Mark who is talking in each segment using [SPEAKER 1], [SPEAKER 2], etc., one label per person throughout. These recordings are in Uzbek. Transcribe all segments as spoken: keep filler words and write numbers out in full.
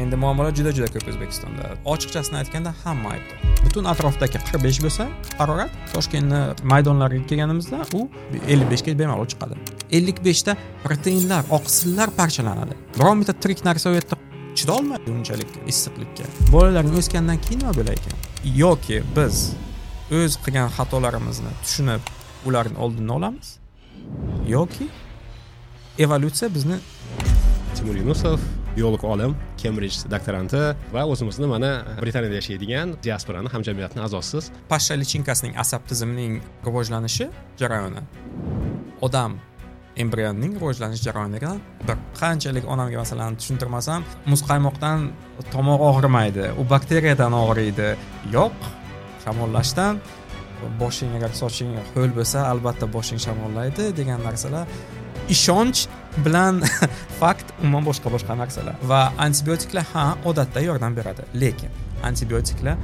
[SPEAKER 1] Endi muammolar juda juda ko'p O'zbekistonda. Ochiqchasini aytganda hamma aybdor. Butun atrofdagi qirq besh bo'lsa harorat, Toshkentni maydonlariga kelganimizda u ellik beshga bemalol chiqadi. ellik beshda proteinlar, oqsillar parchalanadi. Biron bitta tirik narsa u yerda chidolmaydi unchalik issiqlikka. Bolalarning o'sgandan keyin nima bo'lar ekan? Yoki biz o'z qilgan xatolarimizni tushunib, ularning oldini olamiz, yoki evolyutsiya bizni.
[SPEAKER 2] Timur Yunusov, biolog olim, Kembrij doktoranti va o'zimizni mana Britaniyada yashaydigan diasporani hamjamiyatning a'zosiz.
[SPEAKER 1] Pashsha lichinkasining asab tizimining rivojlanishi jarayoni odam embrionning rivojlanish jarayonidan bir. Qanchalik onamga masalan tushuntirmasam, muzqaymoqdan tomoq og'rimaydi, u bakteriyadan og'riydi. Yo'q, shamollashdan boshing agar soching ho'l bo'lsa, albatta boshing shamollaydi degan narsalar ishonch bilan fakt umuman boshqa boshqa narsalar. Va antibiotiklar ha odatda yordam beradi, lekin antibiotiklar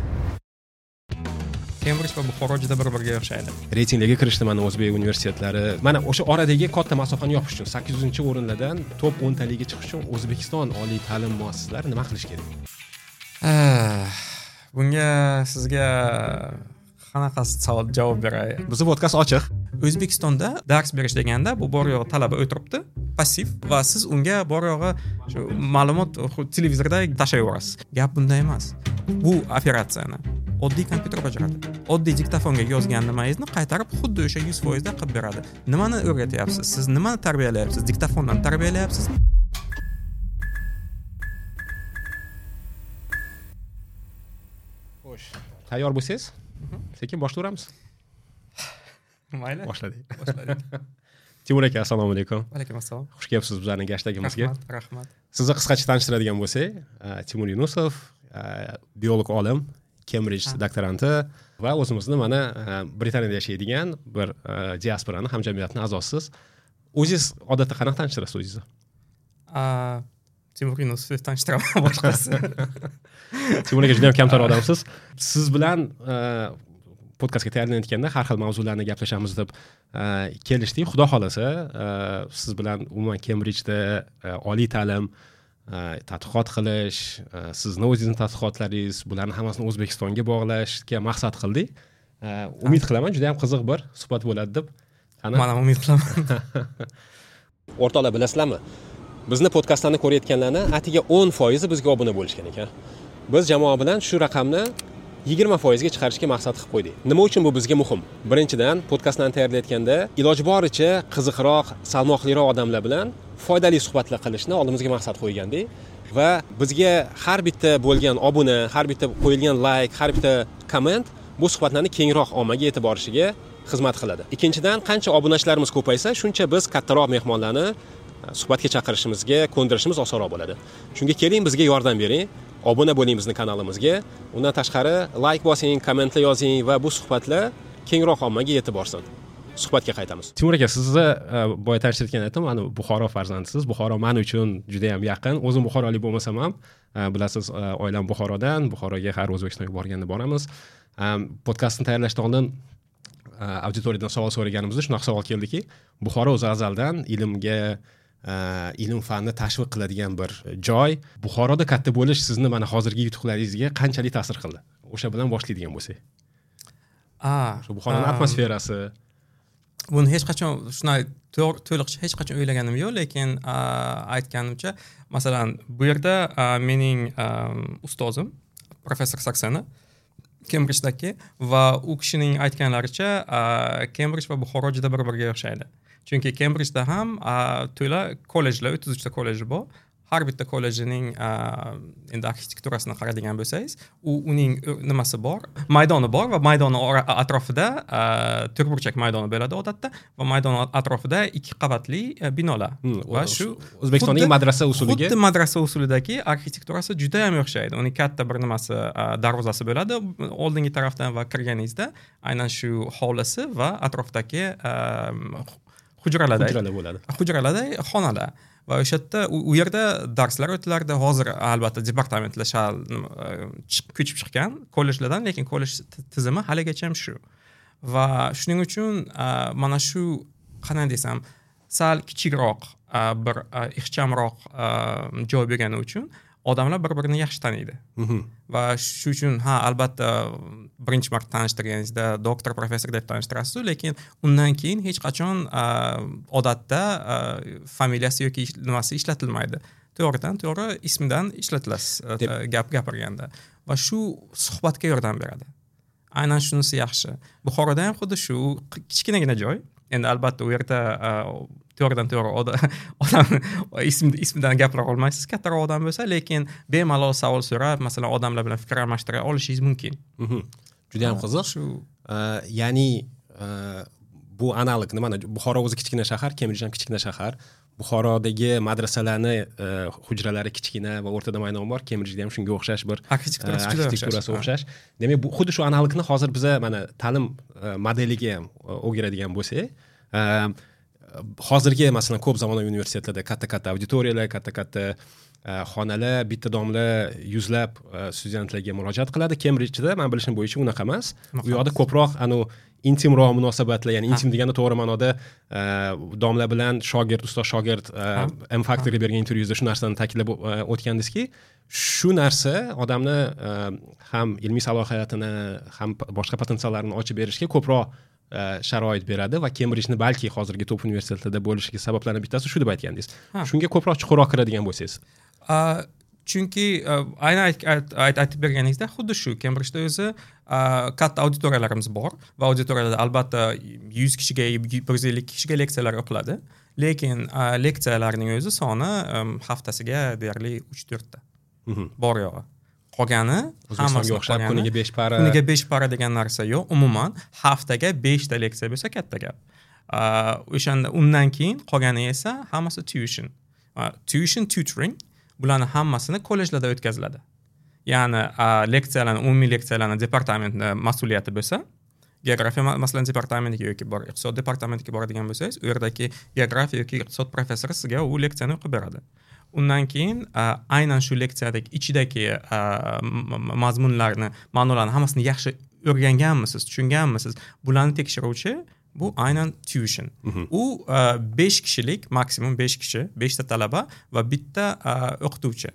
[SPEAKER 1] Kembrij va Buxoro juda bir-biriga o'xshaydi.
[SPEAKER 2] Reytinglarga kirishdi mana o'zbek universitetlari. Mana o'sha oradagi katta masofani yopish uchun sakkiz yuzinchi o'rinlardan top o'ntaligiga chiqish uchun O'zbekiston oliy ta'lim muassasalari nima qilish kerak?
[SPEAKER 1] Bunga sizga qanaqa savol javob beray?
[SPEAKER 2] Bizning podkast ochiq.
[SPEAKER 1] O'zbekistonda dars berish deganda bu bor yo'g'i talaba o'tiribdi, passiv, va siz unga bor yo'g'i shu ma'lumot televizorda tashlab yuborasiz. Gap bunda emas. Bu operatsiyani oddiy kompyuter bajaradi. Oddiy diktofonga yozgan nimangizni qaytarib xuddi o'sha yuz foizda qilib beradi. Nimani o'rgatyapsiz? Siz nimani tarbiyalayapsiz? Diktofondan tarbiyalayapsizmi?
[SPEAKER 2] Xo'sh, tayyor bo'lsangiz, sekin boshlayveramiz.
[SPEAKER 1] Mayli.
[SPEAKER 2] Boshladik.
[SPEAKER 1] Boshladik.
[SPEAKER 2] Timur aka, assalomu alaykum.
[SPEAKER 1] Alaykum assalom.
[SPEAKER 2] Xush kelibsiz bizlarning gashtagimizga.
[SPEAKER 1] Rahmat, rahmat.
[SPEAKER 2] Sizni qisqacha tanishtiradigan bo'lsak, Timur Yunusov, biolog olim, Kembrij doktoranti va o'zimizni mana Britaniyada yashaydigan bir diasporani hamjamiyatning a'zosiz. O'zingiz odatda qanaqa tanishtirasiz o'zingizni?
[SPEAKER 1] Timur Yunusov tanishtiraman, boshqasi.
[SPEAKER 2] Timur aka juda ham kamtar odamsiz. Siz bilan podkastga tayyorlanayotganda har xil mavzularni gaplashamiz deb kelishdik. Xudo xolasa, siz bilan umuman Kembrijda oliy ta'lim, tadqiqot qilish, sizni o'zingizni tadqiqotlaringiz, bularni hammasini O'zbekistonga bog'lashga maqsad qildik. Umid qilaman, juda ham qiziq bir suhbat bo'ladi deb.
[SPEAKER 1] Qani? Men ham umid qilaman.
[SPEAKER 2] O'rtoqlar, bilasizlarmi? Bizni podkastlarni ko'rayotganlarni atiga o'n foizi bizga obuna bo'lishgan ekan. Biz jamoa bilan shu raqamni yigirma foizga chiqarishga maqsad qilib qo'ydik. Nima uchun bu bizga muhim? Birinchidan, podkastlarni tayyorlayotganda iloji boricha qiziqroq, salmoqliroq odamlar bilan foydali suhbatlar qilishni oldimizga maqsad qo'ygandik va bizga har bitta bo'lgan obuna, har bitta qo'yilgan like, har bitta komment bu suhbatlarni kengroq ommaga yetib borishiga xizmat qiladi. Ikkinchidan, qancha obunachilarimiz ko'paysa, shuncha biz kattaroq mehmonlarni suhbatga chaqirishimizga, ko'ndirishimiz osonroq bo'ladi. Shunga keling, bizga yordam bering. Obuna bo'ling bizning kanalimizga. Undan tashqari like bosing, kommentlar yozing va bu suhbatlar kengroq ommaga yetib borsin. Suhbatga qaytamiz. Timur aka, sizni boya tanishtirgan aytdim, mana Buxoro farzandisiz. Buxoro men uchun juda ham yaqin. O'zim buxorolik bo'lmasam ham, bilasiz, oilam Buxorodan. Buxoroga har O'zbekistonga borganda boramiz. Podkastni tayyorlashdan oldin auditoriyadan savol so'raganimizda shunaqa savol keldiki, Buxoro o'zi azaldan ilmga, ilm fanni tashviq qiladigan bir joy. Buxoroda katta bo'lish sizni mana hozirgi yutuqlaringizga qanchalik ta'sir qildi? O'sha bilan boshlaydigan bo'lsak.
[SPEAKER 1] A,
[SPEAKER 2] shu Buxoroning atmosferasi.
[SPEAKER 1] Buni hech qachon shunday to'liqcha hech qachon o'ylaganim yo'q, lekin aytganimcha, masalan, bu yerda mening ustozim professor Saksena Kembrijdagi va u kishining aytganlaricha Kembrij va Buxoro juda bir-biriga o'xshaydi. Chunki Kembrijda ham to'la kollejlar, o'ttiz uchta kolleji bor. Har bitta kollejining endi arxitekturasini qaraydigan bo'lsangiz, u uning nimasi bor, maydoni bor va maydoni atrofida to'rtburchak maydoni bo'ladi odatda va maydon atrofida ikki qavatli binolar.
[SPEAKER 2] Hmm,
[SPEAKER 1] va shu
[SPEAKER 2] O'zbekistondagi madrasa usuliga,
[SPEAKER 1] xuddi madrasa usulidagi arxitekturasi juda ham o'xshaydi. Uning katta bir nimasi, darvozasi bo'ladi oldingi tarafdan va kirganingizda aynan shu hovlisi va atrofdagi hujralarda
[SPEAKER 2] hujralar bo'ladi.
[SPEAKER 1] Hujralarda xonalar. Va o'sha yerda u yerda darslar o'tilardi. Hozir albatta departamentlar shal ko'chib chiqqan kollejlardan, lekin kollej tizimi haligacha ham shu. Va shuning uchun mana shu qanday desam, sal kichikroq bir ixchamroq joy bo'lgani uchun Odamlar bir birini yaxshi taniydi. Va shu uchun ha, albatta birinchi marta tanishtirganingizda doktor, professor deb tanishtirasiz, lekin undan keyin hech qachon odatda familiyasi yoki nimasi ishlatilmaydi. To'g'ridan to'g'ri ismidan ishlatilasiz gap gapirganda. Va shu suhbatga yordam beradi. Aynan shunisi yaxshi. Buxoroda ham xuddi shu kichkinagina joy. Endi albatta u yerda to'g'ridan to'g'ri odam ism ismidan gapira olmaysiz, kattaroq odam bo'lsa, lekin bemalol savol so'rab, masalan, odamlar bilan fikr almashtira olishingiz mumkin.
[SPEAKER 2] Juda ham qiziq. Shu, ya'ni bu analog nimani, Buxoro o'zi kichkina shahar, Kembrij ham kichkina shahar. Buxorodagi madrasalarni hujralari kichkina va o'rtada maydon bor. Kembrijda ham shunga o'xshash bir arxitekturasi o'xshash. Demak, bu xuddi shu analogni hozir biza mana ta'lim modeliga ham o'giradigan bo'lsak, hozirgi masalan ko'p zamonaviy universitetlarda katta-katta auditoriyalar, katta-katta xonalar, bitta domla yuzlab studentlarga murojaat qiladi. Kembrijda men bilishim bo'yicha unaqa emas. U yoqda ko'proq anu intimroq munosabatlar, ya'ni intim deganda to'g'ri ma'noda domla bilan shogird, ustoz shogird, M Factorga bergan intervyuzda shu narsani ta'kidlab o'tgandingizki, shu narsa odamni ham ilmiy salohiyatini, ham boshqa potensiallarini ochib berishga ko'proq sharoit beradi va Kembrijni balki hozirgi top universitetlarda bo'lishiga sabablarning bittasi shu deb aytgandingiz. Shunga ko'proq chuqurroq kiradigan bo'lsangiz.
[SPEAKER 1] Chunki aynan aytib berganingizda xuddi shu Kembrijda o'zi katta auditoriyalarimiz bor va auditoriyalarda albatta yuz kishiga, bir yuz ellik kishiga leksiyalar o'qiladi. Lekin leksiyalarning o'zi soni haftasiga deyarli uch to'rtta. Bor yo'g'i. Qolgani hammasi
[SPEAKER 2] o'xshab kuniga besh para,
[SPEAKER 1] kuniga besh para degan narsa yo'q. Umuman haftaga besh ta leksiya bo'lsa katta gap. O'shanda undan keyin qolgani esa hammasi tuition. Tuition, tutoring, bularni hammasini kollejlarda o'tkaziladi. Ya'ni leksiyalarni, umumiy leksiyalarni departamentning mas'uliyati bo'lsa, geografiya masalan departamentiga yoki bor iqtisod departamentiga boradigan bo'lsangiz, u yerdagi geografiya yoki iqtisod professori sizga u leksiyani o'qib beradi. Undan keyin aynan shu leksiyadagi ichidagi mazmunlarni, ma'nolarni hammasini yaxshi o'rganganmisiz, tushunganmisiz, bularni tekshiruvchi bu aynan tuition. U besh kishilik, maksimum besh kishi, beshta talaba va bitta o'qituvchi.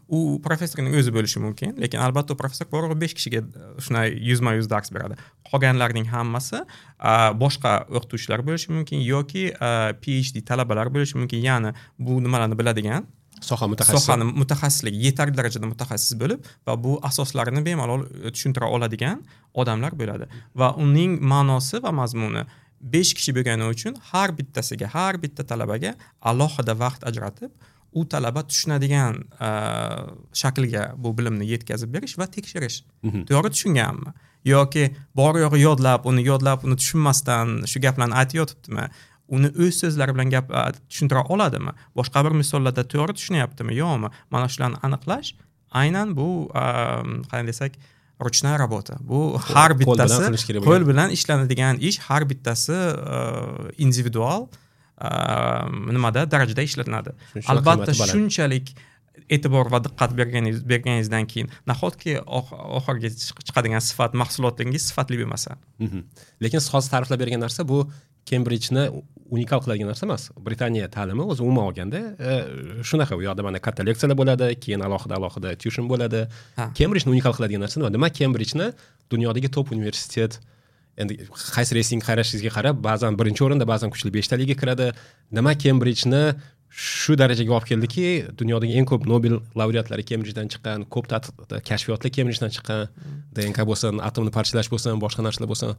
[SPEAKER 1] U professorning o'zi bo'lishi mumkin, lekin albatta u professor borib besh kishiga shunday yuzma-yuz dars beradi. Qolganlarning hammasi boshqa o'qituvchilar bo'lishi mumkin yoki P H D talabalar bo'lishi mumkin. Ya'ni bu nimalarni biladigan
[SPEAKER 2] soha mutaxassisi,
[SPEAKER 1] sohani mutaxassisligi yetarli darajada mutaxassis bo'lib va bu asoslarini bemalol tushuntira oladigan odamlar bo'ladi. Va uning ma'nosi va mazmuni besh kishi bo'lgani uchun har bittasiga, har bitta talabaga alohida vaqt ajratib, u talaba tushunadigan shaklga bu bilimni yetkazib berish va tekshirish. To'g'ri tushunganmi yoki bor yo'g'i yodlab, uni yodlab, uni tushunmasdan shu gaplarni aytib yotibdimi? Uni o'z so'zlari bilan gap tushuntira oladimi? Boshqa bir misollarda to'g'ri tushunyaptimi, yo'qmi? Mana shularni aniqlash aynan bu qanday desak, ручная работа. Bu har bittasi qo'l bilan ishlanadigan ish, har bittasi individual nimada darajada ishlanadi. Albatta shunchalik e'tibor va diqqat berganingiz berganingizdan keyin nahotki oxirgi chiqadigan sifat mahsulotingiz sifatli bo'lmasa.
[SPEAKER 2] Lekin siz hozir ta'riflab bergan narsa bu Kembrijni unikal qiladigan narsa emas. Britaniya ta'limi o'zi umuman olganda shunaqa, u yoqda mana katta leksiyalar bo'ladi, keyin alohida alohida tuition bo'ladi. Kembrijni unikal qiladigan narsa nima? Nima Kembrijni dunyodagi top universitet, endi qaysi reyting qarashingizga qarab, ba'zan birinchi o'rinda, ba'zan kuchli beshtaligiga kiradi. Nima Kembrijni shu darajaga olib keldiki, dunyodagi eng ko'p Nobel laureatlari Kembrijdan chiqqan, ko'p kashfiyotlar Kembrijdan chiqqan, D N K bo'lsin, atomni parchalash bo'lsin, boshqa narsalar bo'lsin.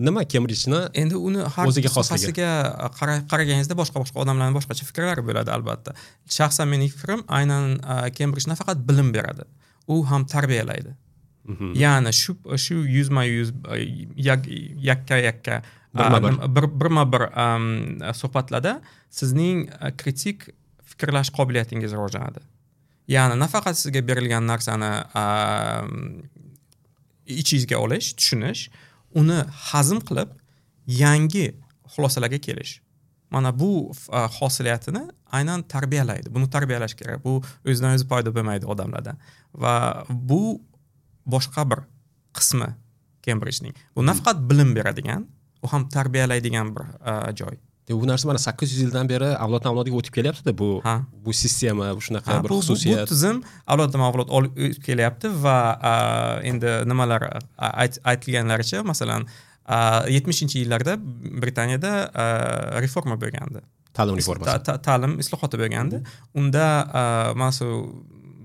[SPEAKER 2] Nima Kembrijni
[SPEAKER 1] endi uni har sohasiga qaraganingizda boshqa-boshqa odamlarning boshqacha fikrlari bo'ladi albatta. Shaxsan mening fikrim aynan Kembrij nafaqat bilim beradi, u ham tarbiyalaydi. Ya'ni shu shu yuzma-yuz yakka-yakka bir birma-bir suhbatlarda sizning kritik fikrlash qobiliyatingiz rivojlanadi. Ya'ni nafaqat sizga berilgan narsani ichingizga olish, tushunish, uni hazm qilib yangi xulosalarga kelish. Mana bu hosiliyatini aynan tarbiyalaydi. Buni tarbiyalash kerak. Bu o'zidan o'zi paydo bo'lmaydi odamlarda. Va bu boshqa bir qismi Kembrijning. Bu nafaqat bilim beradigan, u ham tarbiyalaydigan bir joy.
[SPEAKER 2] Bu narsa mana sakkiz yuz yildan beri avloddan avlodga o'tib kelyapti-da, bu bu sistema, bu shunaqa bir xususiyat.
[SPEAKER 1] Bu tizim avloddan avlod o'tib kelyapti va endi nimalar aytilganlaricha, masalan, yetmishinchi yillarda Britaniyada reforma bo'lgandi.
[SPEAKER 2] Ta'lim reformasi.
[SPEAKER 1] Ta'lim islohoti bo'lgandi. Unda mana shu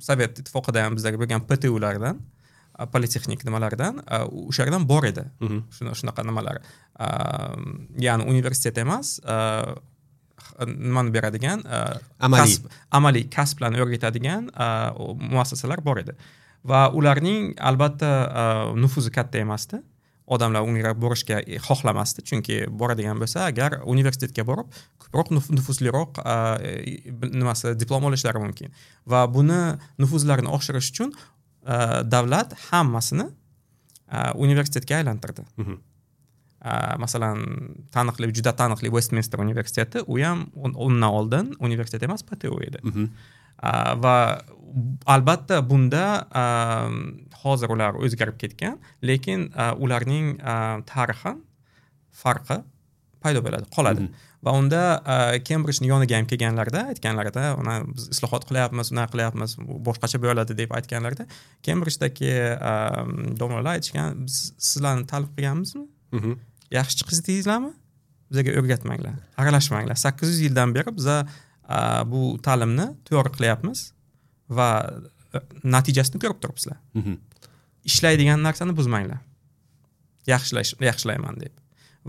[SPEAKER 1] Sovet ittifoqida ham bizdagi bo'lgan P T Ulardan, politexnik nimalardan, o'shalardan bor edi. Shunaqa nimalar. Ya'ni universitet emas, nimani beradigan,
[SPEAKER 2] amaliy
[SPEAKER 1] amaliy kasblarni o'rgatadigan muassasalar bor edi. Va ularning albatta nufuzi katta emasdi. Odamlar unga borishga xohlamasdi, chunki boradigan bo'lsa, agar universitetga borib, ko'proq nufuzliroq nimasi diplom olishlari mumkin. Va buni nufuzlarini oshirish uchun davlat hammasini universitetga aylantirdi. Masalan, taniqli, juda taniqli Westminster universiteti, u ham undan oldin universitet emas, P T U edi. Va albatta bunda hozir ular o'zgarib ketgan, lekin ularning tarixi farqi paydo bo'ladi, qoladi. Va unda Cambridge'ning yoniga ham kelganlarida, aytganlarida, uni biz islohot qilyapmiz, unaqa qilyapmiz, boshqacha bo'ladi deb aytganlarida, Cambridge'dagi domlalar aytishgan, biz sizlarni ta'lim qilganmizmi? Yaxshi chiqdingizlarmi? Bizga o'rgatmanglar, aralashmanglar. sakkiz yuz yildan beri biz bu ta'limni to'g'ri qilyapmiz va natijasini ko'rib turibsizlar. Ishlaydigan narsani buzmanglar. Yaxshilash, yaxshilayman deb.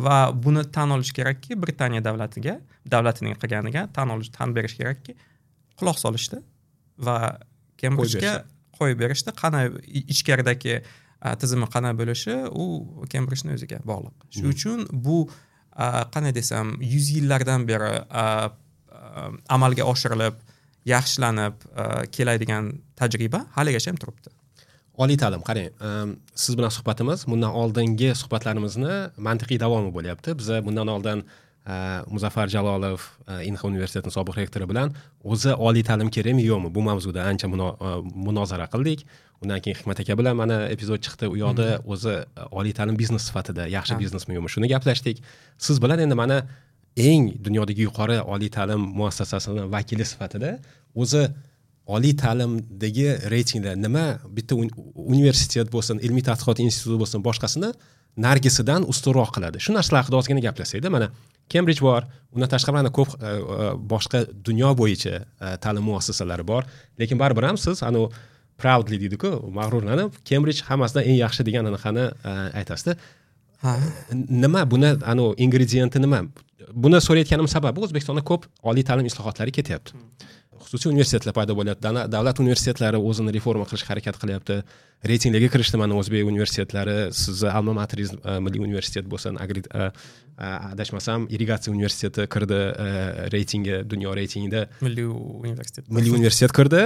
[SPEAKER 1] Va buni tan olish kerakki, Britaniya davlatiga, davlatining qilganiga tan olish, tan berish kerakki, quloq solishdi va Cambridgega qo'yib berishdi. Qanday ichkaridagi tizimi qanday bo'lishi u Cambridgening o'ziga bog'liq. Shuning uchun bu qanday desam, yuz yillardan beri amalga oshirilib, yaxshilanib keladigan tajriba haligacha ham turibdi.
[SPEAKER 2] Oliy ta'lim, qarang, siz bilan suhbatimiz bundan oldingi suhbatlarimizni mantiqiy davomi bo'lyapti. Biz bundan oldin Muzaffar Jalolov, Inha universitetining sobiq rektori bilan o'zi oliy ta'lim kerakmi yo'qmi bu mavzuda ancha munozara qildik. Undan keyin Hikmat aka bilan mana epizod chiqdi. U yoqda o'zi oliy ta'lim biznes sifatida yaxshi biznesmi yo'qmi shuni gaplashdik. Siz bilan endi mana eng dunyodagi yuqori oliy ta'lim muassasasining vakili sifatida o'zi oliy ta'limdagi reytinglar nima, bitta universitet bo'lsin, ilmiy tadqiqot instituti bo'lsin, boshqasini nargisidan ustunroq qiladi. Shu narsalar haqida ozgina gaplashsak-da, mana Cambridge bor, undan tashqari mana ko'p boshqa dunyo bo'yicha ta'lim muassasalari bor, lekin baribir ham siz anu proudly deydi-ku, mag'rurlanib Cambridge hammasidan eng yaxshi degan anaqani aytasizda. Nima buni anu ingredienti nima? Buni so'rayotganim sababi O'zbekistonda ko'p oliy ta'lim islohotlari ketyapti. Xususiy universitetlar paydo bo'lyapti, davlat universitetlari o'zini reforma qilishga harakat qilyapti. Reytinglarga kirishdi mana o'zbek universitetlari, sizni alma materingiz milliy universitet bo'lsin, adashmasam irrigatsiya universiteti kirdi reytingga, dunyo reytingida.
[SPEAKER 1] Milliy universitet.
[SPEAKER 2] Milliy universitet kirdi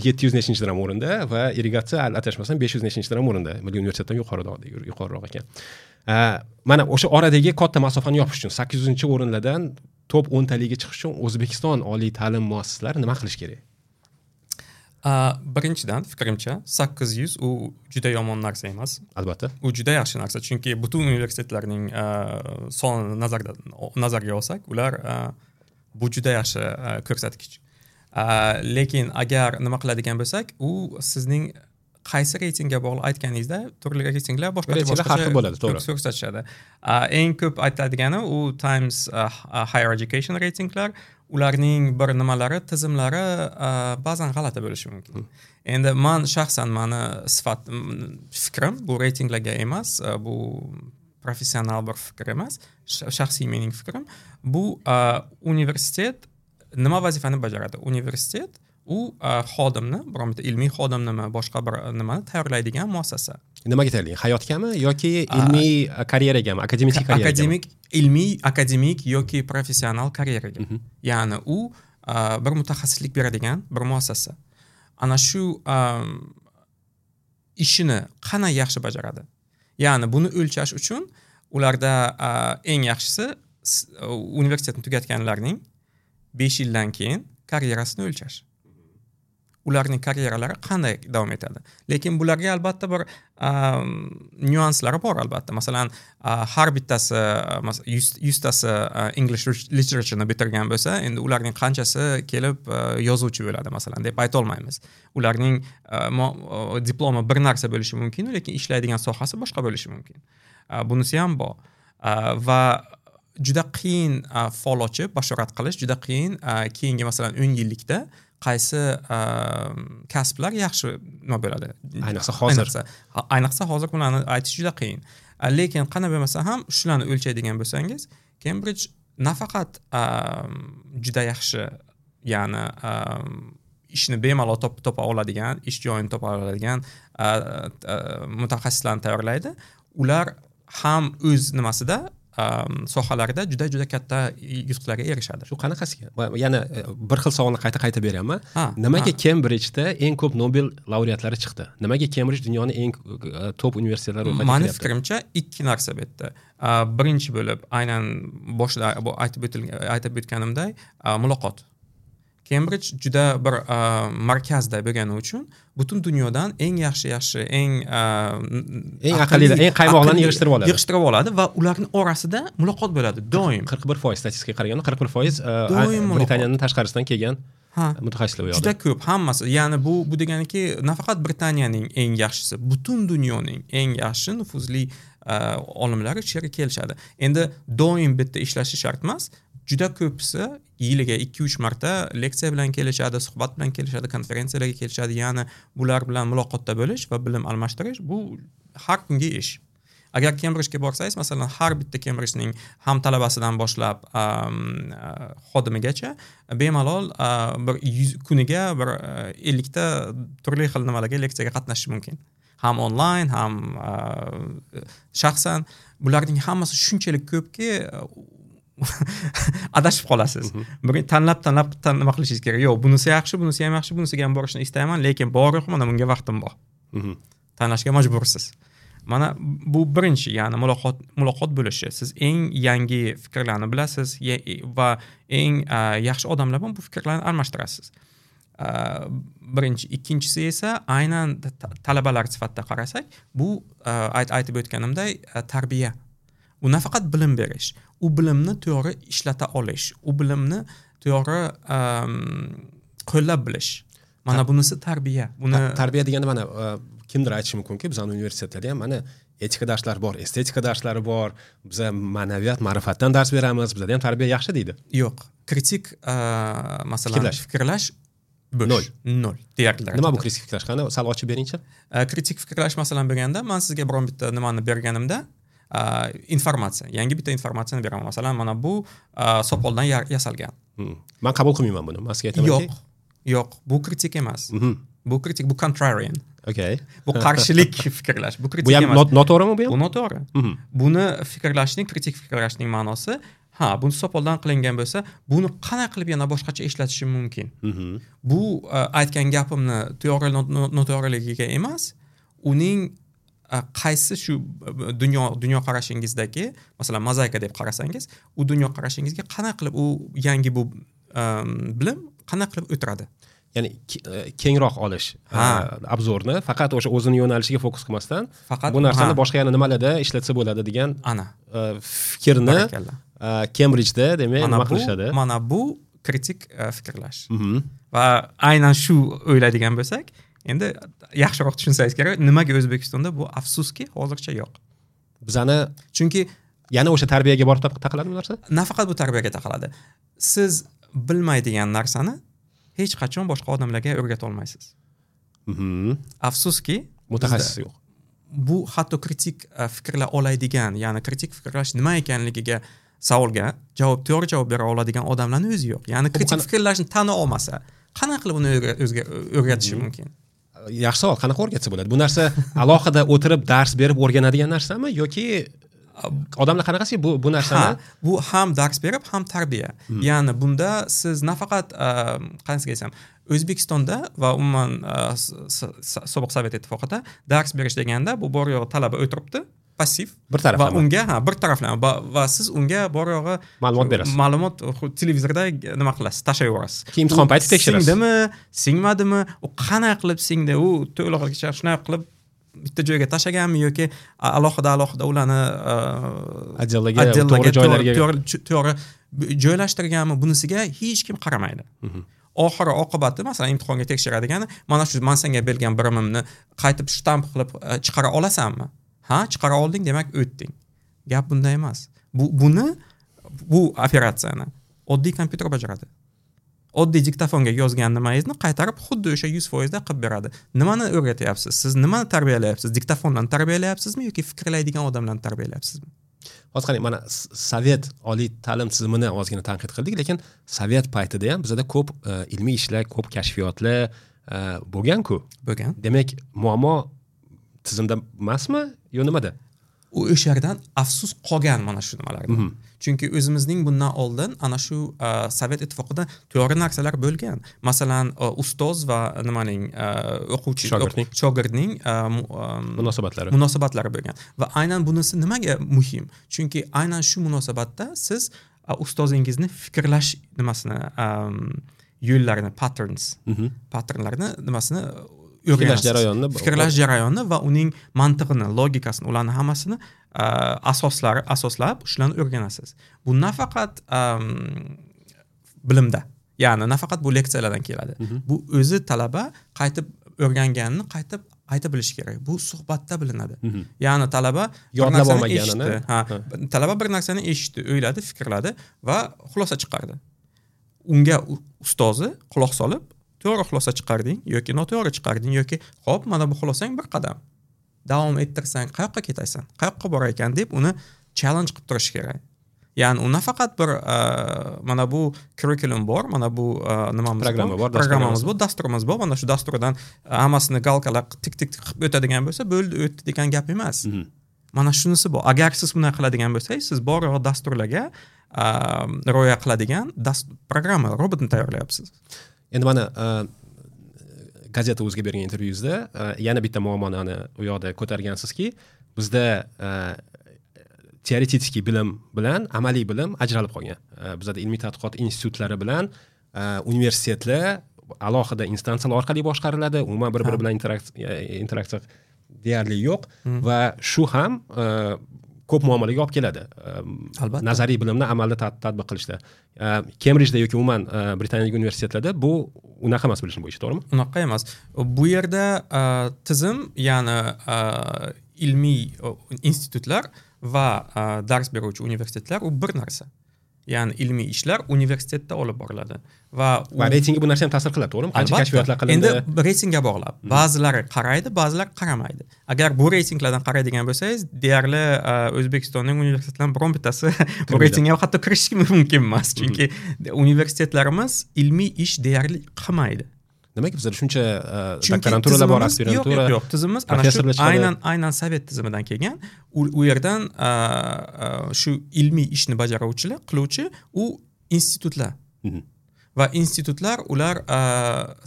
[SPEAKER 2] yetti yuz nechinchi o'rinda va irrigatsiya adashmasam besh yuz nechinchi o'rinda. Milliy universitetdan yuqoriroq, yuqoriroq ekan. Mana o'sha oradagi katta masofani yopish uchun sakkiz yuzinchi o'rinlardan top o'ntaligiga chiqish uchun O'zbekiston oliy ta'lim muassasalari nima qilish kerak?
[SPEAKER 1] Birinchidan, fikrimcha, sakkiz yuz u juda yomon narsa emas.
[SPEAKER 2] Albatta.
[SPEAKER 1] U juda yaxshi narsa, chunki butun universitetlarning sonini nazarda nazarga olsak, ular bu juda yaxshi ko'rsatkich. Lekin agar nima qiladigan bo'lsak, u sizning qaysi reytingga bog'liq aytganingizda turli reytinglar boshqacha boshqacha
[SPEAKER 2] har xil bo'ladi, to'g'ri.
[SPEAKER 1] Ko'rsatishadi. Eng ko'p aytiladigani u Times Higher Education reytinglar. Ularning bir nimalari, tizimlari ba'zan g'alati bo'lishi mumkin. Endi men shaxsan meni sifat fikrim bu reytinglarga emas, bu professional bir fikr emas, shaxsiy mening fikrim. Bu universitet nima vazifani bajaradi? Universitet u xodimni, biron bitta ilmiy xodimnimi, boshqa bir nimani tayyorlaydigan muassasa.
[SPEAKER 2] Nimaga tayyorlaydi? Hayotgami yoki ilmiy karyeragami, akademik karyeragami?
[SPEAKER 1] Akademik, ilmiy, akademik yoki professional karyeraga. Ya'ni u bir mutaxassislik beradigan bir muassasa. Ana shu ishini qanday yaxshi bajaradi? Ya'ni buni o'lchash uchun ularda eng yaxshisi universitetni tugatganlarning besh yildan keyin karyerasini o'lchash. ularning karyeralari qanday davom etadi. Lekin bularga albatta bir nyuanslari bor albatta. Masalan, har bittasi yuztasi English literature'ni bitirgan bo'lsa, endi ularning qanchasi kelib yozuvchi bo'ladi masalan deb ayta olmaymiz. Ularning diplomi bir narsa bo'lishi mumkin, lekin ishlaydigan sohasi boshqa bo'lishi mumkin. Bunisi ham bor. Va juda qiyin fol ochib bashorat qilish, juda qiyin keyingi masalan o'n yillikda qaysi kasblar yaxshi nima bo'ladi.
[SPEAKER 2] Ayniqsa hozir.
[SPEAKER 1] Ayniqsa hozir bularni aytish juda qiyin. Lekin qanday bo'lmasa ham shularni o'lchaydigan bo'lsangiz, Cambridge nafaqat juda yaxshi, ya'ni ishni bemalol topa oladigan, ish joyini topa oladigan mutaxassislarni tayyorlaydi. Ular ham o'z nimasida sohalarida juda juda katta yutuqlarga erishadi.
[SPEAKER 2] Shu qanaqasiga? Yana bir xil savolni qayta-qayta beryapman. Nimaga Cambridge'da eng ko'p Nobel laureatlari chiqdi? Nimaga Cambridge dunyoning eng top universitetlari ro'yxatiga
[SPEAKER 1] kiryapti? Meni fikrimcha ikki narsa bu yerda. Birinchi bo'lib, aynan boshida aytib o'tilgan, aytib o'tganimday, muloqot. Cambridge juda bir markazda bo'lgani uchun butun dunyodan eng yaxshi-yaxshi, eng
[SPEAKER 2] eng aqlli, eng qaymoqlarni yig'ishtirib oladi.
[SPEAKER 1] Yig'ishtirib oladi va ularning orasida muloqot bo'ladi doim.
[SPEAKER 2] qirq bir foiz statistikaga qaraganda qirq bir foiz Britaniyaning tashqarisidan kelgan mutaxassislar u yoqda.
[SPEAKER 1] Juda ko'p hammasi. Ya'ni bu bu deganiki nafaqat Britaniyaning eng yaxshisi, butun dunyoning eng yaxshi nufuzli olimlari shu yerga kelishadi. Endi doim bitta ishlashi shart emas. Juda ko'pisi yiliga ikki uch marta leksiya bilan kelishadi, suhbat bilan kelishadi, konferensiyalarga kelishadi. Ya'ni bular bilan muloqotda bo'lish va bilim almashtirish bu har kungi ish. Agar Cambridgega borsangiz, masalan, har bitta Cambridgening ham talabasidan boshlab xodimigacha bemalol bir yuz kuniga bir ellikta turli xil nimalarga leksiyaga qatnashish mumkin. Ham onlayn, ham shaxsan. Bularning hammasi shunchalik ko'pki, adashib qolasiz. Bir tanlab tanlab nima qilishingiz kerak. Yo'q, bunisi yaxshi, bunisi ham yaxshi, bunisiga ham borishni istayman, lekin bor yo'q, mana bunga vaqtim bor. Tanlashga majbursiz. Mana bu birinchi, ya'ni muloqot muloqot bo'lishi. Siz eng yangi fikrlarni bilasiz va eng yaxshi odamlar bilan bu fikrlarni almashtirasiz. Birinchi, ikkinchisi esa aynan talabalar sifatida qarasak, bu aytib o'tganimday tarbiya. U nafaqat bilim berish, u bilimni to'g'ri ishlata olish, u bilimni to'g'ri qo'llab bilish. Mana bunisi tarbiya. Buni
[SPEAKER 2] tarbiya deganda mana kimdir aytishi mumkinki, bizning universitetlarda ham mana etika darslari bor, estetika darslari bor, biz ma'naviyat, ma'rifatdan dars beramiz, bizda ham tarbiya yaxshi deydi.
[SPEAKER 1] Yo'q, kritik masalan fikrlash
[SPEAKER 2] nol.
[SPEAKER 1] Nol deyarli.
[SPEAKER 2] Nima bu kritik fikrlash? Qani sal ochib beringchi.
[SPEAKER 1] Kritik fikrlash masalan berganda, men sizga biron bitta nimani berganimda informatsiya, yangi bitta informatsiyani beraman. Masalan, mana bu sopoldan yasalgan.
[SPEAKER 2] Men qabul qilmayman buni. Men sizga aytamanki,
[SPEAKER 1] yo'q, yo'q, bu kritik emas. Bu kritik, bu contrarian.
[SPEAKER 2] Okay.
[SPEAKER 1] Bu qarshilik fikrlash, bu kritik emas.
[SPEAKER 2] Bu ham noto'g'rimi bu ham?
[SPEAKER 1] Bu noto'g'ri. Buni fikrlashning, kritik fikrlashning ma'nosi, ha, buni sopoldan qilingan bo'lsa, buni qanday qilib yana boshqacha ishlatishim mumkin? Bu aytgan gapimni to'g'ri noto'g'riligiga emas, uning qaysi shu dunyo dunyoqarashingizdagi, masalan, mozaika deb qarasangiz, u dunyoqarashingizga qanday qilib u yangi bu bilim qanday qilib o'tiradi?
[SPEAKER 2] Ya'ni kengroq olish obzorni, faqat o'sha o'zini yo'nalishiga fokus qilmasdan,
[SPEAKER 1] faqat
[SPEAKER 2] bu narsani boshqa yana nimalarda ishlatsa bo'ladi degan
[SPEAKER 1] ana
[SPEAKER 2] fikrni Cambridge'da demak nima qilishadi?
[SPEAKER 1] Mana bu kritik fikrlash. Va aynan shu o'ylaydigan bo'lsak, endi yaxshiroq tushunsangiz kerak, nimaga O'zbekistonda bu afsuski hozircha yo'q.
[SPEAKER 2] Bizani
[SPEAKER 1] chunki
[SPEAKER 2] yana o'sha tarbiyaga borib taqaladi bu narsa?
[SPEAKER 1] Nafaqat bu tarbiyaga taqaladi. Siz bilmaydigan narsani hech qachon boshqa odamlarga o'rgata olmaysiz.
[SPEAKER 2] Mhm.
[SPEAKER 1] Afsuski,
[SPEAKER 2] mutaxassis yo'q.
[SPEAKER 1] Bu hatto kritik fikrla oladigan, ya'ni kritik fikrlash nima ekanligiga savolga javob, to'g'ri javob bera oladigan odamlarning o'zi yo'q. Ya'ni kritik fikrlashni tana olmasa, qanday qilib uni o'zga o'rgatishi mumkin?
[SPEAKER 2] Yaxshi savol, qanaqa o'rgatsa bo'ladi? Bu narsa alohida o'tirib dars berib o'rganadigan narsami yoki odamlar qanaqasi bu bu narsani?
[SPEAKER 1] Ha, bu ham dars berib, ham tarbiya.
[SPEAKER 2] Hmm.
[SPEAKER 1] Ya'ni bunda siz nafaqat qanday desam, O'zbekistonda va umuman sobiq Sovet ittifoqida dars berish deganda bu bor yo'q talaba o'tiribdi passiv
[SPEAKER 2] bir taraflama
[SPEAKER 1] va unga ha bir taraflama va, va siz unga bor yo'g'i
[SPEAKER 2] ma'lumot berasiz.
[SPEAKER 1] Ma'lumot televizorda nima qilasiz, tashlab yuborasiz.
[SPEAKER 2] Keyin imtihon payti tekshirasiz.
[SPEAKER 1] Singdimi, singmadimi, u qanday qilib singdi, u to'lig'icha shunday qilib bitta joyga tashlaganmi yoki alohida alohida ularni
[SPEAKER 2] отделlarga to'g'ri joylarga
[SPEAKER 1] to'g'ri joylashtirganmi, bunisiga hech kim qaramaydi. Oxiri oqibati masalan imtihonga tekshiradegani mana shu man senga bergan bilimimni qaytib shtamp qilib chiqara olasanmi? Ha, chiqara olding, demak o'tding. Gap bunda emas. Bu buni bu operatsiyani oddiy kompyuter bajaradi. Oddiy diktofonga yozgan nimangizni qaytarib xuddi o'sha yuz foiz da qilib beradi. Nimani o'rgatyapsiz? Siz nimani tarbiyalayapsiz? Diktofondan tarbiyalayapsizmi yoki fikrlaydigan odamlarni tarbiyalayapsizmi?
[SPEAKER 2] Hozir qarang, mana sovet oliy ta'lim tizimini ozgina tanqid qildik, lekin sovet paytida ham bizda ko'p e, ilmiy ishlar, ko'p kashfiyotlar e, bo'lgan-ku.
[SPEAKER 1] Bo'lgan.
[SPEAKER 2] Demak, muammo tizimda emasmi yo nimada?
[SPEAKER 1] U o'sha yerdan afsus qolgan mana shu nimalarda. Mm -hmm. Chunki o'zimizning bundan oldin ana shu uh, Sovet ittifoqida to'g'ri narsalar bo'lgan. Masalan, uh, ustoz va nimaning uh, o'quvchi
[SPEAKER 2] shogirdning
[SPEAKER 1] shogirdning uh,
[SPEAKER 2] munosabatlari
[SPEAKER 1] munosabatlari bo'lgan. Va aynan bunisi nimaga muhim? Chunki aynan shu munosabatda siz uh, ustozingizni fikrlash nimasini um, yo'llarini, patterns,
[SPEAKER 2] mm -hmm.
[SPEAKER 1] patternlarni nimasini
[SPEAKER 2] fikrlash jarayonini,
[SPEAKER 1] fikrlash jarayonini va uning mantig'ini, logikasini, ularni hammasini asoslari asoslab shularni o'rganasiz. Bu nafaqat um, bilimda, ya'ni nafaqat bu leksiyalardan keladi.
[SPEAKER 2] Mm -hmm.
[SPEAKER 1] Bu o'zi talaba qaytib o'rganganini qaytib ayta bilishi kerak. Bu suhbatda bilinadi.
[SPEAKER 2] Mm -hmm.
[SPEAKER 1] Ya'ni talaba
[SPEAKER 2] yodlab olmaganini,
[SPEAKER 1] ha, talaba bir narsani eshitdi, o'yladi, fikrladi va xulosa chiqardi. Unga ustozi quloq solib to'g'ri xulosa chiqarding yoki noto'g'ri chiqarding yoki xo'p, mana bu xulosang bir qadam davom ettirsang qayoqqa ketasan, qayoqqa borar ekan deb uni challenge qilib turish kerak. Ya'ni u nafaqat bir mana bu curriculum bor, mana bu nimamiz
[SPEAKER 2] programma bor,
[SPEAKER 1] programmamiz bor, dasturimiz bor, mana shu dasturdan hammasini galkalar tik tik qilib o'tadigan bo'lsa, bo'ldi, o'tdi degan gap emas.
[SPEAKER 2] Mm -hmm.
[SPEAKER 1] Mana shunisi bor. Agar siz bunday qiladigan bo'lsangiz, siz bor yo'q dasturlarga rioya qiladigan programma, robotni tayyorlayapsiz.
[SPEAKER 2] Endi mana gazeta o'ziga bergan intervyuzda yana bitta muammoni u yoqda ko'targansizki, bizda teoretik bilim bilan amaliy bilim ajralib qolgan. Bizda ilmiy tadqiqot institutlari bilan universitetlar alohida instansiyalar orqali boshqariladi, umuman bir-biri bilan interaksiya interaksiya deyarli yo'q va shu ham ko'p muammolarga olib keladi.
[SPEAKER 1] Albatta.
[SPEAKER 2] Nazariy bilimni amalda tatbiq qilishda. Kembridjda yoki umuman Britaniyadagi universitetlarda bu unaqa emas bilishim bo'yicha, to'g'rimi?
[SPEAKER 1] Unaqa emas. Bu yerda tizim, ya'ni ilmiy institutlar va dars beruvchi universitetlar u bir narsa. Ya'ni ilmiy ishlar universitetda olib boriladi va
[SPEAKER 2] va reytingga bu narsa ham ta'sir qiladi, to'g'rimi? Qancha kashfiyotlar qilindi?
[SPEAKER 1] Endi reytingga bog'lab. Ba'zilari qaraydi, ba'zilari qaramaydi. Agar bu reytinglardan qaraydigan bo'lsangiz, deyarli O'zbekistonning universitetlarining biron bittasi bu reytingga hatto kirishi mumkin emas, chunki universitetlarimiz ilmiy ish deyarli qilmaydi.
[SPEAKER 2] Demak, bizda shuncha doktoranturalar bor, aspirantura.
[SPEAKER 1] Yo'q, yo'q, tizimimiz ana shu aynan aynan sovet tizimidan kelgan. U, u yerdan shu ilmiy ishni bajaruvchilar, qiluvchi u institutlar. Va institutlar ular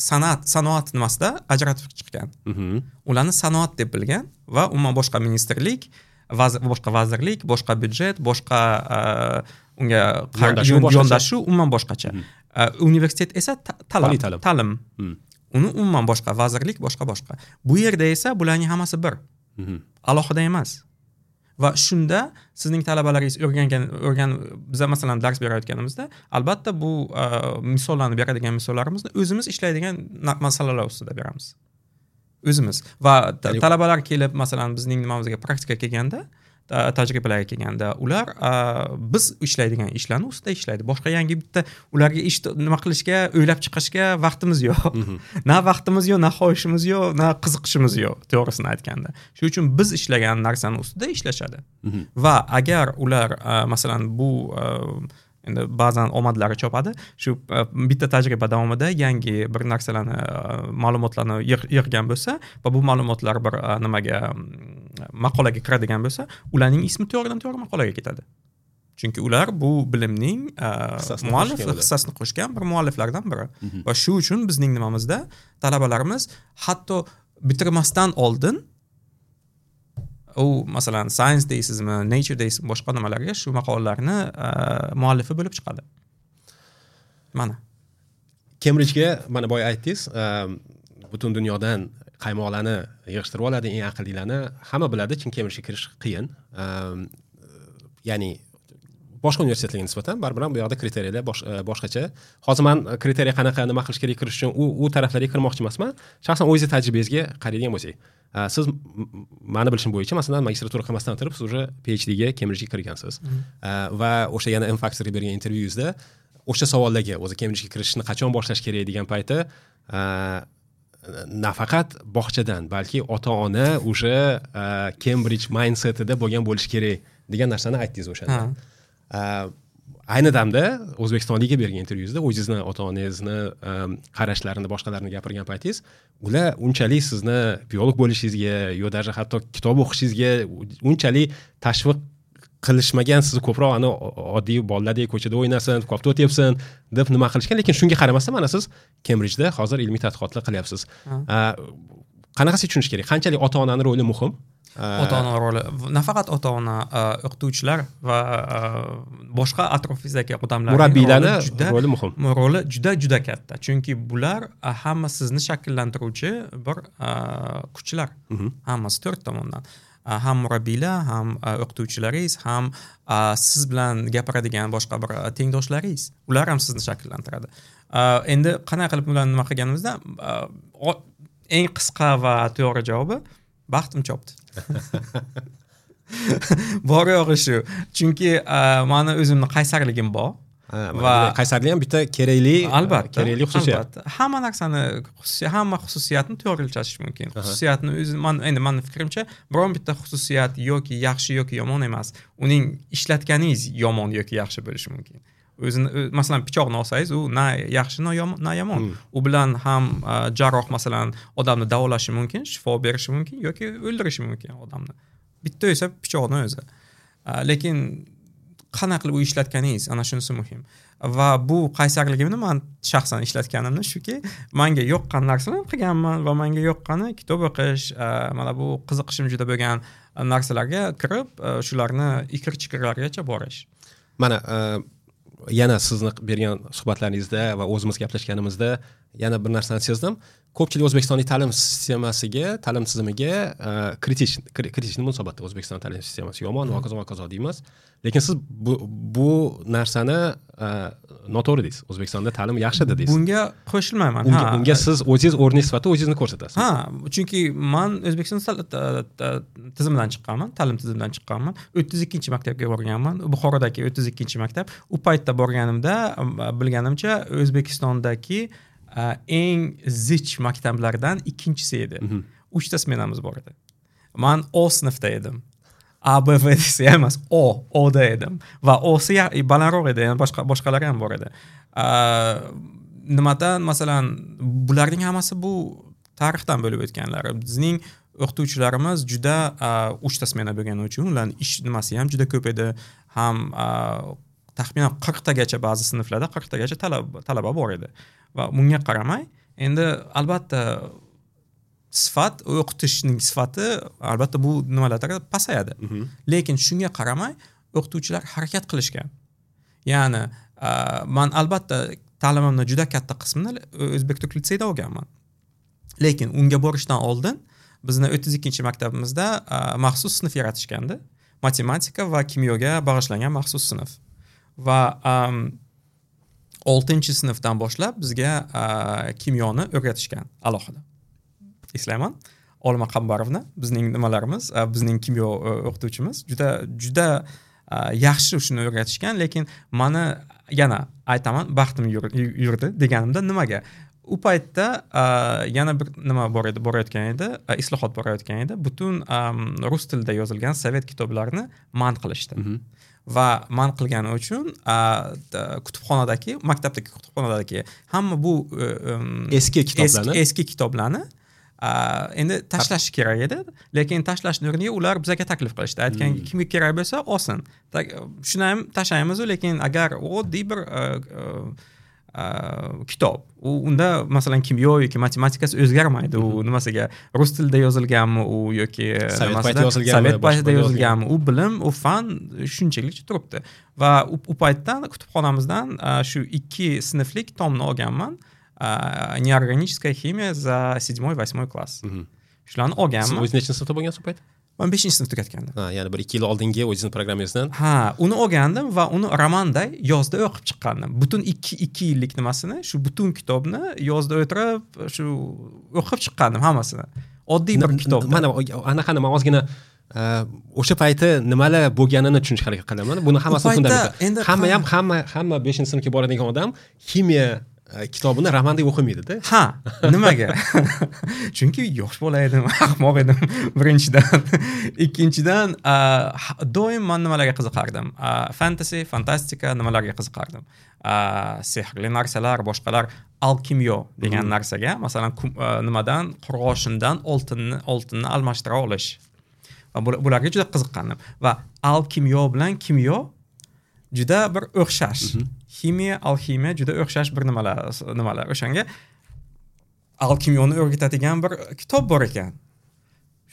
[SPEAKER 1] san'at, sanoat nimasida ajratib chiqqan. Ularni sanoat deb bilgan va umuman boshqa ministrlik, boshqa vazirlik, boshqa byudjet, boshqa unga yondashuv umuman boshqacha. Universitet esa ta'lim, ta'lim. Uni umuman boshqa vazirlik, boshqa boshqa. Bu yerda esa bularning hammasi bir. Alohida emas. Va shunda sizning talabalaringiz o'rgangan o'rgan biza masalan dars berayotganimizda albatta bu misollarni beradigan misollarimizni o'zimiz ishlaydigan masalalar ustida beramiz. O'zimiz va talabalar kelib masalan bizning nimamizga praktika kelganda, tajribalarga kelganda ular biz ishlaydigan ishlarni ustida ishlaydi. Boshqa yangi bitta ularga ish nima qilishga, o'ylab chiqishga vaqtimiz yo'q. Na vaqtimiz yo'q, na xohishimiz yo'q, na qiziqishimiz yo'q, to'g'risini aytganda. Shuning uchun biz ishlagan narsani ustida ishlashadi. Va agar ular masalan bu endi ba'zan omadlari chopadi, shu bitta tajriba davomida yangi bir narsalarni, ma'lumotlarni yig'gan bo'lsa va bu ma'lumotlar bir nimaga maqolaga kiradigan bo'lsa, ularning ismi to'g'ridan to'g'ri maqolaga ketadi. Chunki ular bu bilimning muallif hissasini qo'shgan bir mualliflardan biri. Va shu uchun bizning nimamizda talabalarimiz hatto bitirmasdan oldin U masalan Science deysizmi, Nature deysizmi, boshqa nimalarga shu maqolalarni muallifi bo'lib chiqadi. Mana
[SPEAKER 2] Cambridgega mana boya aytdingiz, butun dunyodan qaymoqlarni yig'ishtirib oladi, eng aqllilarni hamma biladi, chunki Cambridgega kirish qiyin. Ya'ni boshqa universitetlarga nisbatan baribir ham bu yoqda kriteriyalar boshqacha. Hozir men kriteriya qanaqa, nima qilish kerak kirish uchun u u taraflarga kirmoqchi emasman. Shaxsan o'zingiz tajribangizga qaraydigan bo'lsak, siz meni bilishim bo'yicha, masalan, magistratura qilmasdan turib siz уже P H D ga Cambridgega kirgansiz. Va o'sha yana M Factorga bergan intervyuyingizda o'sha savollarga, o'zi Cambridgega kirishni qachon boshlash kerak degan payti nafaqat bog'chadan, balki ota-ona уже Cambridge mindsetida bo'lgan bo'lish kerak degan narsani aytdingiz o'shanda. Ayni damda O'zbekistonlikka bergan intervyuyingizda o'zingizni ota-onangizni qarashlarini, boshqalarini gapirgan paytingiz, ular unchalik sizni biolog bo'lishingizga yo даже hatto kitob o'qishingizga unchalik tashviq qilishmagan, sizni ko'proq ana oddiy bolalardek ko'chada o'ynasin, kofta o'tyapsin deb nima qilishgan, lekin shunga qaramasdan mana siz Cambridgeda hozir ilmiy tadqiqotlar qilyapsiz. Qanaqasi tushunish kerak? Qanchalik ota-onaning roli muhim?
[SPEAKER 1] Ota-ona roli, nafaqat ota-ona, o'qituvchilar va boshqa atrofingizdagi odamlarning
[SPEAKER 2] murabbiylarning roli muhim.
[SPEAKER 1] Roli juda juda katta. Chunki bular hamma sizni shakllantiruvchi bir kuchlar. Hammasi to'rt tomondan. Ham murabbiylar, ham o'qituvchilaringiz, ham siz bilan gapiradigan boshqa bir tengdoshlaringiz, ular ham sizni shakllantiradi. Endi qanday qilib ularni nima qilganimizda eng qisqa va to'g'ri javobi baxtim chopdi. Bor yo'g'i shu. Chunki meni o'zimni qaysarligim bor.
[SPEAKER 2] Va qaysarlik ham bitta kerakli,
[SPEAKER 1] albatta,
[SPEAKER 2] kerakli xususiyat.
[SPEAKER 1] Albatta. Hamma narsani, hamma xususiyatni to'g'rilashish mumkin. Xususiyatni o'zi, man endi meni fikrimcha, biron bitta xususiyat yoki yaxshi yoki yomon emas. Uning ishlatganingiz yomon yoki yaxshi bo'lishi mumkin. O'zini, masalan, pichoqni olsangiz, u na yaxshi, na yomon, na yomon. U bilan ham jarroh masalan odamni davolashi mumkin, shifo berishi mumkin yoki o'ldirishi mumkin odamni. Bitta esa pichoqni o'zi. Lekin qanaqa qilib u ishlatganingiz, ana shunisi muhim. Va bu qaysarligimni men shaxsan ishlatganimni shuki, menga yoqqan narsani qilganman va menga yoqqani kitob o'qish, mana bu qiziqishim juda bo'lgan narsalarga kirib, shularni ikir-chikirlargacha borish.
[SPEAKER 2] Mana yana sizni bergan suhbatlaringizda va o'zimiz gaplashganimizda yana bir narsani sezdim. Ko'pchilik O'zbekistonning ta'lim sistemasiga, ta'lim tizimiga kritik kritik munosabatda. O'zbekiston ta'lim sistemasi yomon va hokazo va hokazo deymiz. Lekin siz bu, bu narsani noto'g'ri deysiz. O'zbekistonda ta'lim yaxshi deysiz.
[SPEAKER 1] Bunga qo'shilmayman.
[SPEAKER 2] Unga, unga siz o'zingiz o'rningiz sifatida o'zingizni ko'rsatasiz.
[SPEAKER 1] Ha, chunki men O'zbekiston tizimidan chiqqanman, ta'lim tizimidan chiqqanman. o'ttiz ikkinchi maktabga borganman. Buxorodagi o'ttiz ikkinchi maktab. U paytda borganimda bilganimcha O'zbekistondagi eng zich maktablardan ikkinchisi edi. Uchta smenamiz bor edi. Men O sinfda edim. A, B, V desa emas, O, O'da edim. Va O'si balandroq edi, ya'ni boshqa boshqalari ham bor edi. Nimadan, masalan, bularning hammasi bu tarixdan bo'lib o'tganlari. Bizning o'qituvchilarimiz juda uchta smena bo'lgani uchun ularning ish nimasi ham juda ko'p edi. Ham taxminan qirqtagacha ba'zi sinflarda qirqtagacha talaba talaba bor edi. Va bunga qaramay, endi albatta sifat, o'qitishning sifati albatta bu nimalarda pasayadi. Lekin shunga qaramay o'qituvchilar harakat qilishgan. Ya'ni men albatta ta'limimni juda katta qismini O'zbek Turk litseyda olganman. Lekin unga borishdan oldin bizni o'ttiz ikkinchi maktabimizda maxsus sinf yaratishgandi. Matematika va kimyoga bag'ishlangan maxsus sinf. Va oltinchi sinfdan boshlab bizga kimyoni o'rgatishgan alohida. Eslayman, Olma Qambarovna bizning nimalarimiz, bizning kimyo o'qituvchimiz juda juda yaxshi shuni o'rgatishgan, lekin meni yana aytaman, baxtim yurdi deganimda nimaga? U paytda yana bir nima bor edi, borayotgan edi, islohot borayotgan edi. Butun rus tilida yozilgan sovet kitoblarini man qilishdi. Va man qilgani uchun kutubxonadagi, maktabdagi kutubxonadagi hamma bu
[SPEAKER 2] eski kitoblarni,
[SPEAKER 1] eski kitoblarni endi tashlash kerak edi, lekin tashlashni o'rniga ular bizga taklif qilishdi. Aytgan, kimga kerak bo'lsa olsin. Shuni ham tashlaymiz, lekin agar oddiy bir kitob. U unda masalan kimyo yoki matematikasi o'zgarmaydi. U nimasiga rus tilida yozilganmi u yoki
[SPEAKER 2] sovet paytida yozilganmi,
[SPEAKER 1] sovet paytida yozilganmi, u bilim, u fan shunchaligicha turibdi. Va u paytdan kutubxonamizdan shu ikki sinflik tomni olganman. Неорганическая химия за седьмой восьмой класс. Shularni olganman.
[SPEAKER 2] Siz o'zingiz nechinchi sinfda bo'lgansiz u payt?
[SPEAKER 1] Man beshinchi sinf tugatgandim.
[SPEAKER 2] Ha, ya'ni bir ikki yil oldingi o'zingizni programmangizdan.
[SPEAKER 1] Ha, uni olgandim va uni romanday yozda o'qib chiqqandim. Butun ikki ikki yillik nimasini, shu butun kitobni yozda o'tirib, shu o'qib chiqqandim hammasini. Oddiy bir kitob.
[SPEAKER 2] Mana anaqani men ozgina o'sha payti nimalar bo'lganini tushunishga harakat qilaman. Buni hammasi fundament. Hamma ham hamma hamma beshinchi sinfga boradigan odam ximiya kitobini romandek o'qimaydi-da.
[SPEAKER 1] Ha, nimaga? Chunki yosh bola edim, ahmoq edim birinchidan. Ikkinchidan, doim men nimalarga qiziqardim? Fantasy, fantastika nimalarga qiziqardim? Sehrli narsalar, boshqalar, alkimyo degan narsaga, masalan, nimadan, qurg'oshindan oltinni oltinni almashtira olish. Va bularga juda qiziqqandim. Va alkimyo bilan kimyo juda bir o'xshash. Ximiya, alximiya juda o'xshash bir nimalar, nimalar. O'shanga alkimyoni o'rgatadigan bir kitob bor ekan.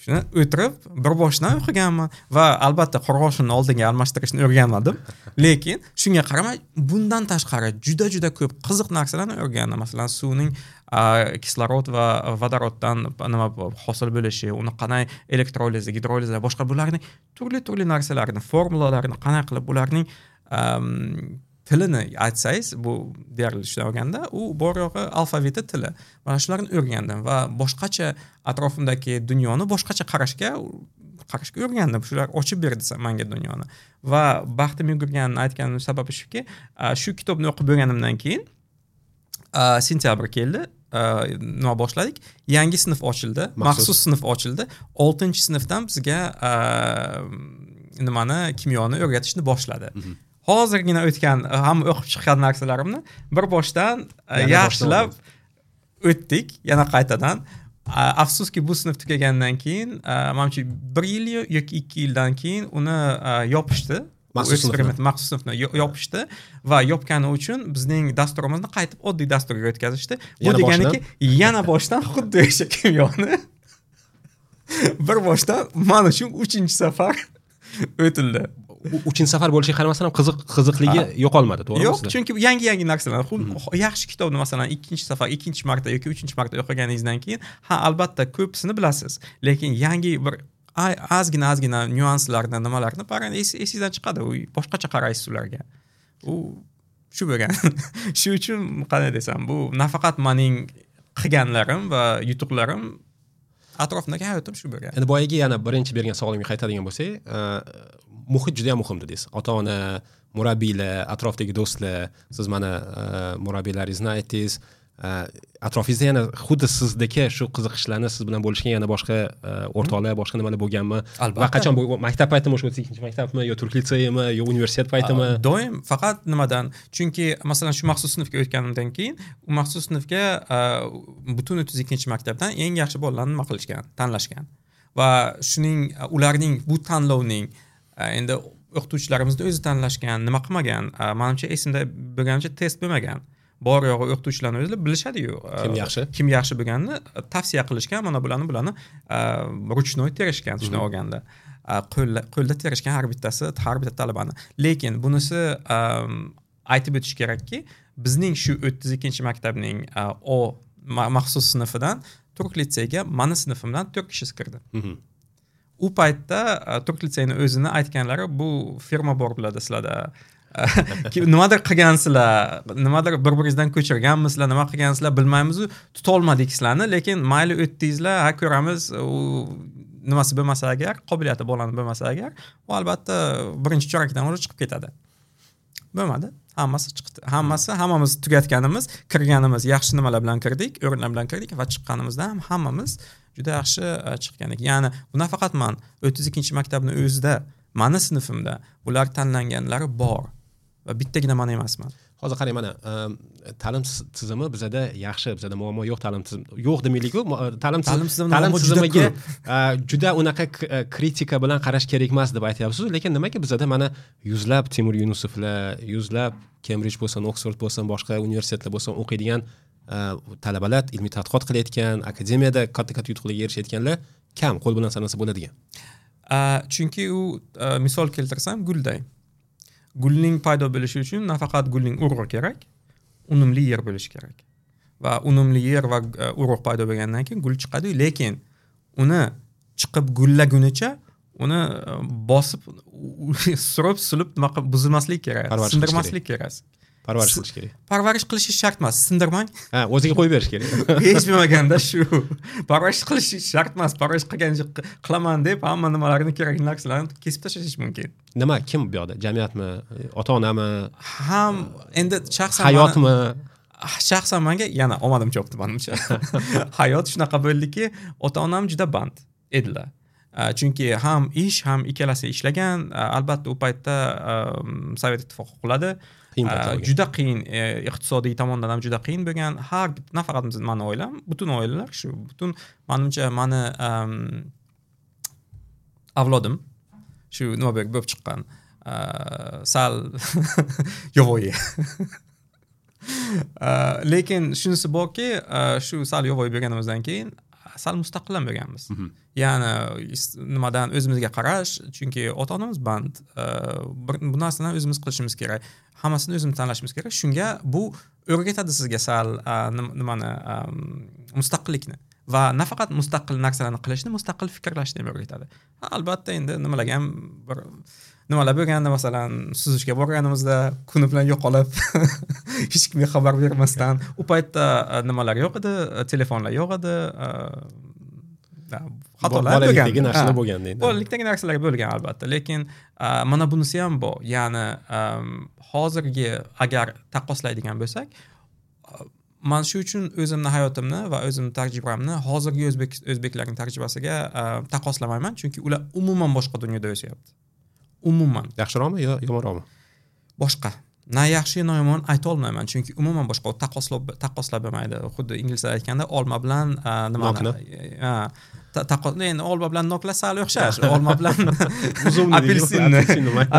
[SPEAKER 1] Shuni o'tirib bir boshdan o'qiganman va albatta qurg'oshinni oldinga almashtirishni o'rganmadim. Lekin shunga qaramay bundan tashqari juda-juda ko'p qiziq narsalarni o'rgandim. Masalan, suvning kislorod va vodoroddan nima hosil bo'lishi, uni qanday elektrolizi, gidrolizi, boshqa bularning turli-turli narsalarni, formulalarini qanday qilib ularning tilini aytsangiz, bu deyarli shunday olganda, u bor yo'g'i alfaviti tili. Mana shularni o'rgandim va boshqacha atrofimdagi dunyoni boshqacha qarashga qarashga o'rgandim. Shular ochib berdi menga dunyoni. Va baxtim yugurganini aytganim sababi shuki, shu kitobni o'qib bo'lganimdan keyin sentyabr keldi, nima boshladik? Yangi sinf ochildi, maxsus sinf ochildi. oltinchi sinfdan bizga nimani, kimyoni o'rgatishni boshladi. Hozirgina o'tgan, hamma o'qib chiqqan narsalarimni bir boshdan yaxshilab o'tdik, yana qaytadan. Afsuski bu sinf tugagandan keyin, manimcha bir yil yoki ikki yildan keyin uni yopishdi.
[SPEAKER 2] Maxsus
[SPEAKER 1] eksperiment maxsus sinfni yopishdi va yopgani uchun bizning dasturimizni qaytib oddiy dasturga o'tkazishdi. Bu deganiki, yana boshdan xuddi o'sha kimyoni bir boshdan men uchun uchinchi safar o'tildi.
[SPEAKER 2] Uchinchi safar bo'lishiga qaramasdan ham qiziq qiziqligi yo'qolmadi, to'g'rimi?
[SPEAKER 1] Yo'q, chunki yangi-yangi narsalar. Yaxshi kitobni masalan ikkinchi safar, ikkinchi marta yoki uchinchi marta o'qiganingizdan keyin, ha, albatta ko'pisini bilasiz, lekin yangi bir ozgina ozgina nyuanslarni, nimalarni baribir esingizdan chiqadi. U boshqacha qaraysiz ularga. U shu bo'lgan. Shu uchun qanday desam, bu nafaqat mening qilganlarim va yutuqlarim, atrofimdagi hayotim shu bo'lgan.
[SPEAKER 2] Endi boyagi yana birinchi bergan savolimga qaytadigan bo'lsak, muhit juda ham muhim dedingiz. Ota-ona, murabbiylar, atrofdagi do'stlar, siz mana murabbiylaringizni aytdingiz. Atrofingizda yana xuddi sizdagi shu qiziqishlarni siz bilan bo'lishgan yana boshqa o'rtoqlar, boshqa nimalar bo'lganmi? Va qachon bu maktab paytimi, o'sha o'ttiz ikkinchi maktabmi yo Turk litseyimi yo universitet paytimi?
[SPEAKER 1] Doim faqat nimadan? Chunki masalan shu maxsus sinfga o'tganimdan keyin u maxsus sinfga butun o'ttiz ikkinchi maktabdan eng yaxshi bolalarni nima qilishgan, tanlashgan. Va shuning ularning bu tanlovning endi o'qituvchilarimizni o'zi tanlashgan, nima qilmagan, manimcha esimda bo'lgancha test bo'lmagan. Bor yo'g'i o'qituvchilarni o'zlari bilishadi-yu,
[SPEAKER 2] kim yaxshi,
[SPEAKER 1] kim yaxshi bo'lganini tavsiya qilishgan, mana bularni bularni ruchnoy terishgan, shuni olganda. Qo'lda qo'lda terishgan har bittasi, har bitta talabani. Lekin bunisi aytib o'tish kerakki, bizning shu o'ttiz ikkinchi maktabning O maxsus sinfidan Turk litseyga mani sinfimdan to'rt kishi kirdi. U paytda Turk litseyini o'zini aytganlari, bu firma bor biladi sizlarda. Nimadir qilgansizlar, nimadir bir-biringizdan ko'chirganmisizlar, nima qilgansizlar bilmaymiz, tutolmadik sizlarni, lekin mayli o'tdingizlar, ha ko'ramiz, u nimasi bo'lmasa agar, qobiliyati bolani bo'lmasa agar, u albatta birinchi chorakdan o'zi chiqib ketadi. Bo'lmadi, hammasi chiqdi. Hammasi, hammamiz tugatganimiz, kirganimiz yaxshi nimalar bilan kirdik, o'rinlar bilan kirdik va chiqqanimizda ham hammamiz juda yaxshi chiqqandik. Ya'ni bu nafaqat man o'ttiz ikkinchi maktabning o'zida, mani sinfimda bular tanlanganlari bor. Va bittagina man emasman.
[SPEAKER 2] Hozir qarang, mana ta'lim tizimi bizada yaxshi, bizada muammo yo'q, ta'lim tizimi yo'q demaylik-ku, ta'lim ta'lim tizimiga juda unaqa kritika bilan qarash kerak emas deb aytyapsiz, lekin nimaga bizada mana yuzlab Timur Yunusovlar, yuzlab Cambridge bo'lsin, Oxford bo'lsin, boshqa universitetlar bo'lsin o'qiydigan talabalar, ilmiy tadqiqot qilayotgan, akademiyada katta-katta yutuqlarga erishayotganlar kam, qo'l bilan sanasa bo'ladigan.
[SPEAKER 1] Chunki u misol keltirsam gulday. Gulning paydo bo'lishi uchun nafaqat gulning urug'i kerak, unumli yer bo'lishi kerak. Va unumli yer va urug' paydo bo'lgandan keyin gul chiqadi, lekin uni chiqib gullagunicha uni bosib, surib, sulib nima qilib buzilmaslik kerak, sindirmaslik kerak.
[SPEAKER 2] Parvarish qilish kerak.
[SPEAKER 1] Parvarish qilish shart emas, sindirmang.
[SPEAKER 2] Ha, o'ziga qo'yib berish kerak.
[SPEAKER 1] Hech bo'lmaganda shu. Parvarish qilish shart emas, parvarish qilgancha qilaman deb hamma nimalarni kerakli narsalarni kesib tashlash mumkin.
[SPEAKER 2] Nima, kim bu yoqda? Jamiyatmi, ota-onami?
[SPEAKER 1] Ham endi shaxsan
[SPEAKER 2] hayotmi?
[SPEAKER 1] Shaxsan menga yana omadim chopdi menimcha. Hayot shunaqa bo'ldiki, ota-onam juda band edilar. Chunki ham ish, ham ikkalasi ishlagan, albatta u paytda Sovet ittifoqi quladi. Juda qiyin, iqtisodiy tomondan ham juda qiyin bo'lgan. Har bitta, nafaqat meni oilam, butun oilalar shu, butun menimcha meni avlodim shu nima bo'lib chiqqan, sal yovvoyi. Lekin shunisi borki, shu sal yovvoyi bo'lganimizdan keyin sal mustaqil ham bo'lganmiz. Ya'ni nimadan o'zimizga qarash, chunki ota-onamiz band, bu narsani o'zimiz qilishimiz kerak, hammasini o'zimiz tanlashimiz kerak. Shunga bu o'rgatadi sizga sal nimani, mustaqillikni va nafaqat mustaqil narsalarni qilishni, mustaqil fikrlashni ham o'rgatadi. Albatta endi nimalarga ham bir nimalar bo'lganda, masalan, suzishga borganimizda kuni bilan yo'qolib, hech kimga xabar bermasdan, u paytda nimalar yo'q edi, telefonlar yo'q edi, xatolar bo'lgan.
[SPEAKER 2] Bolalikdagi narsalar bo'lgan deydi.
[SPEAKER 1] Bolalikdagi narsalar bo'lgan albatta, lekin mana bunisi ham bor. Ya'ni hozirgi agar taqqoslaydigan bo'lsak, man shu uchun o'zimni hayotimni va o'zimni tajribamni hozirgi o'zbek o'zbeklarning tajribasiga taqqoslamayman, chunki ular umuman boshqa dunyoda o'syapti. Umuman.
[SPEAKER 2] Yaxshiroqmi yo yomonroqmi?
[SPEAKER 1] Boshqa. Na yaxshi, na yomon ayta olmayman, chunki umuman boshqa, taqqoslab taqqoslab bo'lmaydi. Xuddi inglizlar aytganda olma bilan nimani, ha, taqqos, endi olma bilan noklar sal o'xshash, olma bilan apelsinni,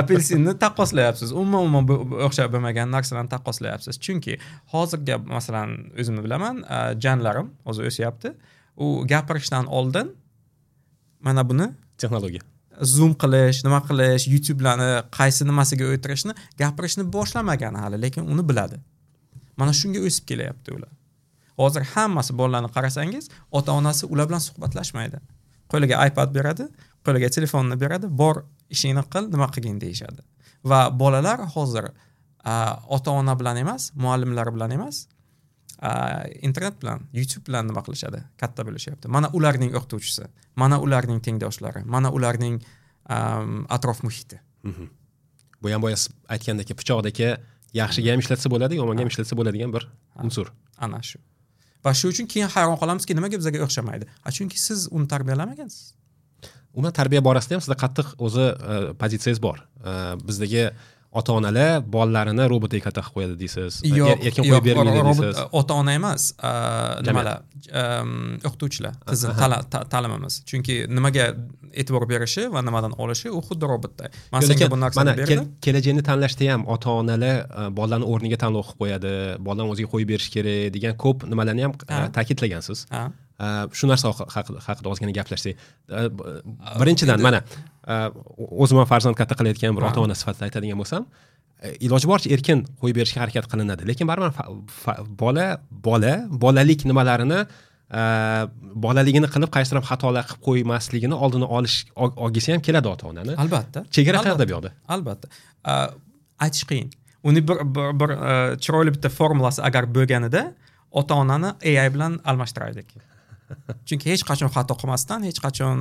[SPEAKER 1] apelsinni taqqoslayapsiz. Umuman umuman o'xshab bo'lmagan narsalarni taqqoslayapsiz. Chunki hozirgi masalan o'zimni bilaman, janlarim hozir o'syapti. U gapirishdan oldin mana buni
[SPEAKER 2] texnologiya
[SPEAKER 1] zoom qilish, nima qilish, YouTube'larni qaysi nimasiga o'tirishni, gapirishni boshlamagan hali, lekin uni biladi. Mana shunga o'sib kelyapti ular. Hozir hammasi bolalarni qarasangiz, ota-onasi ular bilan suhbatlashmaydi. Qo'liga iPad beradi, qo'liga telefonni beradi, bor ishingni qil, nima qilgin deyishadi. Va bolalar hozir ota-ona bilan emas, muallimlar bilan emas, internet bilan, YouTube bilan nima qilishadi, katta bo'lishyapti. Mana ularning o'qituvchisi, mana ularning tengdoshlari, mana ularning atrof muhiti.
[SPEAKER 2] Bu ham boya aytgandek, pichoqdagi yaxshiga ham ishlatsa bo'ladi, yomonga ham ishlatsa bo'ladigan bir unsur.
[SPEAKER 1] Ana shu. Va shu uchun keyin hayron qolamizki, nimaga bizga o'xshamaydi? A chunki siz uni tarbiyalamagansiz.
[SPEAKER 2] Umuman tarbiya borasida ham sizda qattiq o'zi pozitsiyangiz bor. Bizdagi ota-onalar bolalarini robotga katta qilib qo'yadi deysiz. Erkin qo'yib bermaydi deysiz.
[SPEAKER 1] Ota-ona emas, nimalar, o'qituvchilar, tizim ta'limimiz. Chunki nimaga e'tibor berishi va nimadan olishi u xuddi robotday. Men senga bu narsani berdim.
[SPEAKER 2] Kelajakni tanlashda ham ota-onalar bolalarni o'rniga tanlov qilib qo'yadi, bolani o'ziga qo'yib berish kerak degan ko'p nimalarni ham ta'kidlagansiz. Shu narsa haqida ozgina gaplashsak. Birinchidan mana o'zim ham farzand katta qilayotgan bir ota-ona sifatida aytadigan bo'lsam, iloji boricha erkin qo'yib berishga harakat qilinadi. Lekin baribir bola bola bolalik nimalarini, bolaligini qilib qaysidir ham xatolar qilib qo'ymasligini oldini olish olgisi ham keladi ota-onani.
[SPEAKER 1] Albatta.
[SPEAKER 2] Chegara qayerda bu yoqda?
[SPEAKER 1] Albatta. Aytish qiyin. Uni bir bir chiroyli bitta formulasi agar bo'lganida ota-onani A I bilan almashtiraylik. Chunki hech qachon xato qilmasdan, hech qachon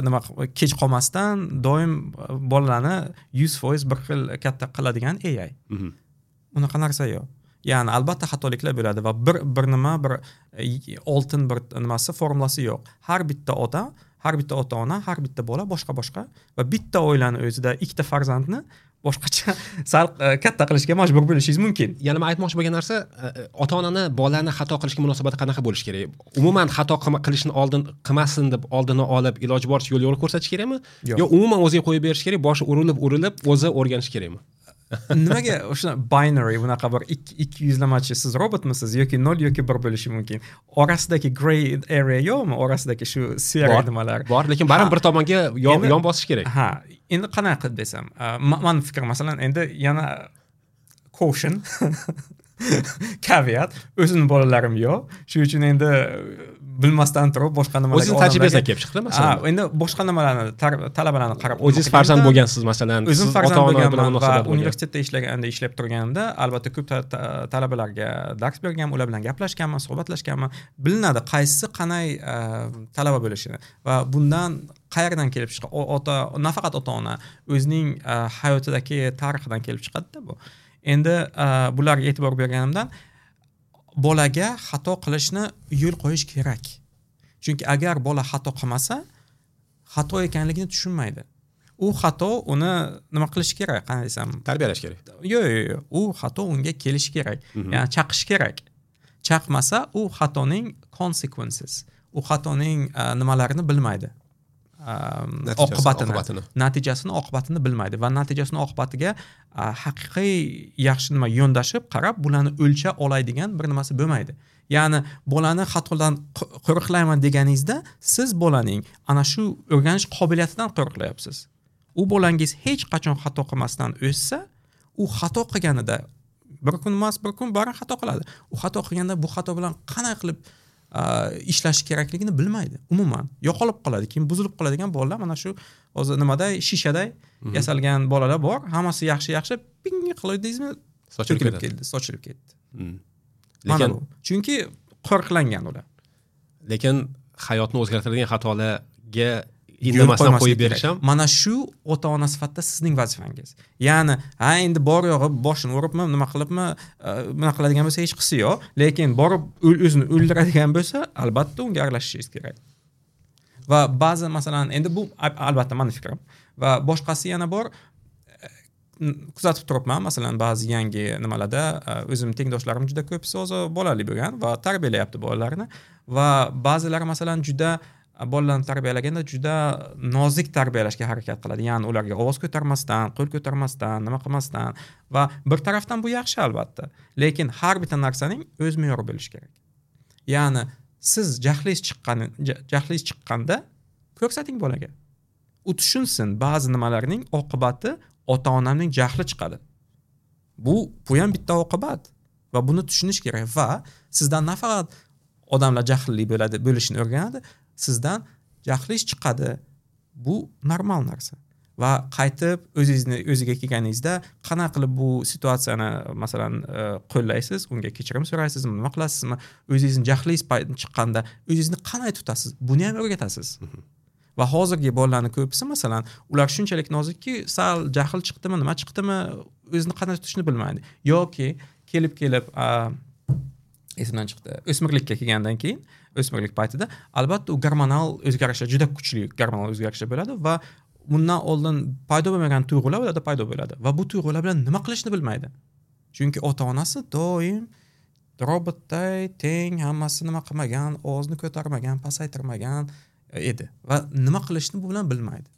[SPEAKER 1] nima kech qolmasdan doim bolalarni yuz foiz bir xil katta qiladigan A I. Unaqa narsa yo'q. Ya'ni albatta xatoliklar bo'ladi va bir bir nima bir oltin bir nimasi formulasi yo'q. Har bitta ota, har bitta ota-ona, har bitta bola boshqa boshqa va bitta oilani o'zida ikkita farzandni boshqacha Sal katta qilishga majbur bo'lishingiz mumkin.
[SPEAKER 2] Yana men aytmoqchi bo'lgan narsa, ota-onani bolani xato qilishga munosabati qanaqa bo'lishi kerak? Umuman xato qilishni oldin qilmasin deb oldini olib, iloji boricha yo'l yo'l ko'rsatish kerakmi? Yo umuman o'ziga qo'yib berish kerak, boshi urilib urilib o'zi o'rganish kerakmi?
[SPEAKER 1] Nimaga o'sha binary bunaqa bir ikki yuzlamachi, siz robotmisiz yoki nol yoki bir bo'lishi mumkin. Orasidagi grey area yo'qmi? Orasidagi shu sera nimalar
[SPEAKER 2] bor, lekin baribir bir tomonga yon bosish kerak.
[SPEAKER 1] Ha, endi qanaqa qilib desam, mani fikrim masalan endi yana caution caveat, o'zimning bolalarim yo'q. Shuning uchun endi bilmasdan turib boshqa nimalarga
[SPEAKER 2] o'zingiz tajribangizdan kelib chiqdi masalan.
[SPEAKER 1] Ha, endi boshqa nimalarni talabalarni qarab
[SPEAKER 2] o'zingiz farzand bo'lgansiz masalan,
[SPEAKER 1] o'zim farzand bo'lganman va universitetda ishlaganda, ishlab turganimda albatta ko'p talabalarga dars berganman, ular bilan gaplashganman, suhbatlashganman. Bilinadi qaysi qanday talaba bo'lishini va bundan qayerdan kelib chiqadi? Ota, nafaqat ota-ona, o'zining hayotidagi tarixidan kelib chiqadi-da bu. Endi bularga e'tibor berganimdan bolaga xato qilishni yo'l qo'yish kerak. Chunki agar bola xato qilmasa, xato ekanligini tushunmaydi. U xato uni nima qilish kerak, qanday desam,
[SPEAKER 2] tarbiyalash kerak.
[SPEAKER 1] Yo'q, yo'q, yo'q. U xato unga kelishi kerak. Ya'ni chaqish kerak. Chaqmasa u xatoning consequences, u xatoning nimalarini bilmaydi. Oqibatini, natijasini, oqibatini bilmaydi va natijasini oqibatiga haqiqiy yaxshi nima yondashib qarab bularni o'lcha oladigan bir nimasi bo'lmaydi. Ya'ni bolani xatodan qo'riqlayman deganingizda siz bolaning ana shu o'rganish qobiliyatidan qo'riqlayapsiz. U bolangiz hech qachon xato qilmasdan o'ssa, u xato qilganida bir kun emas, bir kun baribir xato qiladi. U xato qilganda bu xato bilan qanday qilib ishlash kerakligini bilmaydi. Umuman yo'qolib qoladi, keyin buzilib qoladigan bolalar mana shu hozir nimaday shishaday yasalgan bolalar bor. Hammasi yaxshi-yaxshi, ping qildingizmi, sochilib ketdi, sochilib ketdi.
[SPEAKER 2] Lekin
[SPEAKER 1] chunki qo'riqlangan ular.
[SPEAKER 2] Lekin hayotni o'zgartiradigan xatolarga indamasdan qo'yib berish ham
[SPEAKER 1] mana shu ota-ona sifatida sizning vazifangiz. Ya'ni, ha endi bor yo'g'i boshini uribmi, nima qilibmi, bunaqa qiladigan bo'lsa hech qisi yo'q, lekin borib o'zini o'ldiradigan bo'lsa, albatta unga aralashishingiz kerak. Va ba'zi masalan, endi bu albatta meni fikrim va boshqasi yana bor, kuzatib turibman, masalan ba'zi yangi nimalarda o'zim tengdoshlarim juda ko'pisi o'zi bolali bo'lgan va tarbiyalayapti bolalarini va ba'zilari masalan juda bolalarni tarbiyalaganda juda nozik tarbiyalashga harakat qiladi. Ya'ni ularga ovoz ko'tarmasdan, qo'l ko'tarmasdan, nima qilmasdan va bir tarafdan bu yaxshi albatta, lekin har bitta narsaning o'z me'yori bo'lishi kerak. Ya'ni siz jahlingiz chiqqan, jahlingiz chiqqanda ko'rsating bolaga. U tushunsin ba'zi nimalarning oqibati ota-onamning jahli chiqadi. Bu bu ham bitta oqibat va buni tushunish kerak va sizdan nafaqat odamlar jahlli bo'ladi, bo'lishini o'rganadi, sizdan jahlingiz chiqadi. Bu normal narsa. Va qaytib o'zingizni o'ziga kelganingizda qanaqa qilib bu situatsiyani masalan qo'llaysiz, unga kechirim so'raysizmi, nima qilasizmi, o'zingizni jahlingiz chiqqanda o'zingizni qanday tutasiz, buni ham o'rgatasiz. Va hozirgi bolalarning ko'pisi masalan, ular shunchalik nozikki, sal jahl chiqdimi, nima chiqdimi, o'zini qanday tutishni bilmaydi. Yoki kelib-kelib esimdan chiqdi. O'smirlikka kelgandan keyin, o'smirlik paytida albatta u gormonal o'zgarishlar juda kuchli gormonal o'zgarishlar bo'ladi va bundan oldin paydo bo'lmagan tuyg'ular ularda paydo bo'ladi va bu tuyg'ular bilan nima qilishni bilmaydi. Chunki ota-onasi doim robotday teng, hammasi nima qilmagan, ovozini ko'tarmagan, pasaytirmagan edi va nima qilishni bu bilan bilmaydi.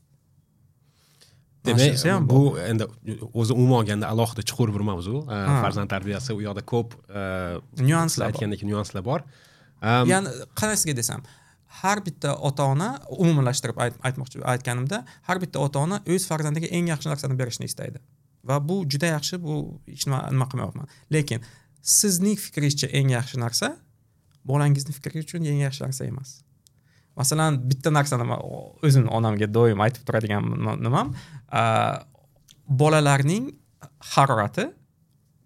[SPEAKER 2] Demak, bu endi o'zi umuman olganda alohida chuqur bir mavzu. Farzand tarbiyasi u yoqda ko'p
[SPEAKER 1] nyuanslar,
[SPEAKER 2] aytgandek nyuanslar bor.
[SPEAKER 1] Ya'ni qanaqasiga desam, har bitta ota-ona umumlashtirib aytmoqchi aytganimda, har bitta ota-ona o'z farzandiga eng yaxshi narsani berishni istaydi. Va bu juda yaxshi, bu hech nima nima qilmayapman. Lekin sizning fikringizcha eng yaxshi narsa bolangizning fikri uchun eng yaxshi narsa emas. Masalan, bitta narsani o'zim onamga doim aytib turadigan nimam, bolalarning harorati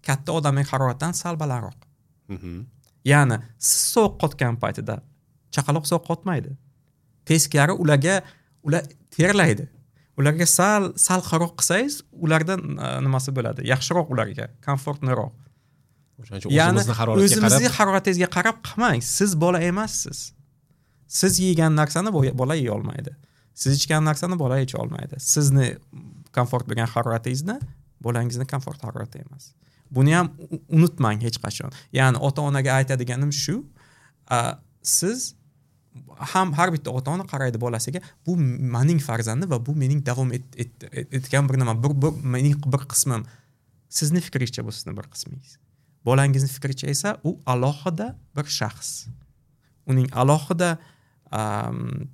[SPEAKER 1] katta odamning haroratidan sal balandroq. Ya'ni siz sovuq qotgan paytida chaqaloq sovuq qotmaydi. Teskari ularga ular terlaydi. Ularga sal salqinroq qilsangiz, ulardan nimasi bo'ladi? Yaxshiroq ularga, komfortliroq.
[SPEAKER 2] O'shaning uchun o'zimizni haroratga qarab,
[SPEAKER 1] o'zimizning haroratingizga qarab qilmang. Siz bola emassiz. Siz yegan narsani bola yeya olmaydi. Siz ichgan narsani bola icha olmaydi. Sizni komfort bo'lgan haroratingizni Bolangizni komfort harorati emas. Buni ham unutmang hech qachon. Ya'ni ota-onaga aytadiganim shu, siz ham har bitta ota-ona qaraydi bolasiga, bu mening farzandim va bu mening davom etgan bir nima, bir, bir mening bir qismim. Sizni fikringizcha bu sizni bir qismingiz. Bolangizni fikricha esa u alohida bir shaxs. Uning alohida um,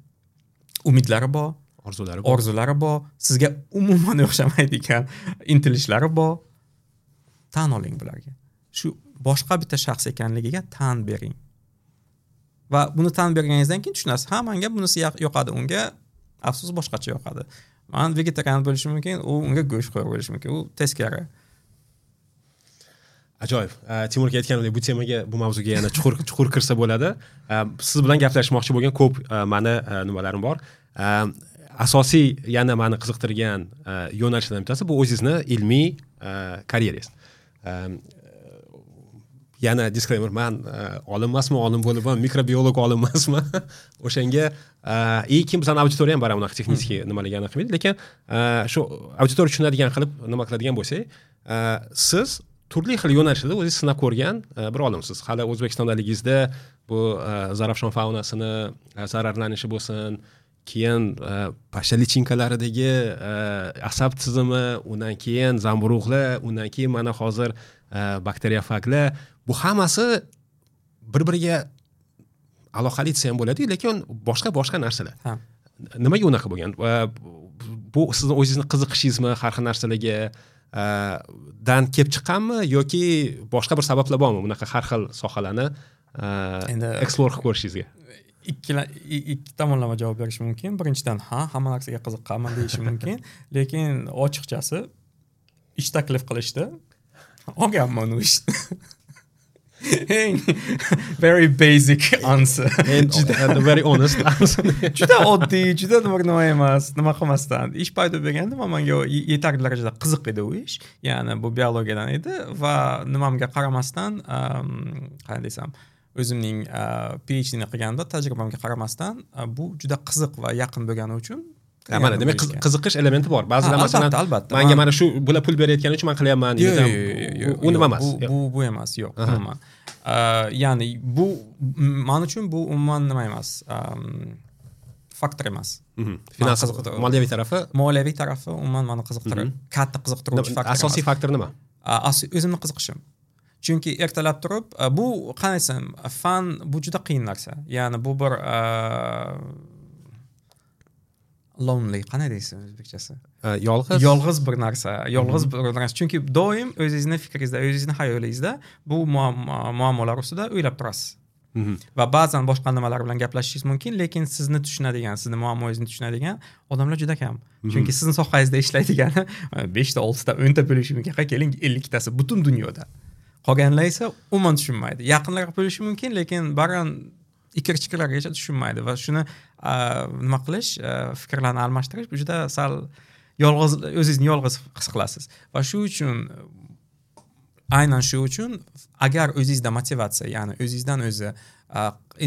[SPEAKER 1] umidlari bor,
[SPEAKER 2] orzulari bor,
[SPEAKER 1] orzulari bor, sizga umuman o'xshamaydigan intilishlari bor. Tan oling bularga. Shu boshqa bitta shaxs ekanligiga tan bering. Va buni tan berganingizdan keyin tushunasiz, ha, menga bunisi yoqadi, unga afsus boshqacha yoqadi. Men vegetarian bo'lishim mumkin, u unga go'shtxo'r bo'lishi mumkin, u teskari.
[SPEAKER 2] Ajoyib. Timur aka aytganimdek, bu temaga, bu mavzuga yana chuqur chuqur kirsa bo'ladi. Siz bilan gaplashmoqchi bo'lgan ko'p mani nimalarim bor. Asosiy yana meni qiziqtirgan yo'nalishlardan bittasi bu o'zingizni ilmiy karyerangiz. Yana disclaimer, man olim emasman, olim bo'lib ham mikrobiolog olim emasman. O'shanga и kim bizning auditoriya ham bor, unaqa texnik nimalarga aniq qilmaydi, lekin shu auditoriya tushunadigan qilib nima qiladigan bo'lsak, siz turli xil yo'nalishlarda o'zingiz sinab ko'rgan bir olimsiz. Hali O'zbekistondaligingizda bu Zarafshon faunasini zararlanishi bo'lsin, keyin pashsha lichinkalaridagi asab tizimi, undan keyin zamburug'lar, undan keyin mana hozir bakteriyofaglar, bu hammasi bir-biriga aloqali desa ham bo'ladi, lekin boshqa boshqa narsalar.
[SPEAKER 1] Ha.
[SPEAKER 2] Nimaga unaqa bo'lgan? Bu sizni o'zingizni qiziqishingizmi har xil narsalarga dan kelib chiqqanmi yoki boshqa bir sabablar bormi bunaqa har xil sohalarni
[SPEAKER 1] endi
[SPEAKER 2] explore qilib ko'rishingizga?
[SPEAKER 1] Ikki ikki tomonlama javob berish mumkin. Birinchidan, ha, hamma narsaga qiziqqanman deyish mumkin, lekin ochiqchasi ish taklif qilishdi, olganman u ishni. Eng very basic answer.
[SPEAKER 2] And the very honest answer.
[SPEAKER 1] Juda oddiy, juda nima emas, nima qilmasdan ish paydo bo'lganda menga yetarli darajada qiziq edi u ish. Ya'ni bu biologiyadan edi va nimamga qaramasdan, qanday desam, o'zimning P H Dni qilganda tajribamga qaramasdan bu juda qiziq va yaqin bo'lgani uchun.
[SPEAKER 2] Mana demak, qiziqish elementi bor. Ba'zilar masalan,
[SPEAKER 1] albatta,
[SPEAKER 2] menga mana shu bular pul berayotgani uchun men qilyapman
[SPEAKER 1] deydi.
[SPEAKER 2] U nima emas.
[SPEAKER 1] Bu bu emas, yo'q, umuman. Ya'ni bu men uchun bu umuman nima emas. Faktor emas.
[SPEAKER 2] Finans, moliyaviy tarafi,
[SPEAKER 1] moliyaviy tarafi umuman meni qiziqtirib, katta qiziqtiruvchi faktor.
[SPEAKER 2] Asosiy faktor nima?
[SPEAKER 1] O'zimni qiziqishim. Chunki ertalab turib, bu qanday desam, fan bu juda qiyin narsa. Ya'ni bu bir lonely, qanday deysiz o'zbekchasi?
[SPEAKER 2] Yolg'iz.
[SPEAKER 1] Yolg'iz bir narsa, yolg'iz bir narsa. Chunki doim o'zingizni fikringizda, o'zingizni xayolingizda bu muammolar ustida o'ylab turasiz. Va ba'zan boshqa nimalar bilan gaplashishingiz mumkin, lekin sizni tushunadigan, sizni muammoingizni tushunadigan odamlar juda kam. Chunki sizni sohangizda ishlaydigani beshta, oltita, o'nta bo'lishi mumkin. Keling, elliktasi butun dunyoda. Qolganlar esa umuman tushunmaydi. Yaqinlar bo'lishi mumkin, lekin baribir ikir-chikirlargacha tushunmaydi va shuni nima qilish, fikrlarni almashtirish bu juda sal yolg'iz, o'zingizni yolg'iz his qilasiz. Va shu uchun, aynan shu uchun agar o'zingizda motivatsiya, ya'ni o'zingizdan o'zi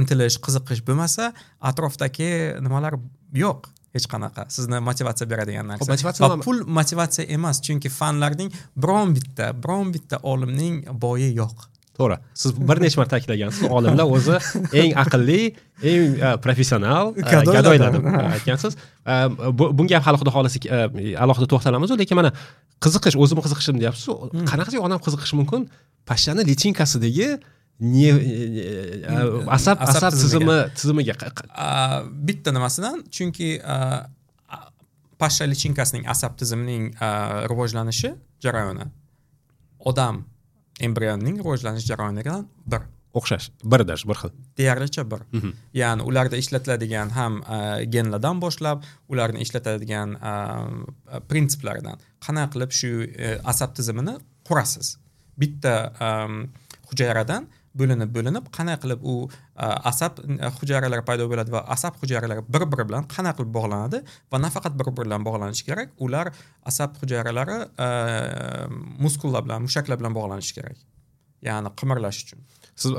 [SPEAKER 1] intilish, qiziqish bo'lmasa, atrofdagi nimalar yo'q hech qanaqa sizni motivatsiya beradigan narsa.
[SPEAKER 2] Va
[SPEAKER 1] pul motivatsiya emas, chunki fanlarning biron bitta, biron bitta olimning boyi yo'q.
[SPEAKER 2] To'g'ri. Siz bir necha marta ta'kidlagansiz, olimlar o'zi eng aqlli, eng professional gadoylar deb aytgansiz. Bunga ham hali xudo xolasa alohida to'xtalamiz, lekin mana qiziqish, o'zim qiziqishim deyapsiz. Qanaqasiga odam qiziqishi mumkin? Pashshani lichinkasidagi asab asab tizimi tizimiga
[SPEAKER 1] bitta nimasidan, chunki pashsha lichinkasining asab tizimining rivojlanishi jarayoni odam embrionning rivojlanish jarayonidan bir
[SPEAKER 2] o'xshash, birdash, bir xil,
[SPEAKER 1] deyarlicha bir. Ya'ni ularda ishlatiladigan ham genlardan boshlab, ularni ishlatadigan prinsiplaridan qanday qilib shu asab tizimini qurasiz. Bitta hujayradan bo'linib bo'linib qanday qilib u asab hujayralari paydo bo'ladi va asab hujayralari bir-biri bilan qanday qilib bog'lanadi va nafaqat bir-biri bilan bog'lanishi kerak, ular asab hujayralari muskullar bilan, mushaklar bilan bog'lanishi kerak. Ya'ni qimirlash uchun.
[SPEAKER 2] Siz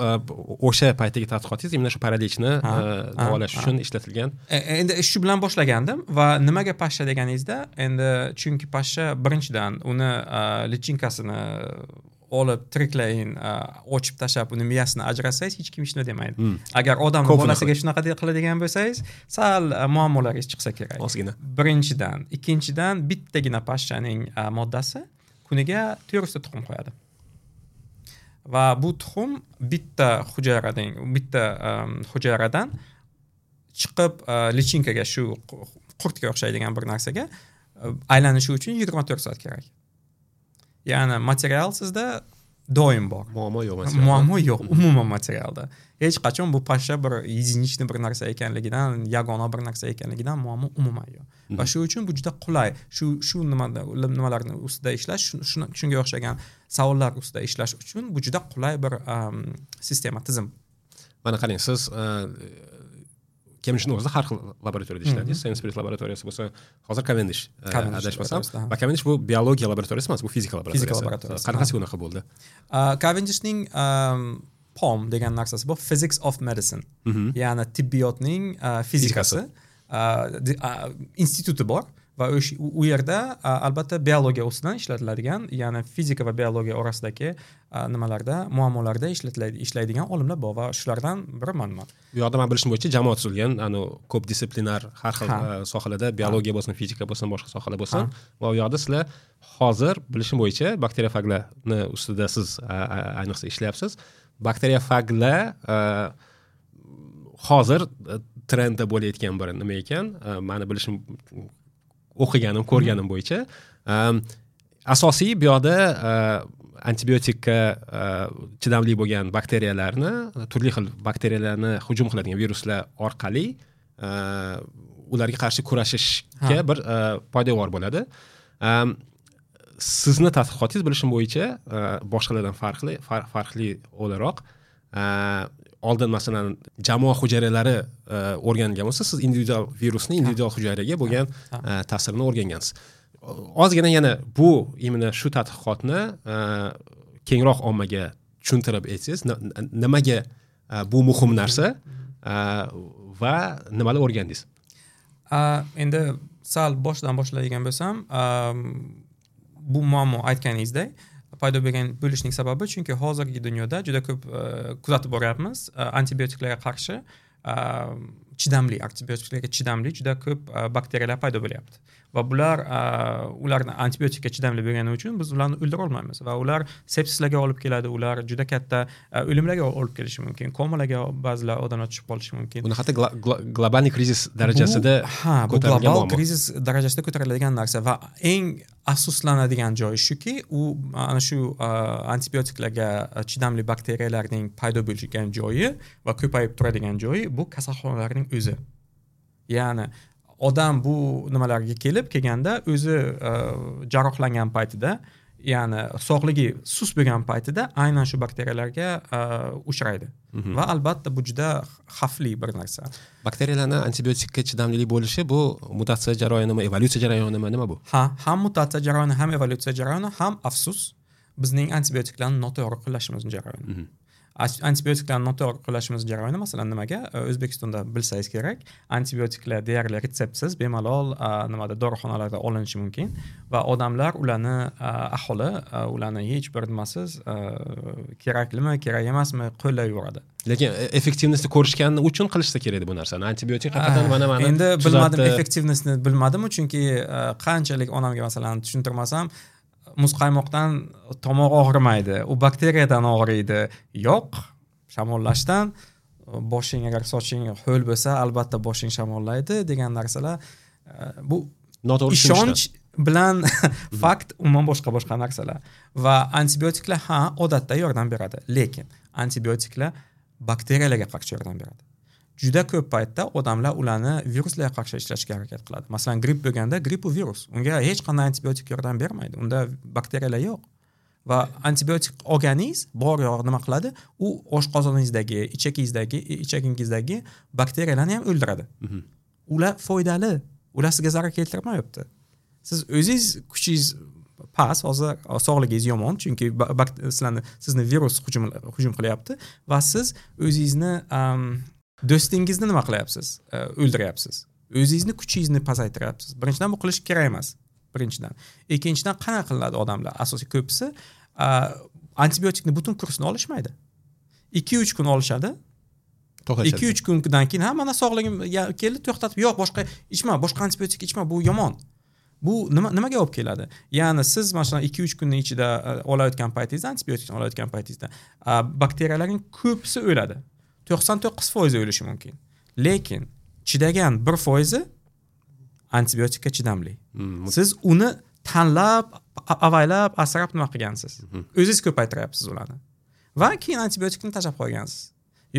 [SPEAKER 2] o'sha paytdagi tadqiqotingiz imенно shu paralichni davolash uchun ishlatilgan.
[SPEAKER 1] Endi shu bilan boshlagandim va nimaga pashsha deganingizda, endi chunki pashsha birinchidan uni lichinkasini olib tiriklayin ochib tashlab uni miyasini ajratsangiz hech kim hech nima demaydi. Hmm. Agar odam bolasiga shunaqa qiladigan bo'lsangiz, sal muammolaringiz chiqsa kerak.
[SPEAKER 2] Ozgina.
[SPEAKER 1] Birinchidan, ikkinchidan bittagina pashshaning moddasi kuniga to'rt yuzta tuxum qo'yadi. Va bu tuxum bitta hujayradan, bitta hujayradan chiqib lichinkaga, shu qurtga o'xshaydigan bir narsaga aylanishi uchun yigirma to'rt soat kerak. Ya'ni material sizda doim bor.
[SPEAKER 2] Muammo yo'q
[SPEAKER 1] materialda. Muammo yo'q umuman materialda. Hech qachon bu pashsha bir единичный bir narsa ekanligidan, yagona bir narsa ekanligidan muammo umuman yo'q. Va shu uchun bu juda qulay. Shu shu nimada nimalarni ustida ishlash, shunga o'xshagan savollar ustida ishlash uchun bu juda qulay bir um, sistema, tizim.
[SPEAKER 2] Mana qarang, siz Cambridge'ning o'zida har xil laboratoriyada ishladingiz. Sainsbury laboratoriyasi bo'lsa, hozir Cavendish, adashmasam. Va Cavendish bu biologiya laboratoriyasi emas, bu fizika laboratoriyasi.
[SPEAKER 1] Fizika laboratoriyasi.
[SPEAKER 2] Qanaqasi unaqa bo'ldi?
[SPEAKER 1] Cavendishning P O M degan narsasi bu Physics of Medicine. Ya'ni tibbiyotning fizikasi instituti bor va u yerda albatta biologiya ustidan ishlatiladigan, ya'ni fizika va biologiya orasidagi nimalarda, muammolarda ishlatiladi, ishlaydigan olimlar bor va shulardan biri manman.
[SPEAKER 2] Bu yoqda men bilishim bo'yicha jamoa tuzilgan, ani ko'p disiplinar har xil sohalarda, biologiya bo'lsin, fizika bo'lsin, boshqa sohalar bo'lsin. Va u yoqda sizlar hozir bilishim bo'yicha bakteriofaglarni ustida siz ayniqsa ishlayapsiz. Bakteriofaglar hozir trendda bo'layotgan bir nima ekan, meni bilishim, o'qiganim, ko'rganim bo'yicha asosiy bu yoqda antibiotikka chidamli bo'lgan bakteriyalarni, turli xil bakteriyalarni hujum qiladigan viruslar orqali ularga qarshi kurashishga bir poydevor bo'ladi. Sizni tadqiqotingiz bilishim bo'yicha boshqalardan farqli, farqli o'laroq, oldin masalan jamoa hujayralari o'rganilgan bo'lsa, siz individual virusni individual hujayraga bo'lgan ta'sirini o'rgangansiz. Ozgina yana bu imенно shu tadqiqotni kengroq ommaga tushuntirib aytsangiz, nimaga bu muhim narsa va nimalar o'rgandingiz?
[SPEAKER 1] Endi sal boshidan boshlaydigan bo'lsam, bu muammo aytganingizdek paydo bo'lgan bo'lishning sababi, chunki hozirgi dunyoda juda ko'p kuzatib boryapmiz, antibiotiklarga qarshi chidamli, antibiotiklarga chidamli juda ko'p bakteriyalar paydo bo'lyapti. Va bular ularni antibiotikka chidamli bo'lgani uchun biz ularni o'ldira olmaymiz va ular sepsislarga olib keladi, ular juda katta o'limlarga olib kelishi mumkin, komalarga ba'zilar odamlar tushib qolishi mumkin.
[SPEAKER 2] Buni hatto global krizis darajasida
[SPEAKER 1] ha, bu global krizis darajasida ko'tariladigan narsa va eng afsuslanadigan joyi shuki, u ana shu antibiotiklarga chidamli bakteriyalarning paydo bo'lgan joyi va ko'payib turadigan joyi bu kasalxonalarning o'zi. Ya'ni odam bu nimalarga kelib kelganda o'zi jarrohlangan paytida, ya'ni sog'ligi sust bo'lgan paytida aynan shu bakteriyalarga uchraydi. Va albatta bu juda xavfli bir narsa.
[SPEAKER 2] Bakteriyalarni antibiotikka chidamlilik bo'lishi bu mutatsiya jarayonimi, evolyutsiya jarayonimi, nima bu?
[SPEAKER 1] Ha, ham mutatsiya jarayoni, ham evolyutsiya jarayoni, ham afsus bizning antibiotiklarni noto'g'ri qo'llashimiz jarayoni. Antibiotiklarni noto'g'ri qo'llashimiz jarayoni, masalan, nimaga O'zbekistonda bilsangiz kerak, antibiotiklar deyarli retseptsiz bemalol nimada dorixonalarda olinishi mumkin va odamlar ularni, aholi ularni hech bir nimasiz keraklimi, kerak emasmi qo'llab yuboradi.
[SPEAKER 2] Lekin effektivlikni ko'rishgani uchun qilishsa kerak bu narsani. Antibiotik haqiqatan mana mana
[SPEAKER 1] endi bilmadim, effektivlikni bilmadim, chunki qanchalik onamga masalan tushuntirmasam, muzqaymoqdan tomoq og'rimaydi, u bakteriyadan og'riydi. Yo'q, shamollashdan boshing agar soching ho'l bo'lsa, albatta boshing shamollaydi degan narsalar bu
[SPEAKER 2] noto'g'ri
[SPEAKER 1] ishonch bilan fakt umuman boshqa boshqa narsalar. Va antibiotiklar ha, odatda yordam beradi, lekin antibiotiklar bakteriyalarga qarshi yordam beradi. Juda ko'p paytda odamlar ularni viruslarga qarshi ishlashga harakat qiladi. Masalan, gripp bo'lganda, gripp u virus. Unga hech qanday antibiotik yordam bermaydi. Unda bakteriyalar yo'q. Va antibiotik olganingiz bor yo'q nima qiladi? U oshqozoningizdagi, ichakingizdagi, ichagingizdagi bakteriyalarni ham o'ldiradi. Ular foydali. Ular sizga zarar keltirmayapti. Siz o'zingiz kuchingiz past, hozir sog'ligingiz yomon, chunki sizlarni sizni virus hujum hujum qilyapti va siz o'zingizni do'stingizni nima qilyapsiz? O'ldiryapsiz. O'zingizni kuchingizni pasaytiryapsiz. Birinchidan bu qilish kerak emas. Birinchidan. Ikkinchidan qanaqa qilinadi odamlar? Asosiy ko'pisi antibiotikni butun kursini olishmaydi. ikki uch kun olishadi. ikki uch kundan keyin ha mana sog'ligim keldi, to'xtatib, yo'q boshqa ichma, boshqa antibiotik ichma, bu yomon. Bu nima nimaga olib keladi? Ya'ni siz masalan ikki uch kunning ichida olayotgan paytingizda, antibiotikni olayotgan paytingizda bakteriyalarning ko'pisi o'ladi. to'qson to'qqiz foizi o'lishi mumkin. Lekin chidagan bir foizi antibiotikka chidamli. Hmm. Siz uni tanlab, avaylab, asrab nima qilgansiz? O'zingiz ko'paytiryapsiz ularni. Va keyin antibiotikni tashlab qo'ygansiz.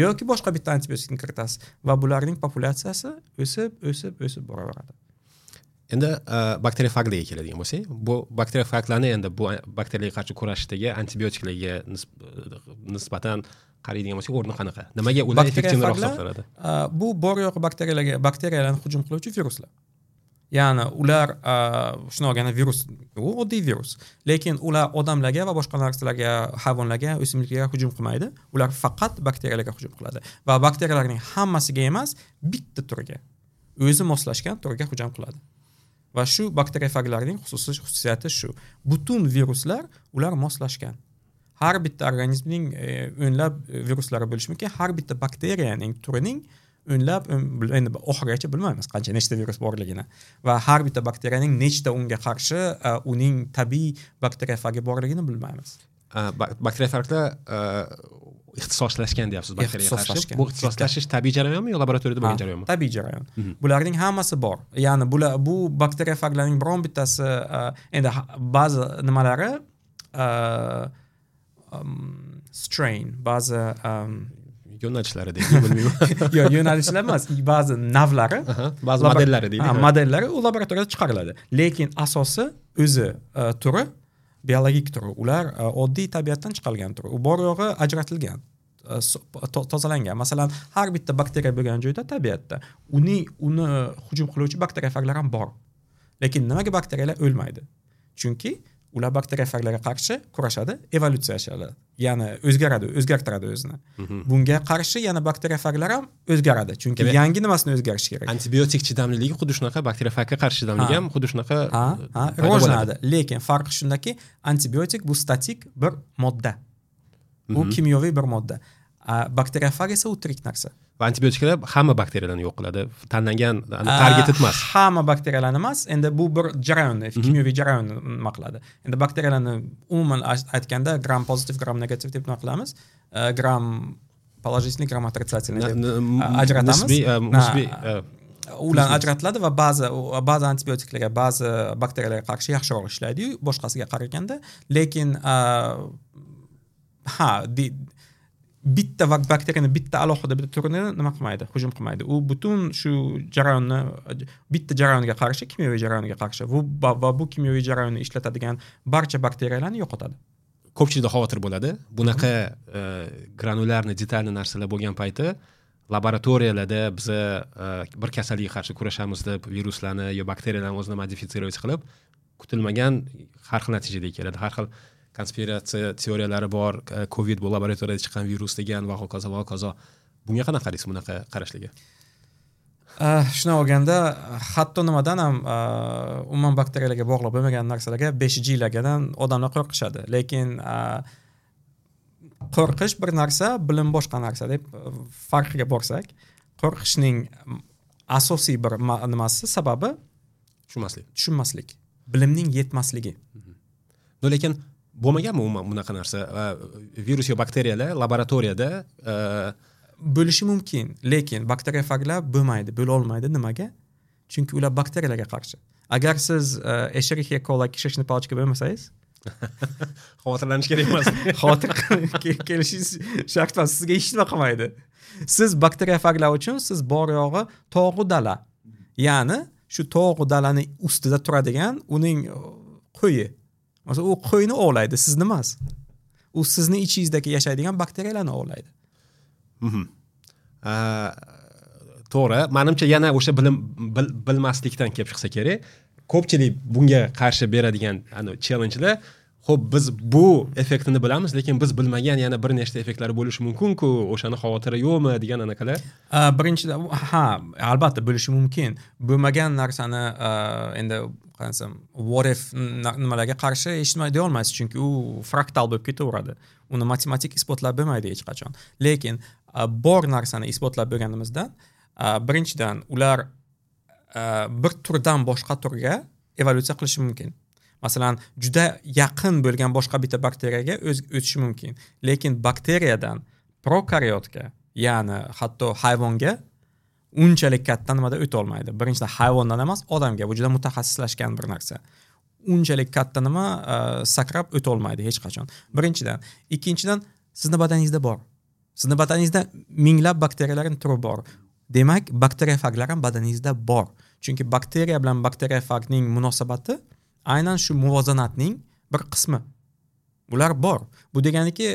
[SPEAKER 1] Yoki boshqa bitta antibiotikni kiritasiz va bularning populyatsiyasi o'sib, o'sib, o'sib boraveradi.
[SPEAKER 2] Endi bakteriofaglarga keladigan bo'lsak, bu bakteriofaglarni endi bu bakteriyalarga qarshi kurashdagi antibiotiklarga nisbatan qaraydigan bo'lsak, o'rni qanaqa? Nimaga ular effektivroq hisoblanadi?
[SPEAKER 1] Bu bor yo'q bakteriyalarga, bakteriyalarni hujum qiluvchi viruslar. Ya'ni ular shuni olganda virus, u oddiy virus, lekin ular odamlarga va boshqa narsalarga, hayvonlarga, o'simliklarga hujum qilmaydi. Ular faqat bakteriyalarga hujum qiladi va bakteriyalarning hammasiga emas, bitta turiga, o'zi moslashgan turiga hujum qiladi. Va shu bakteriofaglarning xususiy xususiyati shu. Butun viruslar ular moslashgan. Har bitta organizmning o'nlab viruslari bo'lishi mumkin, har bitta bakteriyaning turining o'nlab, endi oxirigacha bilmaymiz qancha nechta virus borligini va har bitta bakteriyaning nechta unga qarshi uning tabiiy bakteriofagi borligini bilmaymiz.
[SPEAKER 2] Bakteriofaglar ixtisoslashgan deyapsiz bakteriyaga qarshi. Bu ixtisoslashish tabiiy jarayonmi yo laboratoriyada bo'lgan jarayonmi?
[SPEAKER 1] Tabiiy jarayon. Bularning hammasi bor. Ya'ni bular bu bakteriofaglarning biron bittasi endi ba'zi nimalari strain, ba'zi
[SPEAKER 2] yo'nalishlari deydi, bilmayman.
[SPEAKER 1] Yo'q, yo'nalishlar emas, ba'zi navlari,
[SPEAKER 2] ba'zi modellari deydi.
[SPEAKER 1] Ha, modellari u laboratoriyada chiqariladi. Lekin asosi o'zi turi biologik turi. Ular oddiy tabiatdan chiqarilgan turi. U bor yo'g'i ajratilgan, tozalangan. Masalan, har bitta bakteriya bo'lgan joyda tabiatda uning uni hujum qiluvchi bakteriofaglar ham bor. Lekin nimaga bakteriyalar o'lmaydi? Chunki ular bakteriofaglarga qarshi kurashadi, evolyutsiyalashadi. Ya'ni o'zgaradi, o'zgartiradi o'zini. Bunga qarshi yana bakteriofaglar ham o'zgaradi. Chunki yangi nimasini o'zgarishi kerak.
[SPEAKER 2] Antibiotik chidamliligi xuddi shunaqa, bakteriofagga qarshi chidamligi ham xuddi shunaqa
[SPEAKER 1] rivojlanadi. Lekin farqi shundaki, antibiotik bu statik bir modda. Bu kimyoviy bir modda. Bakteriofag esa u tirik narsa.
[SPEAKER 2] Va antibiotiklar hamma bakteriyalarni yo'q qiladi. Tanlangan, targeted emas.
[SPEAKER 1] Hamma bakteriyalarni emas. Endi bu bir jarayonni, kimyoviy jarayonni nima qiladi. Endi bakteriyalarni umuman aytganda gram pozitiv, gram negativ deb nima qilamiz? Gram положительный, gram отрицательный deb ajratamiz.
[SPEAKER 2] Nisbiy, musbiy
[SPEAKER 1] ular ajratiladi va ba'zi ba'zi antibiotiklarga, ba'zi bakteriyalarga qarshi yaxshiroq ishlaydi-yu, boshqasiga qaraganda, lekin ha, bitta bakteriyani bitta alohida bitta turini nima qilmaydi, hujum qilmaydi. U butun shu jarayonni bitta jarayonga qarshi, kimyoviy jarayonga qarshi bu va bu kimyoviy jarayonni ishlatadigan barcha bakteriyalarni yo'qotadi.
[SPEAKER 2] Ko'pchilikda xavotir bo'ladi. Bunaqa granulyarni, detalni narsalar bo'lgan payti laboratoriyalarda biza bir kasallikka qarshi kurashamiz deb viruslarni yo bakteriyalarni o'zini modifitsировать qilib, kutilmagan har xil natijaga keladi. Har xil konspiratsiya teoriyalari bor, Covid bu laboratoriyada chiqqan virus degan va hokazo va hokazo. Bunga qanaqa qaraysiz, bunaqa qarashlarga?
[SPEAKER 1] Shuni olganda hatto nimadan ham umuman bakteriyalarga bog'liq bo'lmagan narsalarga besh G lardan odamlar qo'rqishadi. Lekin qo'rqish bir narsa, bilim boshqa narsa deb farqiga borsak, qo'rqishning asosiy bir nimasi, sababi
[SPEAKER 2] tushunmaslik.
[SPEAKER 1] Tushunmaslik, bilimning yetmasligi.
[SPEAKER 2] No, lekin bo'lmaganmi umuman bunaqa narsa? Virus yo bakteriyalar laboratoriyada
[SPEAKER 1] bo'lishi mumkin, lekin bakteriofaglar bo'lmaydi, bo'la olmaydi. Nimaga? Chunki ular bakteriyalarga qarshi. Agar siz Escherichia coli кишечный палочка bo'lmasangiz,
[SPEAKER 2] xavotirlanish kerak emas.
[SPEAKER 1] Xavotir kelishingiz shart emas, sizga hech nima qilmaydi. Siz bakteriofaglar uchun siz bor yo'g'i tog'u dala. Ya'ni shu tog'u dalani ustida turadigan uning qo'yi. Masalan, u qo'yni ovlaydi, sizni emas. U sizni ichingizdagi yashaydigan bakteriyalarni ovlaydi.
[SPEAKER 2] Mhm. To'g'ri, menimcha yana o'sha bilim bil, bilmaslikdan kelib chiqsa kerak. Ko'pchilik bunga qarshi beradigan challengelar, xo'p, biz bu effektini bilamiz, lekin biz bilmagan yana bir nechta effektlari bo'lishi mumkin-ku, o'shani xavotiri yo'qmi degan anaqalar.
[SPEAKER 1] Birinchidan, ha, albatta bo'lishi mumkin. Bo'lmagan narsani endi qanaysam, what if nimalarga qarshi hech nima deya olmaysiz, chunki u fraktal bo'lib ketaveradi. Uni matematik isbotlab bo'lmaydi hech qachon. Lekin bor narsani isbotlab bo'lganimizdan, birinchidan ular bir turdan boshqa turga evolyutsiya qilishi mumkin. Masalan, juda yaqin bo'lgan boshqa bitta bakteriyaga o'tishi mumkin. Lekin bakteriyadan prokariotga, ya'ni hatto hayvonga unchalik katta nimada o'ta olmaydi. Birinchidan hayvondan emas, odamga. Bu juda mutaxassislashgan bir narsa. Unchalik katta nima sakrab o'ta olmaydi hech qachon. Birinchidan. Ikkinchidan, sizni badaningizda bor. Sizni badaningizda minglab bakteriyalarning turi bor. Demak, bakteriofaglar ham badaningizda bor. Chunki bakteriya bilan bakteriofagning munosabati aynan shu muvozanatning bir qismi. Ular bor. Bu deganiki,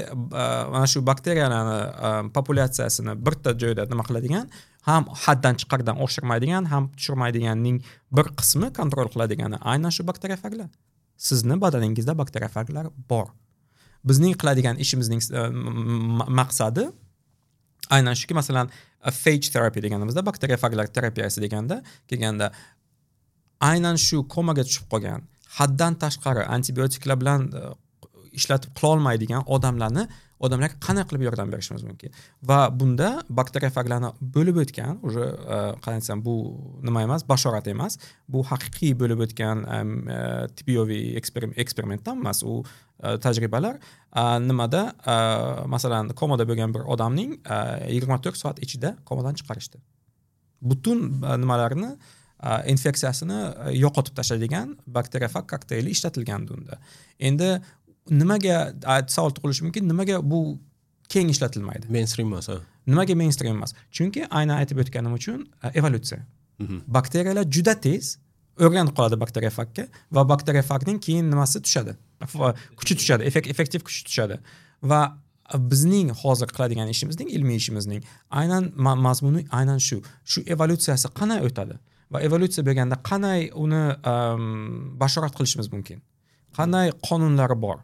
[SPEAKER 1] mana shu bakteriyalarni populyatsiyasini birta joyda nima qiladigan, ham haddan chiqardan oshirmaydigan, ham tushirmaydiganning bir qismi kontrol qiladigani aynan shu bakteriofaglar. Sizni badaningizda bakteriofaglar bor. Bizning qiladigan ishimizning maqsadi aynan shuki, masalan, phage therapy deganimizda, bakteriofaglar terapiyasi deganda, kelganda aynan shu komaga tushib qolgan, haddan tashqari antibiotiklar bilan ishlatib qila olmaydigan odamlarni odamlarga qanday qilib yordam berishimiz mumkin? Va bunda bakteriofaglarni bo'lib o'tgan, уже qanday desam, bu nima emas, bashorat emas, bu haqiqiy bo'lib o'tgan tibbiy eksperimentdan emas, u tajribalar nimada, masalan, komada bo'lgan bir odamning yigirma to'rt soat ichida komadan chiqarishdi. Butun nimalarni, infeksiyasini yo'qotib tashlaydigan bakteriofag kokteyli ishlatilgandi unda. Endi nimaga savol tug'ilishi mumkin, nimaga bu keng ishlatilmaydi?
[SPEAKER 2] Mainstream emas, ha.
[SPEAKER 1] Nimaga mainstream emas? Chunki aynan aytib o'tganim uchun evolyutsiya. Bakteriyalar juda tez o'rganib qoladi bakteriofagga va bakteriofagning keyin nimasi tushadi? Kuchi tushadi, effektiv kuchi tushadi. Va bizning hozir qiladigan ishimizning, ilmiy ishimizning aynan mazmuni aynan shu. Shu evolyutsiyasi qanday o'tadi? Va evolyutsiya bo'lganda qanday uni bashorat qilishimiz mumkin? Qanday qonunlari bor?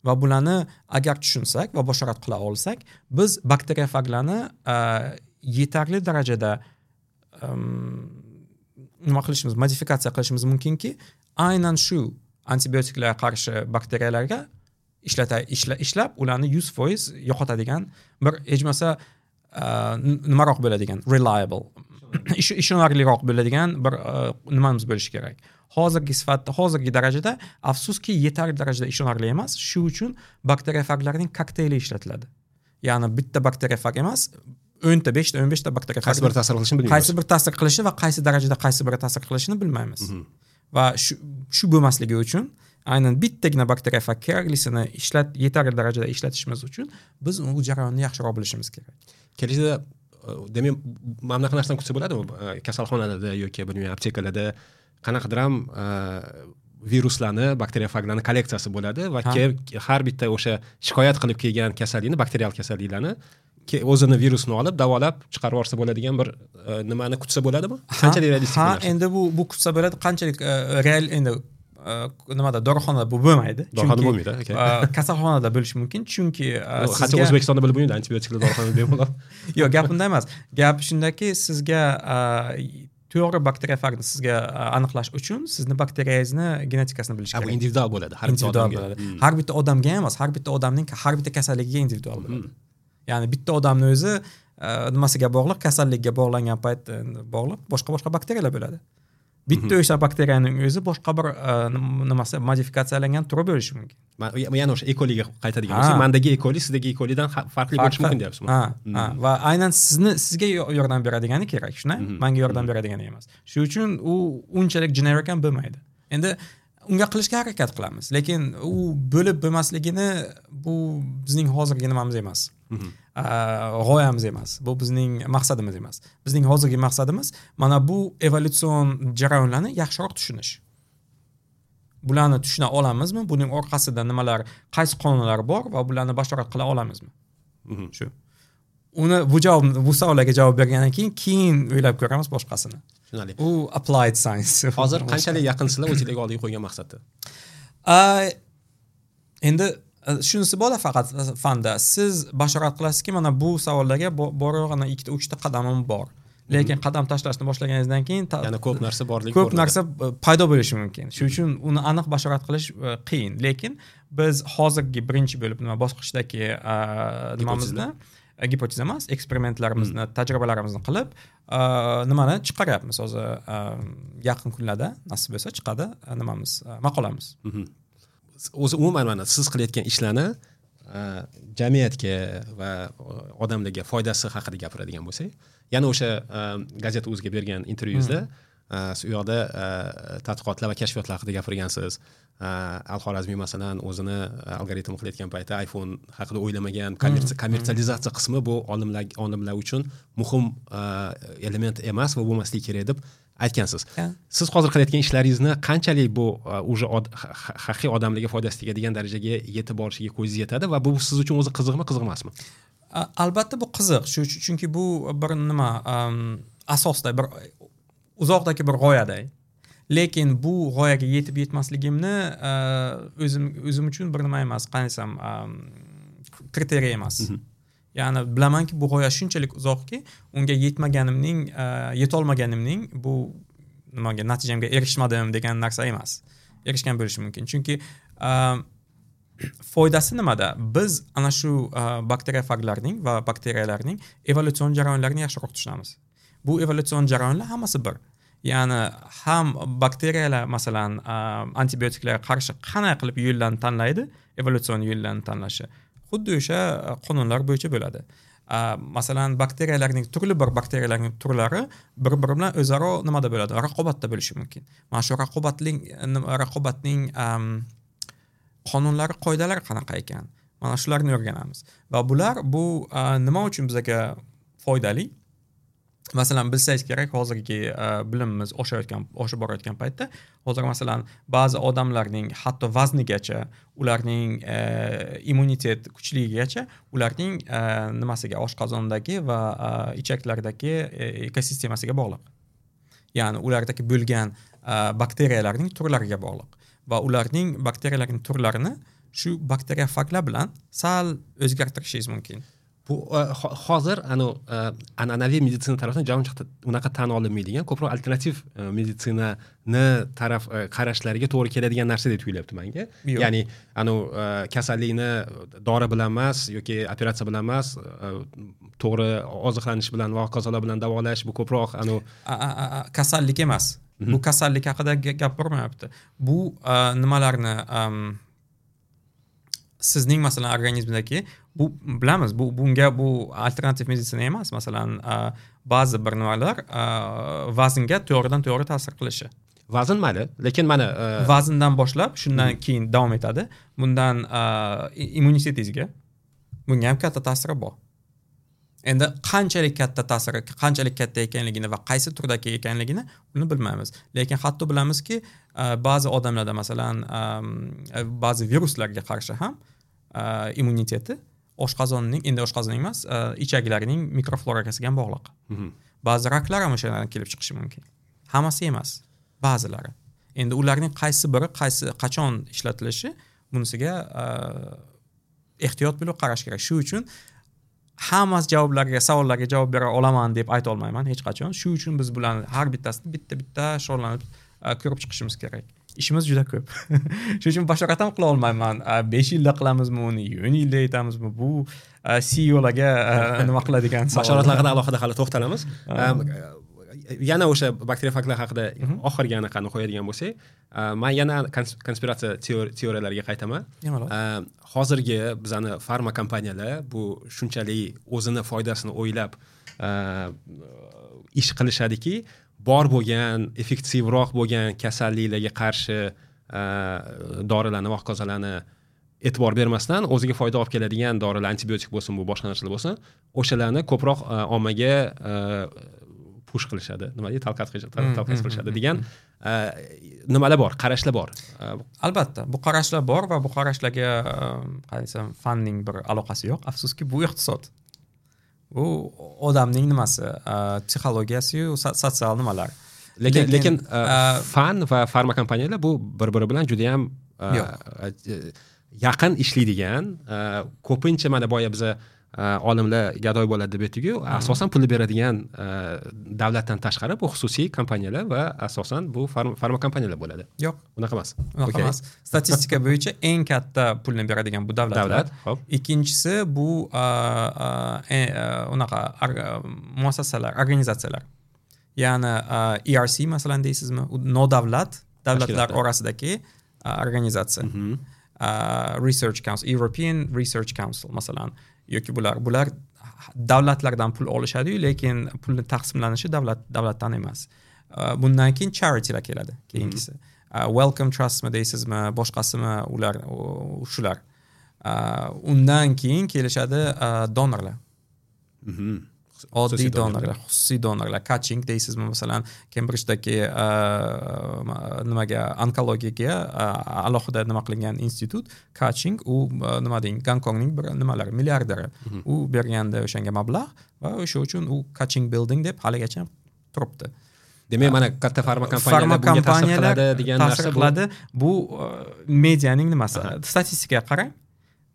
[SPEAKER 1] Va bularni agar tushunsak va bashorat qila olsak, biz bakteriofaglarni yetarli darajada nima qilishimiz, modifikatsiya qilishimiz mumkinki, aynan shu antibiotiklarga qarshi bakteriyalarga ishlata ishla, ishlab ularni yuz foiz yo'qotadigan bir hech bo'lmasa nimaroq bo'ladigan, reliable, ishonarliroq bo'ladigan bir nimamiz bo'lishi kerak. Hozirgi sifatda, hozirgi darajada afsuski yetarli darajada ishonarli emas. Shu uchun bakteriofaglarning kokteyli ishlatiladi. Ya'ni bitta bakteriofag emas, o'nta, beshta, o'n beshta bakteriofag.
[SPEAKER 2] Qaysi biri ta'sir qilishini bilmaymiz.
[SPEAKER 1] Qaysi biri ta'sir qilishi va qaysi darajada qaysi biri ta'sir qilishini bilmaymiz. Va shu shu bo'lmasligi uchun aynan bittagina bakteriofag keraklisini ishlat yetarli darajada ishlatishimiz uchun biz u jarayonni yaxshiroq bilishimiz kerak.
[SPEAKER 2] Kelajakda demak, mana bunaqa narsani kutsa bo'ladimi? Kasalxonalarda yoki bilmayman, aptekalarda qanaqadir ham viruslarni, bakteriofaglarni kolleksiyasi bo'ladi va har bitta o'sha shikoyat qilib kelgan kasallikni, bakterial kasalliklarni o'zini virusini olib davolab chiqarib yuborsa bo'ladigan bir nimani kutsa bo'ladimi? Qanchalik realistik
[SPEAKER 1] bu narsa? Ha, endi bu bu kutsa bo'ladi, qanchalik real endi nimada, dorixonada bu bo'lmaydi.
[SPEAKER 2] Dorixonada bo'lmaydi, okey.
[SPEAKER 1] Kasalxonada bo'lishi mumkin, chunki
[SPEAKER 2] hatto O'zbekistonda bo'lib bo'lmaydi, antibiotiklar dorixonada bemalol.
[SPEAKER 1] Yo'q, gap unda emas. Gap shundaki, sizga to'g'ri bakteriofagni sizga aniqlash uchun sizni bakteriyangizni genetikasini bilish kerak.
[SPEAKER 2] Bu individual bo'ladi, har bitta odamga.
[SPEAKER 1] Har bitta odamga emas, har bitta odamning har bitta kasalligiga individual bo'ladi. Ya'ni bitta odamning o'zi nimasiga bog'liq, kasallikka bog'langan payt bog'liq boshqa-boshqa bakteriyalar bo'ladi. Bitta o'sha bakteriyaning o'zi boshqa bir nimasi modifikatsiyalangan turi bo'lishi mumkin.
[SPEAKER 2] Yana o'sha E. coliga qaytadigan bo'lsak, mendagi E. coli sizdagi E. colidan farqli bo'lishi mumkin deyapsizmi?
[SPEAKER 1] Ha, ha, va aynan sizni sizga yordam beradigani kerak, shunday? Menga yordam beradigani emas. Shu uchun u unchalik generik ham bo'lmaydi. Endi unga qilishga harakat qilamiz, lekin u bo'lib bo'lmasligini bu bizning hozirgi nimamiz emas. G'oyamiz emas. Bu bizning maqsadimiz emas. Bizning hozirgi maqsadimiz mana bu evolyutsion jarayonlarni yaxshiroq tushunish. Bularni tushuna olamizmi? Buning orqasida nimalar, qaysi qonunlar bor va bularni bashorat qila olamizmi? Shu. Uni bu javob, bu savollarga javob bergandan keyin keyin o'ylab ko'ramiz boshqasini.
[SPEAKER 2] Tushunarli.
[SPEAKER 1] U applied science.
[SPEAKER 2] Hozir qanchalik yaqinsizlar o'zingizga oldiga qo'ygan maqsadda?
[SPEAKER 1] Endi shunisi bor faqat fanda. Siz bashorat qilasizki, mana bu savollarga borib ikkita uchta qadamim bor. Lekin qadam tashlashni boshlaganingizdan keyin
[SPEAKER 2] yana ko'p narsa borligi
[SPEAKER 1] ko'p narsa paydo bo'lishi mumkin. Shuning uchun uni aniq bashorat qilish qiyin. Lekin biz hozirgi birinchi bo'lib nima bosqichdagi nimamizni gipoteza emas, eksperimentlarimizni, tajribalarimizni qilib, nimani chiqaryapmiz hozir yaqin kunlarda nasib bo'lsa chiqadi nimamiz, maqolamiz.
[SPEAKER 2] O'zi umuman mana siz qilayotgan ishlarni jamiyatga va odamlarga foydasi haqida gapiradigan bo'lsak, yana o'sha gazeta o'ziga bergan intervyuzda siz u yoqda tadqiqotlar va kashfiyotlar haqida gapirgansiz. Al-Xorazmiy masalan o'zini algoritm qilayotgan paytda iPhone haqida o'ylamagan, kommersializatsiya qismi bu olimlar olimlar uchun muhim element emas va bo'lmasligi kerak deb aytgansiz. Siz hozir qilayotgan ishlaringizni qanchalik bu уже haqiqiy odamlarga foydasi tegadigan darajaga yetib borishiga ko'zingiz yetadi va bu siz uchun o'zi qiziqmi, qiziq emasmi?
[SPEAKER 1] Albatta bu qiziq, shu chunki bu bir nima asosda bir uzoqdagi bir g'oyaday. Lekin bu g'oyaga yetib yetmasligimni o'zim o'zim uchun bir nima emas, qanday desam, kriteriya emas. Ya'ni bilamanki bu g'oya shunchalik uzoqki, unga yetmaganimning, yetolmaganimning bu nimaga natijamga erishmadim degan narsa emas. Erishgan bo'lishi mumkin. Chunki foydasi nimada? Biz ana shu bakteriyofaglarning va bakteriyalarning evolyutsion jarayonlarini yaxshiroq tushunamiz. Bu evolyutsion jarayonlar hammasi bir. Ya'ni ham bakteriyalar masalan antibiotiklarga qarshi qanday qilib yo'llarni tanlaydi, evolyutsion yo'llarni tanlashi xuddi o'sha qonunlar bo'yicha bo'ladi. Masalan, bakteriyalarning turli bir bakteriyalarning turlari bir-biri bilan o'zaro nimada bo'ladi? Raqobatda bo'lishi mumkin. Mana shu raqobatning raqobatning qonunlari, qoidalari qanaqa ekan? Mana shularni o'rganamiz. Va bular bu nima uchun bizga foydali? Masalan, bilsangiz kerak, hozirgi bilimimiz oshayotgan, oshib borayotgan paytda, hozir masalan ba'zi odamlarning hatto vaznigacha, ularning e, immunitet kuchligigacha, ularning e, nimasiga, oshqozondagi va e, ichaklardagi e, ekosistemasiga bog'liq. Ya'ni ulardagi bo'lgan e, bakteriyalarning turlariga bog'liq va ularning bakteriyalarning turlarini shu bakteriyofaglar bilan sal o'zgartirishingiz mumkin.
[SPEAKER 2] Bu hozir anu an'anaviy meditsina tarafdan uncha unaqa tan olinmaydigan, ko'proq alternativ meditsinani taraf qarashlariga to'g'ri keladigan narsa deb tuyulyapti menga. Ya'ni anu kasallikni dori bilan emas yoki operatsiya bilan emas, to'g'ri oziqlanish bilan va hokazolar bilan davolash, bu ko'proq anu
[SPEAKER 1] kasallik emas. Bu kasallik haqida gap bormayapti. Bu nimalarni sizning masalan organizmdagi bu bilamiz, bu bunga bu alternativ meditsina emas. Masalan, ba'zi bir nimalar vaznga to'g'ridan to'g'ri ta'sir qilishi.
[SPEAKER 2] Vazn mayli, lekin mana
[SPEAKER 1] vazndan boshlab shundan keyin davom etadi. Bundan immunitetingizga bunga ham katta ta'siri bor. Endi qanchalik katta ta'siri, qanchalik katta ekanligini va qaysi turdagi ekanligini uni bilmaymiz. Lekin hatto bilamizki, ba'zi odamlarda masalan ba'zi viruslarga qarshi ham immuniteti oshqozonning, endi oshqozonning emas, ichaklarining mikroflorasiga ham bog'liq. Ba'zi raklar ham o'shalardan kelib chiqishi mumkin. Hammasi emas, ba'zilari. Endi ularning qaysi biri qaysi qachon ishlatilishi bunisiga ehtiyot bo'lib qarash kerak. Shu uchun hammasi javoblarga, savollarga javob bera olaman deb ayta olmayman hech qachon. Shu uchun biz bularni har bittasini bitta-bitta shug'ullanib ko'rib chiqishimiz kerak. Ishimiz juda ko'p. Shuning uchun bashorat ham qila olmayman. besh yilda qilamizmi uni, o'n yilda yetamizmi? Bu C E O'larga nima qiladigan savol.
[SPEAKER 2] Bashoratlarga alohida hali to'xtalamiz. Yana o'sha bakteriyofaglar haqida oxirgi anaqani qo'yadigan bo'lsak, men yana konspiratsiya teoriyalariga qaytaman. Hozirgi bizani farma kompaniyalar bu shunchalik o'zini foydasini o'ylab ish qilishadiki, bor bo'lgan, effektivroq bo'lgan kasalliklarga qarshi dorilarni va hokazolarni e'tibor bermasdan o'ziga foyda olib keladigan dorilar, antibiotik bo'lsin, bu boshqa narsalar bo'lsin, o'shalarni ko'proq ommaga push qilishadi. Nima deydi? Talqat talqat qilishadi degan nimalar bor, qarashlar bor.
[SPEAKER 1] Albatta, bu qarashlar bor va bu qarashlarga qanday desam, fanning bir aloqasi yo'q. Afsuski, bu iqtisod. Bu odamning nimasi, psixologiyasi-yu sotsial nimalar.
[SPEAKER 2] Lekin lekin fan va farma kompaniyalar bu bir-biri bilan juda ham yaqin ishlaydigan, ko'pincha mana boya biza olimlar gadoy bo'ladi deb aytdik-ku, asosan pulni beradigan davlatdan tashqari bu xususiy kompaniyalar va asosan bu farma kompaniyalar bo'ladi.
[SPEAKER 1] Yo'q,
[SPEAKER 2] unaqa emas.
[SPEAKER 1] Unaqa emas. Statistika bo'yicha eng katta pulni beradigan bu davlatlar.
[SPEAKER 2] Davlat, xo'p.
[SPEAKER 1] Ikkinchisi bu unaqa muassasalar, organizatsiyalar. Ya'ni E R C masalan deysizmi, nodavlat davlatlar orasidagi organizatsiya. Research Council, European Research Council masalan, yoki bular bular davlatlardan pul olishadi-yu, lekin pulni taqsimlanishi davlat davlatdan emas. Bundan keyin charitylar keladi, keyingisi. Wellcome Trustmi deysizmi, boshqasimi, ular shular. Undan keyin kelishadi donorlar. Oddiy donorlar, xususiy donorlar, Kaching deysizmi masalan, Cambridge'dagi nimaga, onkologiyaga alohida nima qilingan institut Kaching, u nima deng, Gonkongning bir nimalari, milliarderi. U berganda o'shanga mablag' va o'sha uchun u Kaching Building deb haligacha turibdi.
[SPEAKER 2] Demak, mana katta farma kompaniyalar bunga ta'sir qiladi degan narsa
[SPEAKER 1] qiladi. Bu medianing nimasi? Statistikaga qarang.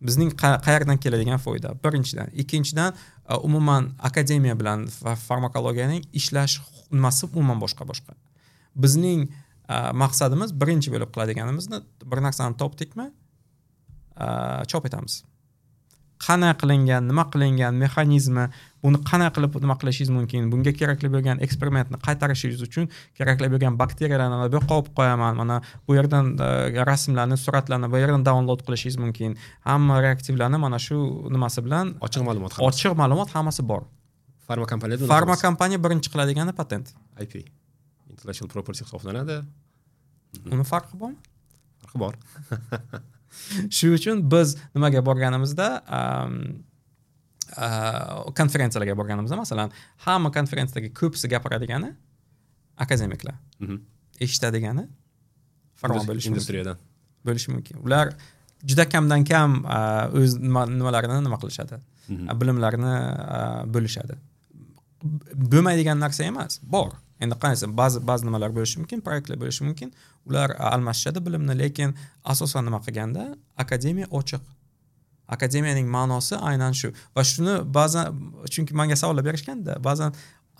[SPEAKER 1] Bizning qayerdan keladigan foyda birinchidan, ikkinchidan umuman akademiya bilan farmakologiyaning ishlash nimasi umuman boshqa boshqa. Bizning maqsadimiz birinchi bo'lib qiladiganimizni bir narsani topdikmi, chop etamiz. Qanday qilingan, nima qilingan, mexanizmi, buni qanday qilib nima qilishingiz mumkin, bunga kerakli bo'lgan eksperimentni qaytarishingiz uchun kerakli bo'lgan bakteriyalarni bu yoqqa olib qo'yaman, mana bu yerdan rasmlarni, suratlarni bu yerdan download qilishingiz mumkin. Hamma reaktivlarni mana shu nimasi bilan
[SPEAKER 2] ochiq ma'lumot hammasi.
[SPEAKER 1] Ochiq ma'lumot hammasi bor.
[SPEAKER 2] Farma kompaniyada
[SPEAKER 1] farma kompaniya birinchi qiladigani patent.
[SPEAKER 2] I P, intellectual property hisoblanadi.
[SPEAKER 1] Uni farqi bormi?
[SPEAKER 2] Farqi bor.
[SPEAKER 1] Shu uchun biz nimaga borganimizda, konferensiyalarga borganimizda masalan, hamma konferensiyadagi ko'pisi gapiradigani akademiklar. Eshitadigani farma bo'lishi mumkin.
[SPEAKER 2] Industriyadan
[SPEAKER 1] bo'lishi mumkin. Ular juda kamdan kam o'z nimalarini nima qilishadi, bilimlarini bo'lishadi. Bo'lmaydigan narsa emas, bor. Endi qanday, ba'zi ba'zi nimalar bo'lishi mumkin, proyektlar bo'lishi mumkin. Ular almashishadi bilimni, lekin asosan nima qilganda akademiya ochiq. Akademiyaning ma'nosi aynan shu. Va shuni ba'zan, chunki menga savollar berishganda, ba'zan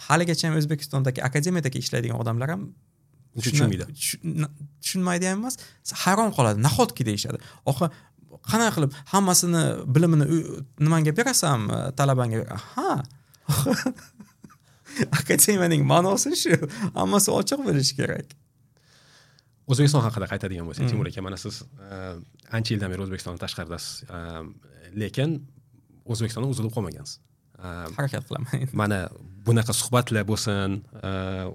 [SPEAKER 1] haligacha ham O'zbekistondagi akademiyadagi ishlaydigan odamlar ham
[SPEAKER 2] tushunmaydi.
[SPEAKER 1] Tushunmaydi ham emas, hayron qoladi. Nahotki deyishadi. Oxir qanday qilib hammasini bilimini nimanga berasam, talabangga? Ha. Akademiyaning ma'nosi shu. Hammasi ochiq bo'lishi kerak.
[SPEAKER 2] O'zbekiston haqida qaytadigan bo'lsak, Timur aka, mana siz ancha yildan beri O'zbekistondan tashqaridasiz, lekin O'zbekistondan uzilib qolmagansiz.
[SPEAKER 1] Harakat qilaman.
[SPEAKER 2] Mana bunaqa suhbatlar bo'lsin,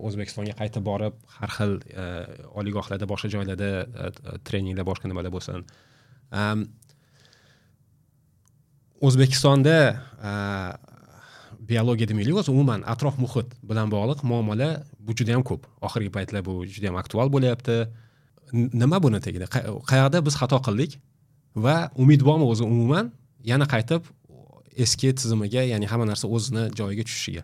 [SPEAKER 2] O'zbekistonga qaytib borib, har xil oliygohlarda, boshqa joylarda treninglar, boshqa nimalar bo'lsin. O'zbekistonda biologiya demaylik, o'zi umuman atrof muhit bilan bog'liq muammolar bu juda ham ko'p. Oxirgi paytlar bu juda ham aktual bo'lyapti. Nima buni tagida? Qayerda biz xato qildik va umid bormi o'zi umuman yana qaytib eski tizimiga, ya'ni hamma narsa o'zini joyiga tushishiga?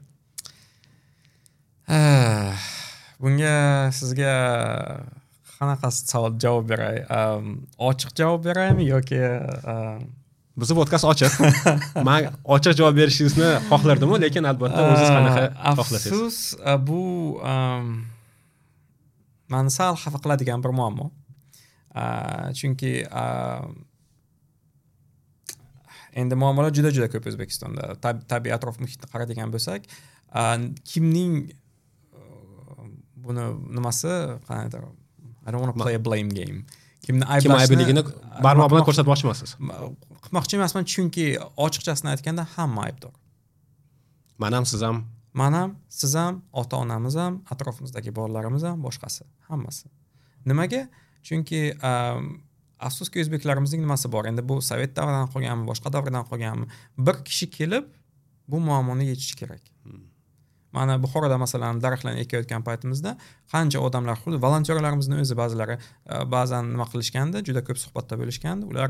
[SPEAKER 1] Bunga sizga qanaqa savol javob beray? Ochiq javob beraymi yoki
[SPEAKER 2] Bizni podkast ochiq. Men ochiq javob berishingizni xohlardim-u, lekin albatta o'zingiz qanaqa xohlasangiz.
[SPEAKER 1] Afsus, bu meni sal xafa qiladigan bir muammo. Chunki endi muammolar juda-juda ko'p O'zbekistonda. Tabiiy atrof muhitni qaradigan bo'lsak, kimning buni nimasi, qanaqadir, I don't want to play a blame game. Kimni
[SPEAKER 2] Kim aybligini barmoq bilan ko'rsatmoqchi emassiz?
[SPEAKER 1] Qilmoqchi emasman, chunki ochiqchasini aytganda hamma aybdor.
[SPEAKER 2] Men ham, siz ham,
[SPEAKER 1] men ham, siz ham, ota-onamiz ham, atrofimizdagi bolalarimiz ham, boshqasi, hammasi. Nimaga? Chunki afsuski o'zbeklarimizning nimasi bor? Endi bu sovet davridan qolganmi, boshqa davrdan qolganmi? Bir kishi kelib bu muammoni yechishi kerak. Mana Buxoroda masalan daraxtlarni ekayotgan paytimizda qancha odamlar, xuddi volontyorlarimizni o'zi ba'zilari ba'zan nima qilishganda, juda ko'p suhbatda bo'lishganda, ular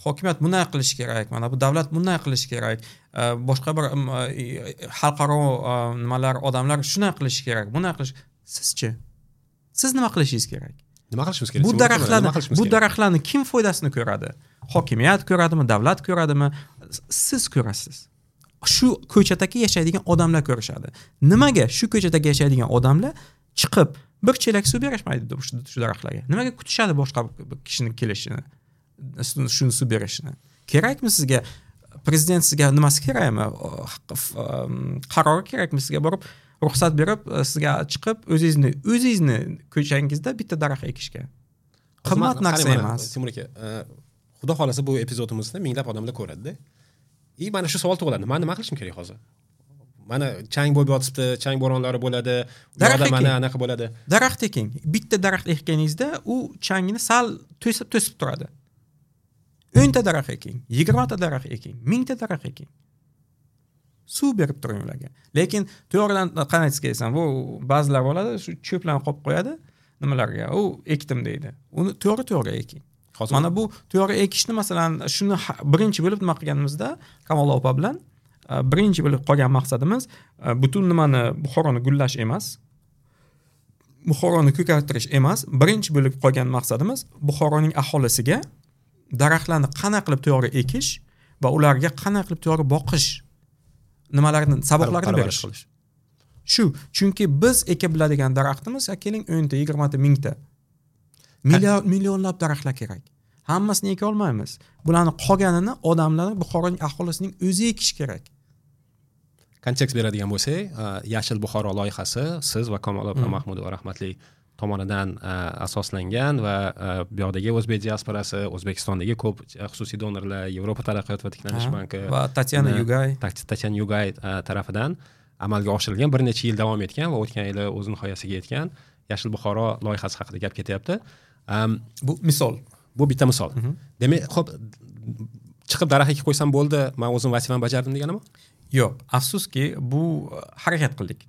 [SPEAKER 1] Hokimiyat bunday qilishi kerak, mana bu davlat bunday qilishi kerak, boshqa bir xalqaro nimalar, odamlar shunday qilishi kerak, bunday qilish. Sizchi? Siz nima qilishingiz kerak?
[SPEAKER 2] Nima qilishimiz kerak?
[SPEAKER 1] Bu daraxtlarni, bu daraxtlarni kim foydasini ko'radi? Hokimiyat ko'radimi, davlat ko'radimi? Siz ko'rasiz. Shu ko'chadagi yashaydigan odamlar ko'rishadi. Nimaga shu ko'chadagi yashaydigan odamlar chiqib bir chelak suv berishmaydi shu daraxtlarga? Nimaga kutishadi boshqa kishining kelishini, shuni suv berishini? Kerakmi sizga? Prezident sizga nimasi kerakmi? Qarori kerakmi sizga borib ruxsat berib sizga chiqib o'zingizni o'zingizni ko'changizda bitta daraxt ekishga? Qimmat narsa emas.
[SPEAKER 2] Timur aka, xudo xolasa bu epizodimizni minglab odamlar ko'radi-da. И mana shu savol tug'iladi. Men nima qilishim kerak hozir? Mana chang bo'lib yotibdi, chang bo'ronlari bo'ladi, ularda mana anaqa bo'ladi.
[SPEAKER 1] Daraxt eking. Bitta daraxt ekkaningizda u changni sal to'sib to'sib turadi. o'nta daraxt eking, yigirmata daraxt eking, mingta daraxt eking. Suv berib turing ularga. Lekin to'g'ridan qanday aytsam, bu ba'zilar bo'ladi, shu cho'plarni qo'yib qo'yadi nimalarga. U ekdim deydi. Uni to'g'ri to'g'ri eking.
[SPEAKER 2] Hozir
[SPEAKER 1] mana bu to'g'ri ekishni masalan shuni birinchi bo'lib nima qilganimizda Kamola opa bilan birinchi bo'lib qolgan maqsadimiz butun nimani Buxoroni gullash emas, Buxoroni ko'kartirish emas, birinchi bo'lib qolgan maqsadimiz Buxoroning aholisiga daraxtlarni qanday qilib to'g'ri ekish va ularga qanday qilib to'g'ri boqish nimalarni, saboqlarni berish. Shu, chunki biz eka biladigan daraxtimiz, keling o'nta, yigirmata, mingta. Million millionlab daraxtlar kerak. Hammasini eka olmaymiz. Bularni qolganini odamlar, Buxoroning aholisining o'zi ekish kerak.
[SPEAKER 2] Kontekst beradigan bo'lsak, Yashil Buxoro loyihasi siz va Kamola opa Mahmudova rahmatli tomonidan asoslangan va bu yoqdagi o'zbek diasporasi, O'zbekistondagi ko'p xususiy donorlar, Yevropa taraqqiyot va tiklanish banki
[SPEAKER 1] va Tatyana Yugay,
[SPEAKER 2] Tatyana Yugay tarafidan amalga oshirilgan, bir necha yil davom etgan va o'tgan yili o'z nihoyasiga yetgan Yashil Buxoro loyihasi haqida gap ketyapti.
[SPEAKER 1] Bu misol.
[SPEAKER 2] Bu bitta misol. Demak, xo'p, chiqib daraxt ekib qo'ysam bo'ldi, men o'zim vazifamni bajardim deganimi?
[SPEAKER 1] Yo'q, afsuski bu harakat qildik.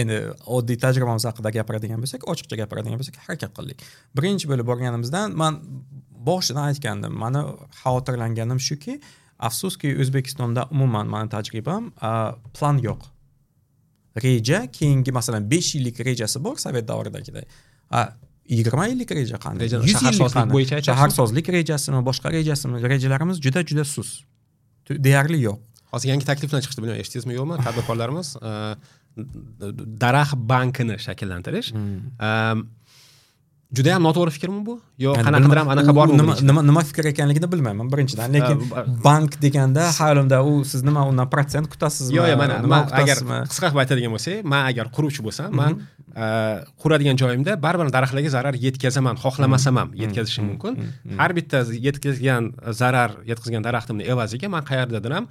[SPEAKER 1] Endi oddiy tajribamiz haqida gapiradigan bo'lsak, ochiqcha gapiradigan bo'lsak, harakat qildik. Birinchi bo'lib borganimizdan men boshidan aytgandim, meni xavotirlanganim shuki, afsuski O'zbekistonda umuman meni tajribam plan yo'q. Reja, keyingi masalan besh yillik rejasi bor Sovet davridagiday. Yigirma yillik reja qanday?
[SPEAKER 2] Shaharsozlik bo'yicha aytasiz?
[SPEAKER 1] Shaharsozlik rejasimi, boshqa rejasimi? Rejalarimiz juda juda sus. Deyarli yo'q.
[SPEAKER 2] Hozir yangi taklif bilan chiqdi, bilmayman, eshitdingizmi yo'qmi? Tadbirkorlarimiz daraxt bankini shakllantirish. Juda ham noto'g'ri fikrmi bu? Yo qanaqadir ham anaqa bormi?
[SPEAKER 1] Nima nima nima fikr ekanligini bilmayman birinchidan, lekin bank deganda xayolimda u siz nima undan protsent kutasizmi?
[SPEAKER 2] Yo'q, yo'q, mana men agar qisqa qilib aytadigan bo'lsak, men agar quruvchi bo'lsam, men quradigan joyimda baribir daraxtlarga zarar yetkazaman, xohlamasam ham yetkazishim mumkin. Har bitta yetkazgan zarar, yetkazgan daraxtimni evaziga men qayerdadir ham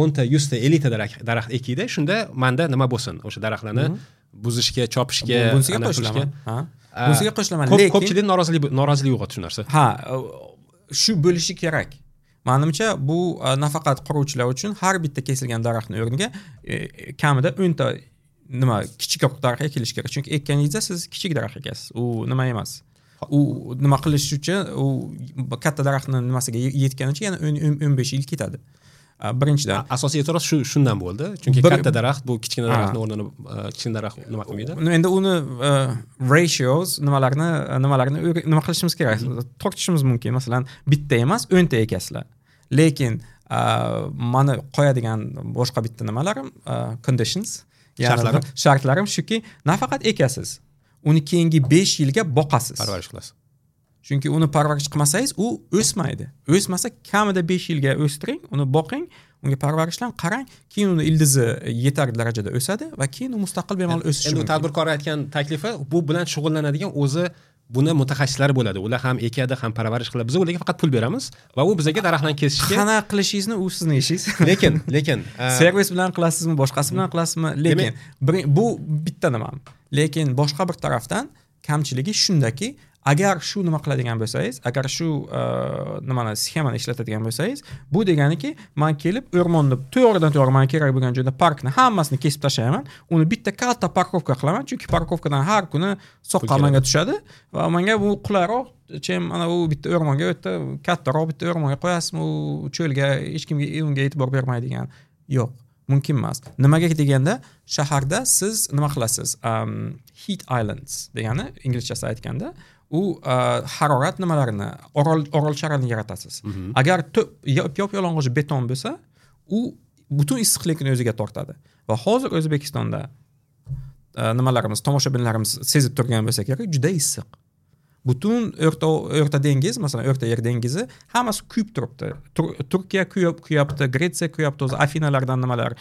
[SPEAKER 2] o'nta, yuzta, ellikta daraxt ekiydi. Shunda menda nima bo'lsin? O'sha daraxtlarni buzishga, chopishga,
[SPEAKER 1] bunisiga qo'shilaman. Ha. Bunisiga qo'shilaman, lekin
[SPEAKER 2] ko'pchilik norozilik norozilik uyg'otdi shu narsa.
[SPEAKER 1] Ha, shu bo'lishi kerak. Menimcha bu nafaqat quruvchilar uchun har bitta kesilgan daraxtning o'rniga kamida o'nta nima kichikroq daraxt ekilishi kerak. Chunki ekkaningizda siz kichik daraxt ekasiz. U nima emas. U nima qilish uchun u katta daraxtning nimasiga yetganicha yana o'n besh yil ketadi. Birinchidan
[SPEAKER 2] asosiy e'tiroz shu shundan bo'ldi. Chunki katta daraxt bu kichkina daraxtning o'rnini kichkina daraxt nima qilmaydi.
[SPEAKER 1] Endi uni ratios nimalarni nimalarni nima qilishimiz kerak? Tortishimiz mumkin. Masalan, bitta emas, o'nta ekasizlar. Lekin meni qo'yadigan boshqa bitta nimalarim, conditions, ya'ni shartlarim shuki, nafaqat ekasiz, uni keyingi besh yilga boqasiz.
[SPEAKER 2] Parvarish qilasiz.
[SPEAKER 1] Chunki uni parvarish qilmasangiz, u o'smaydi. O'smasa kamida besh yilga o'stiring, uni boqing, unga parvarishlang, qarang, keyin uni ildizi yetarli darajada o'sadi va keyin u mustaqil bemalol o'sishi mumkin.
[SPEAKER 2] Endi tadbirkor aytgan taklifi bu bilan shug'ullanadigan o'zi buni mutaxassislari bo'ladi. Ular ham ekadi, ham parvarish qiladi. Biz ularga faqat pul beramiz va u bizga daraxtlarni kesishga
[SPEAKER 1] qana qilishingizni u sizning ishingiz.
[SPEAKER 2] Lekin, lekin
[SPEAKER 1] servis bilan qilasizmi, boshqasi bilan qilasizmi, lekin bu bitta nima. Lekin boshqa bir tarafdan kamchiligi shundaki, Agar shu nima qiladigan bo'lsangiz, agar shu nimani sxemani ishlatadigan bo'lsangiz, bu deganiki, men kelib o'rmonni to'g'ridan to'g'ri men kerak bo'lgan joyda parkni hammasini kesib tashlayman, uni bitta katta parkovka qilaman, chunki parkovkadan har kuni soqqa menga tushadi va menga bu qulayroq, chem ana u bitta o'rmonga o'tda kattaroq bitta o'rmonga qo'yasizmi, u cho'lga hech kimga unga e'tibor bermaydigan. Yo'q, mumkin emas. Nimaga deganda, shaharda siz nima qilasiz? Heat islands degani inglizchasi aytganda, u harorat nimalarini, orol orolchalarni yaratasiz. Agar yop-yalang'och beton bo'lsa, u butun issiqlikni o'ziga tortadi. Va hozir O'zbekistonda nimalarimiz, tomoshabinlarimiz sezib turgan bo'lsa kerak, juda issiq. Butun o'rta o'rta dengiz, masalan, O'rta Yer dengizi hammasi kuyib turibdi. Turkiya kuyib kuyapti, Gretsiya kuyapti, o'zi Afinalardan nimalar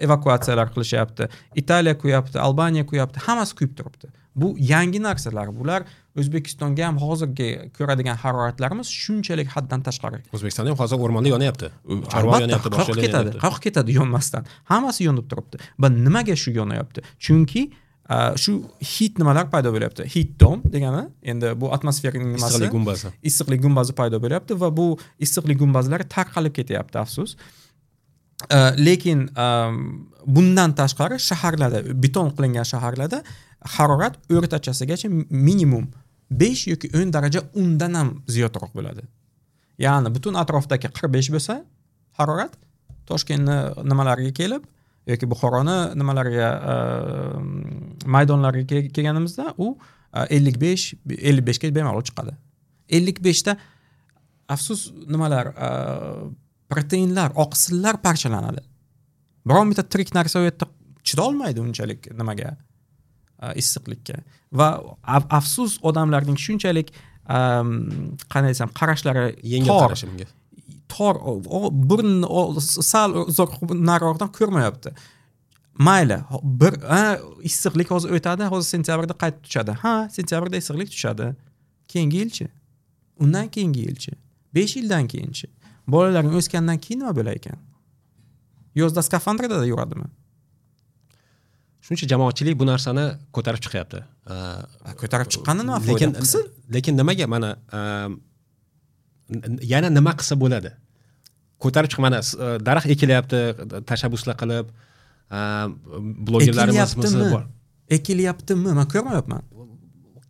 [SPEAKER 1] evakuatsiyalar qilishyapti. Italiya kuyapti, Albaniya kuyapti, hammasi kuyib turibdi. Bu yangi narsalar. Bular O'zbekistonga ham hozirgi ko'radigan haroratlarimiz shunchalik haddan tashqari.
[SPEAKER 2] O'zbekistonda ham hozir o'rmonda yonyapti. Chorva yonyapti, boshqa
[SPEAKER 1] ketadi. Qayerga ketadi yonmasdan? Hammasi yonib turibdi. Va nimaga shu yonyapti? Chunki shu heat nimalar paydo bo'lyapti. Heat dome degani endi bu atmosferaning nimasi?
[SPEAKER 2] Issiqlik gumbazi.
[SPEAKER 1] Issiqlik gumbazi paydo bo'lyapti va bu issiqlik gumbazlari tarqalib ketyapti, afsus. Lekin bundan tashqari shaharlarda, beton qilingan shaharlarda harorat o'rtachasigacha minimum besh yoki o'n daraja undan ham ziyodroq bo'ladi. Ya'ni butun atrofdagi qirq besh bo'lsa harorat, Toshkentni nimalariga kelib yoki Buxoroni nimalariga maydonlariga kelganimizda u ellik besh ellik beshga bemalol chiqadi. ellik beshda afsus nimalar, proteinlar, oqsillar parchalanadi. Biron bitta tirik narsa u yerda chidolmaydi unchalik nimaga, issiqlikka. Va afsus odamlarning shunchalik qanday desam, qarashlari
[SPEAKER 2] yengil qarashi bunga.
[SPEAKER 1] Tor, burni sal uzoq nariroqdan ko'rmayapti. Mayli, bir issiqlik hozir o'tadi, hozir sentyabrda qaytib tushadi. Ha, sentyabrda issiqlik tushadi. Keyingi yilchi, undan keyingi yilchi, besh yildan keyinchi. Bolalaring o'sgandan keyin nima bo'lar ekan? Yozda skafandrda da yuradimi?
[SPEAKER 2] Shuncha jamoatchilik bu narsani ko'tarib chiqyapti.
[SPEAKER 1] Ko'tarib chiqqanda nima foyda qilsin?
[SPEAKER 2] Lekin nimaga mana yana nima qilsa bo'ladi? Ko'tarib chiq, mana daraxt ekilyapti, tashabbuslar qilib, blogerlarimiz bor.
[SPEAKER 1] Ekilyaptimi? Men ko'rmayapman.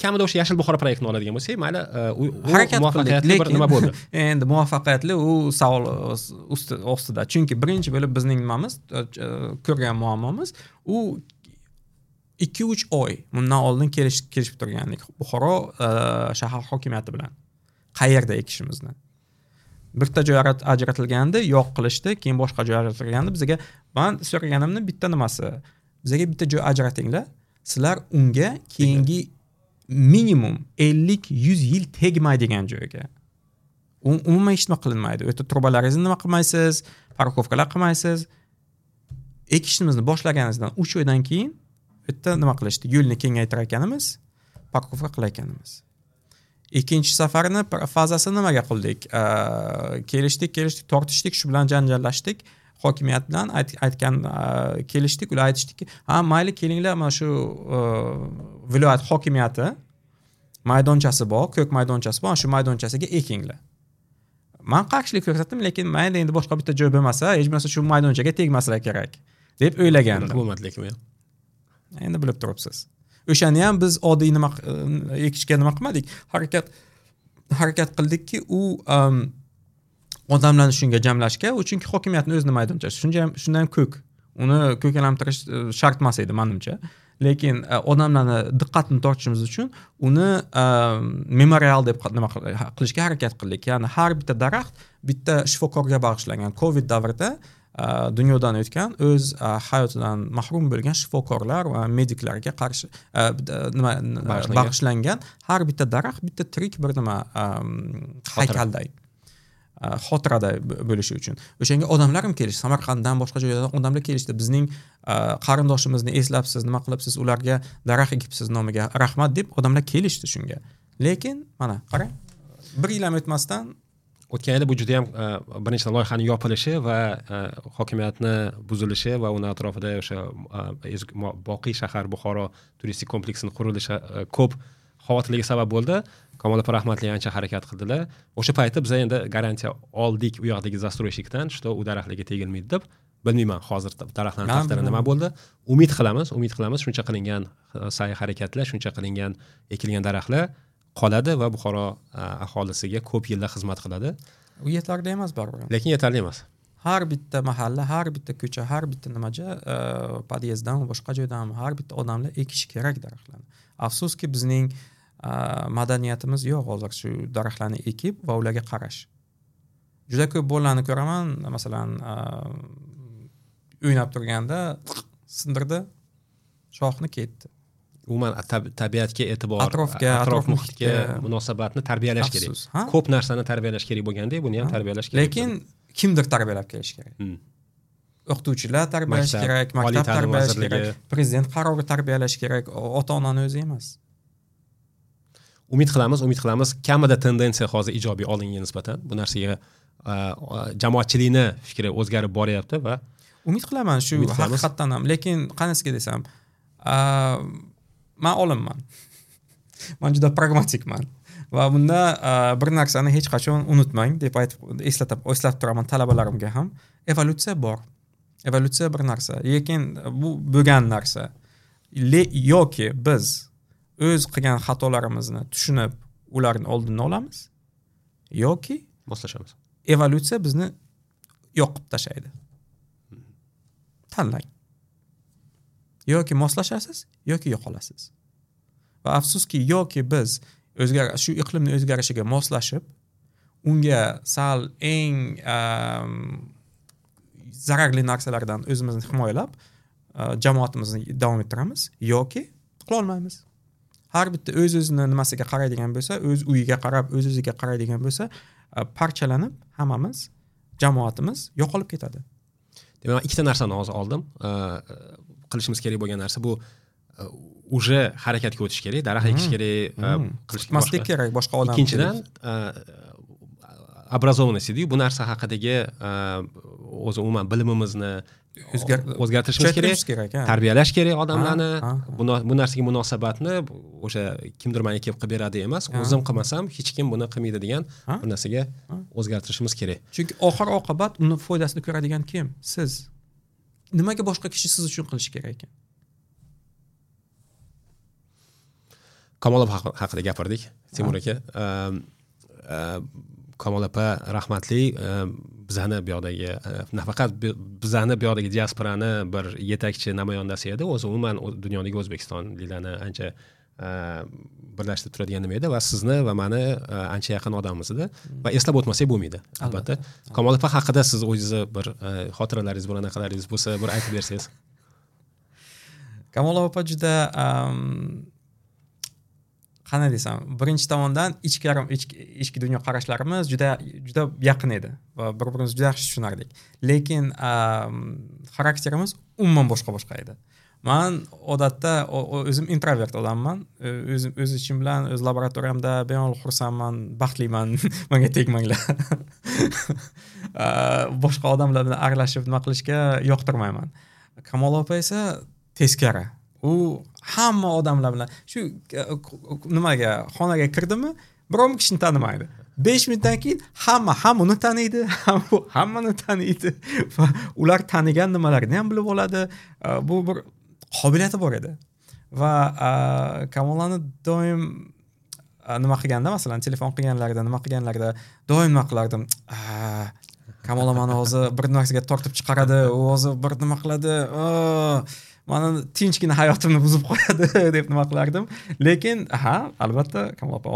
[SPEAKER 2] Kamida o'sha Yashil Buxoro proyektini oladigan bo'lsak, mayli, u muvaffaqiyatli bir nima bo'ldi.
[SPEAKER 1] Endi muvaffaqiyatli u savol ustida. Chunki birinchi bo'lib bizning nimamiz, ko'rgan muammomiz u ikki uch oy bundan oldin kelish kelishib turgandik Buxoro shahar hokimiyati bilan qayerda ekishimizni. Bitta joy ajratilgandi, yo'q qilishdi, keyin boshqa joy ajratilgandi. Bizga men so'raganimni bitta nimasi, bizga bitta joy ajratinglar, sizlar unga keyingi minimum ellik yuz yil tegmaydigan joyga. Umuman hech nima qilinmaydi. U yerda trubalaringizni nima qilmaysiz, parkovkalar qilmaysiz. Ekishimizni boshlaganimizdan uch oydan keyin u yerda nima qilishdi? Yo'lni kengaytirar ekanimiz, parkovka qilar ekanimiz. Ikkinchi safarni fazasini nimaga qildik? Kelishdik, kelishdik, tortishdik, shu bilan janjallashdik. Hokimiyat bilan aytgan kelishdik, ular aytishdiki, ha mayli kelinglar, mana shu viloyat hokimiyati maydonchasi bor, ko'k maydonchasi bor, shu maydonchasiga ekinglar. Men qarshilik ko'rsatdim, lekin mayli endi boshqa bitta joy bo'lmasa, hech bo'lmasa shu maydonchaga tegmasalar kerak deb o'ylagandim.
[SPEAKER 2] Bo'lmadi lekin.
[SPEAKER 1] Endi bilib turibsiz. O'shani ham biz oddiy nima ekishga nima qilmadik, harakat harakat qildikki, u odamlarni shunga jamlashga, u chunki hokimiyatning o'zini maydonchasi, shuncha ham shundan ham ko'k. Uni ko'kalantirish shart emas edi menimcha. Lekin odamlarni diqqatini tortishimiz uchun uni memorial deb nima qilishga harakat qildik. Ya'ni har bitta daraxt bitta shifokorga bag'ishlangan. Covid davrida dunyodan o'tgan, o'z hayotidan mahrum bo'lgan shifokorlar va mediklarga qarshi nima bag'ishlangan har bitta daraxt bitta tirik bir nima haykalday, xotirada bo'lishi uchun. O'shanga odamlar ham kelishdi, Samarqanddan boshqa joylardan odamlar kelishdi. Bizning qarindoshimizni eslabsiz, nima qilibsiz, ularga daraxt ekibsiz nomiga rahmat deb odamlar kelishdi shunga. Lekin mana qarang, bir yil ham o'tmasdan
[SPEAKER 2] o'tgan yili bu juda ham birinchi loyihaning yopilishi va hokimiyatni buzilishi va uni atrofida o'sha boqiy shahar Buxoro turistik kompleksini qurilishi ko'p Xavotirlarga sabab bo'ldi. Kamol opa rahmatli ancha harakat qildilar. O'sha paytda biz endi garantiya oldik u yoqdagi застройщикdan, что u daraxtlarga tegilmaydi deb. Bilmayman hozir daraxtlarning taqdiri nima bo'ldi. Umid qilamiz, umid qilamiz shuncha qilingan sa'y harakatlar, shuncha qilingan ekilgan daraxtlar qoladi va Buxoro aholisiga ko'p yillar xizmat qiladi.
[SPEAKER 1] U yetarli emas baribir.
[SPEAKER 2] Lekin yetarli emas.
[SPEAKER 1] Har bitta mahalla, har bitta ko'cha, har bitta nimaja, podyezddan boshqa joydan har bitta odamlar ekish kerak daraxtlarni. Afsuski bizning madaniyatimiz yo'q hozir shu daraxtlarni ekib va ularga qarash. Juda ko'p bolalarni ko'raman, masalan, o'ynab turganda sindirdi, shoxni ketdi.
[SPEAKER 2] Umuman tabiatga e'tibor,
[SPEAKER 1] atrofga,
[SPEAKER 2] atrof muhitga munosabatni tarbiyalash kerak. Ko'p narsani tarbiyalash kerak bo'lgandek, buni ham tarbiyalash kerak.
[SPEAKER 1] Lekin kimdir tarbiyalab kelish kerak. Hmm. O'qituvchilar tarbiyalash kerak, maktab tarbiyalash kerak, prezident qarori tarbiyalash kerak, ota-onani o'zi emas.
[SPEAKER 2] Umid qilamiz, umid qilamiz. Kamida tendensiya hozir ijobiy oldinga nisbatan. Bu narsaga jamoatchilikni fikri o'zgarib boryapti va
[SPEAKER 1] umid qilaman shu haqiqatdan ham. Lekin qanisiga desam, men olimman. Men juda pragmatikman. Va bunda bir narsani hech qachon unutmang deb aytib eslatib, eslatib turaman talabalarimga ham. Evolyutsiya bor. Evolyutsiya bir narsa, lekin bu bo'lgan narsa. Yoki biz o'z qilgan xatolarimizni tushunib, ularni oldini olamiz, yoki
[SPEAKER 2] moslashamiz.
[SPEAKER 1] Evolyutsiya bizni yoqib tashlaydi. Tanlang. Yoki moslashasiz, yoki yo'qolasiz. Va afsuski, yoki biz o'zgar shu iqlimning o'zgarishiga moslashib, unga sal eng zararli narsalardan o'zimizni himoyalab, jamoatimizni davom ettiramiz, yoki qila olmaymiz. Har bitta o'z-o'zini nimasiga qaraydigan bo'lsa, o'z uyiga qarab, o'z-o'ziga qaraydigan bo'lsa, parchalanib hammamiz, jamoatimiz yo'qolib ketadi.
[SPEAKER 2] Demak, ikkita narsani hozir oldim. Qilishimiz kerak bo'lgan narsa bu уже harakatga o'tish kerak, daraxt ekish kerak,
[SPEAKER 1] qilmaslik kerak boshqa odam.
[SPEAKER 2] Ikkinchidan, образованность deydi, bu narsa haqidagi o'zi umuman bilimimizni o'zgartirishimiz kerak, tarbiyalash kerak odamlarni. Bu narsaga munosabatni o'sha kimdir menga kelib qilib beradi emas, o'zim qilmasam hech kim buni qilmaydi degan bir narsaga o'zgartirishimiz kerak.
[SPEAKER 1] Chunki oxir oqibat uni foydasini ko'radigan kim? Siz. Nimaga boshqa kishi siz uchun qilishi kerak ekan?
[SPEAKER 2] Kamol opa haqida gapirdik, Temur aka. Kamol opa rahmatli bizani bu yoqdagi, nafaqat bizani bu yoqdagi diasporani bir yetakchi namoyandasi edi, o'zi umuman dunyodagi o'zbekistonliklarni ancha birlashtirib turadigan nima edi va sizni va meni ancha yaqin odamimiz edi va eslab o'tmasak bo'lmaydi albatta. Kamol opa haqida siz o'zingizni bir xotiralaringiz, bir anaqalaringiz bo'lsa bir aytib bersangiz.
[SPEAKER 1] Kamol opa juda qanday desam, birinchi tomondan ichki ichki dunyo qarashlarimiz juda juda yaqin edi va bir-birimizni juda yaxshi tushunardik. Lekin xarakterimiz umuman boshqa-boshqa edi. Man odatda o'zim introvert odamman. O'zim o'z ishim bilan, o'z laboratoriyamda bemalol xursandman, baxtliman, menga tegmanglar. Boshqa odamlar bilan aralashib nima qilishga yoqtirmayman. Kamol opa esa teskari. U hamma odamlar bilan shu nimaga xonaga kirdimi, biror kishini tanimaydi. besh minutdan keyin hamma ham uni taniydi, ham u hammani taniydi va ular tanigan nimalarini ham bilib oladi. Bu bir qobiliyati bor edi. Va Kamolani doim nima qilganda, masalan, telefon qilganlarida, nima qilganlarida doim nima qilardim? Kamola meni hozir bir narsaga tortib chiqaradi, u hozir bir nima qiladi, mani tinchgina hayotimni buzib qo'yadi deb nima qilardim. Lekin ha, albatta Kamol opa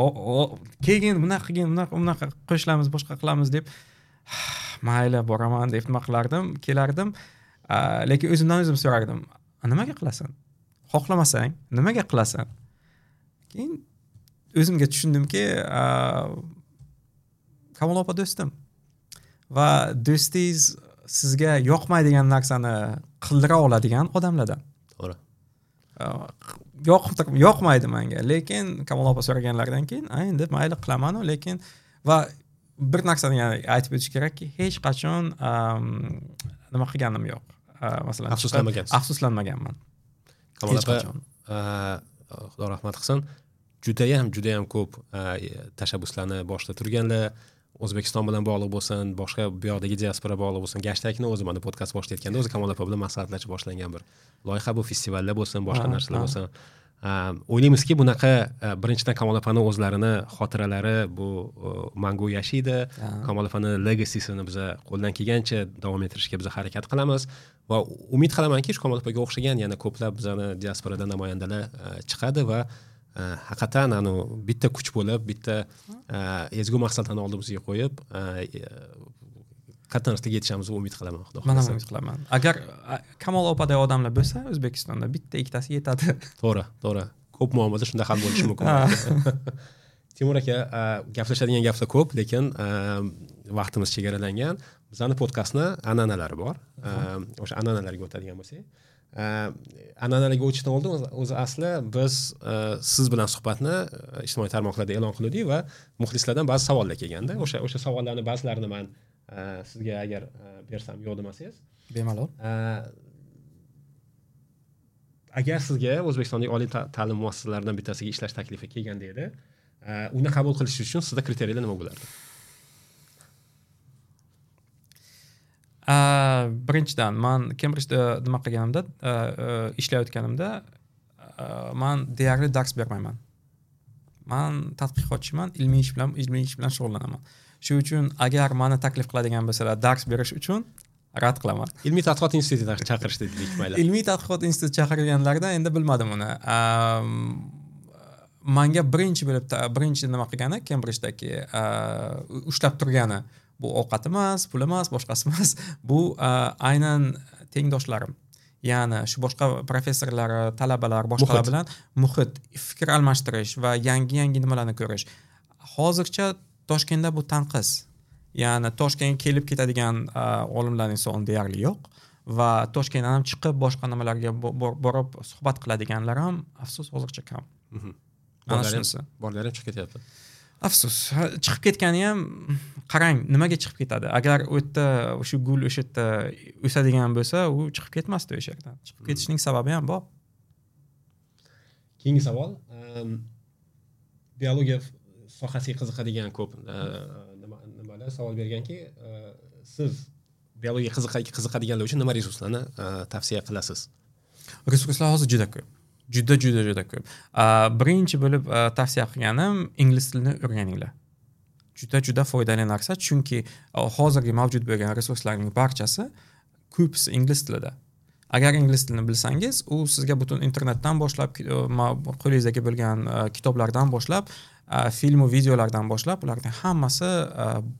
[SPEAKER 1] keyin bunaqa qilgin, bunaqa bunaqa qo'shilamiz, boshqa qilamiz deb mayli boraman deb nima qilardim, kelardim. Lekin o'zimdan o'zim so'rardim, nimaga qilasan? Xohlamasang nimaga qilasan? Keyin o'zimga tushundimki, Kamol opa do'stim va do'stingiz sizga yoqmaydigan narsani qildira oladigan odamlardan.
[SPEAKER 2] To'g'ri.
[SPEAKER 1] Yo'q, yoqmaydi menga, lekin Kamol opa so'raganlaridan keyin, a endi mayli qilaman-u, lekin va bir narsani yana aytib o'tish kerakki, hech qachon nima qilganim yo'q. Masalan,
[SPEAKER 2] afsuslanmagansiz.
[SPEAKER 1] Afsuslanmaganman.
[SPEAKER 2] Kamol opa, Xudo rahmat qilsin. Judayam judayam ko'p tashabbuslarni boshida turganlar, O'zbekiston bilan bog'liq bo'lsin, boshqa bu yoqdagi diaspora bog'liq bo'lsin. Gashtakni o'zi mana podkast boshlayotganda o'zi Kamol opa bilan maslahatlashib boshlangan bir loyiha bu, festivallar bo'lsin, boshqa narsalar bo'lsin. O'ylaymizki, bunaqa birinchidan Kamol opani o'zlarini xotiralari bu mangu yashaydi. Kamol opani legacy'sini biz qo'ldan kelgancha davom ettirishga biz harakat qilamiz va umid qilamanki, shu Kamol opaga o'xshagan yana ko'plab bizani diasporada namoyandalar chiqadi va haqiqatan anu bitta kuch bo'lib, bitta ezgu maqsadlarni oldimizga qo'yib katta narsaga yetishamizni umid qilaman, Xudo
[SPEAKER 1] xohlasa. Men ham umid qilaman. Agar Kamol opaday odamlar bo'lsa, O'zbekistonda bitta ikkitasi yetadi.
[SPEAKER 2] To'g'ri, to'g'ri. Ko'p muammolar shunda hal bo'lishi mumkin. Timur aka, gaplashadigan gaplar ko'p, lekin vaqtimiz chegaralangan. Bizning podkastni an'analari bor. O'sha an'analarga o'tadigan bo'lsak, an'analarga o'tishdan oldin o'zi asli biz siz bilan suhbatni ijtimoiy tarmoqlarda e'lon qildik va muxlislardan ba'zi savollar kelganda, o'sha o'sha savollarni ba'zilarini men sizga agar bersam yo'q demasangiz
[SPEAKER 1] bemalol.
[SPEAKER 2] Agar sizga O'zbekistondagi oliy ta'lim muassasalaridan bittasiga ishlash taklifi kelganda edi, uni qabul qilish uchun sizda kriteriyalar nima bo'lardi?
[SPEAKER 1] Birinchidan, man Kembridjda nima qilganimda, ishlayotganimda man deyarli dars bermayman. Man tadqiqotchiman, ilmiy ish bilan ilmiy ish bilan shug'ullanaman. Shu uchun agar meni taklif qiladigan bo'lsalar dars berish uchun rad qilaman.
[SPEAKER 2] Ilmiy tadqiqot institutida chaqirishdi dedik, mayli.
[SPEAKER 1] Ilmiy tadqiqot instituti chaqirganlarida endi bilmadim uni. Manga birinchi bo'lib birinchi nima qilgani Kembridjdagi ushlab turgani bu ovqat emas, pul emas, boshqasi emas. Bu aynan tengdoshlarim. Ya'ni shu boshqa professorlar, talabalar, boshqalar bilan muhit, fikr almashtirish va yangi-yangi nimalarni ko'rish. Hozircha Toshkentda bu tanqis. Ya'ni Toshkentga kelib ketadigan olimlarning soni deyarli yo'q va Toshkentdan ham chiqib boshqa nimalarga borib suhbat qiladiganlar ham afsus hozircha kam. Mana shunisi.
[SPEAKER 2] Borlar ham chiqib ketyapti.
[SPEAKER 1] Afsus, chiqib ketgani ham qarang, nimaga chiqib ketadi? Agar u yerda o'sha gul o'sha yerda o'sadigan bo'lsa, u chiqib ketmasdi o'sha yerdan. Chiqib ketishning sababi ham bor.
[SPEAKER 2] Keyingi savol, biologiya sohasiga qiziqadigan ko'p nimalar savol berganki, siz biologiyaga qiziqadiganlar uchun nima resurslarni tavsiya qilasiz?
[SPEAKER 1] Resurslar hozir juda ko'p. Juda juda juda ko'p. Birinchi bo'lib tavsiya qilganim ingliz tilini o'rganinglar. Juda juda foydali narsa, chunki hozirgi mavjud bo'lgan resurslarning barchasi ko'pisi ingliz tilida. Agar ingliz tilini bilsangiz, u sizga butun internetdan boshlab, qo'lingizdagi bo'lgan kitoblardan boshlab, film va videolardan boshlab, ularning hammasi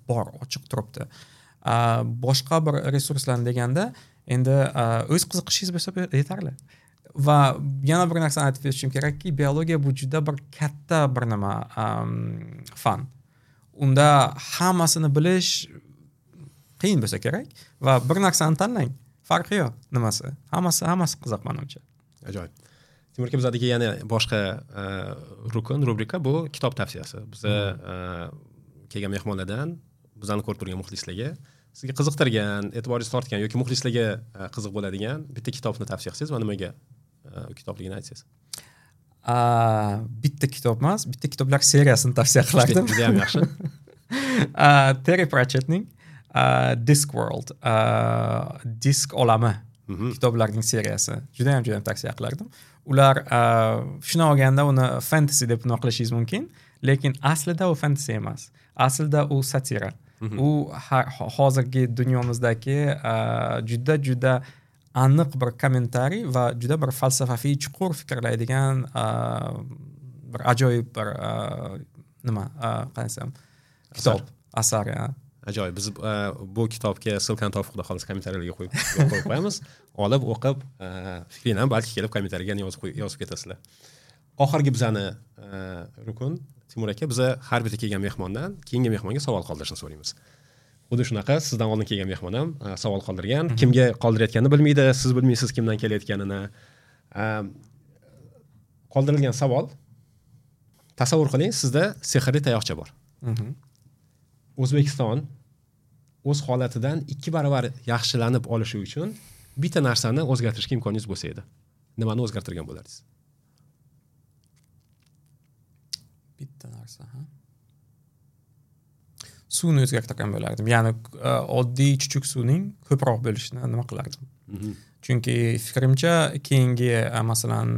[SPEAKER 1] bor, ochiq turibdi. Boshqa bir resurslar deganda, endi o'z qiziqishingiz bo'lsa yetarli. Va yana bir narsani aytib o'tishim kerakki, biologiya bu juda bir katta bir nima, fan. Unda hammasini bilish qiyin bo'lsa kerak va bir narsani tanlang, farqi yo'q nimasi. Hammasi hammasi qiziq menimcha.
[SPEAKER 2] Ajoyib. Timur aka, bizadagi yana boshqa rukun, rubrika bu kitob tavsiyasi. Biz kelgan mehmonlardan bizani ko'rib turgan muxlislarga sizga qiziqtirgan, e'tiboringizni tortgan yoki muxlislarga qiziq bo'ladigan bitta kitobni tavsiya qilsangiz va nimaga u kitobligini aytsangiz.
[SPEAKER 1] Bitta kitob emas, bitta kitoblar seriyasini tavsiya qilardim.
[SPEAKER 2] Juda ham yaxshi.
[SPEAKER 1] Terry Pratchettning Discworld, Disk olami kitoblarining seriyasi. Juda ham juda ham tavsiya qilardim. Ular shuni olganda uni fantasy deb nima qilishingiz mumkin, lekin aslida u fantasy emas. Aslida u satira. U hozirgi dunyomizdagi juda juda aniq bir kommentariy va juda bir falsafaviy chuqur fikrlaydigan bir ajoyib bir nima, qanday desam, kitob, asar.
[SPEAKER 2] Ajoyib. Biz bu kitobga ссылкani topib, xudo xohlasa kommentariyalarga qo'yib qo'yib qo'yamiz. Olib o'qib, fikringlarni balki kelib kommentariyaga yozib yozib ketasizlar. Oxirgi bizani rukun Timur aka, biza har bitta kelgan mehmondan keyingi mehmonga savol qoldirishni so'raymiz. Xuddi shunaqa sizdan oldin kelgan mehmon ham savol qoldirgan. Kimga qoldirayotganini bilmaydi, siz bilmaysiz kimdan kelayotganini. Qoldirilgan savol: tasavvur qiling, sizda sehrli tayoqcha bor. O'zbekiston o'z holatidan ikki barobar yaxshilanib olishi uchun bitta narsani o'zgartirishga imkoningiz bo'lsa edi, nimani o'zgartirgan bo'lardingiz?
[SPEAKER 1] Bitta narsa, ha? Suvni o'zgartirgan bo'lardim. Ya'ni oddiy chuchuk suvning ko'proq bo'lishini nima qilardim. Chunki fikrimcha keyingi masalan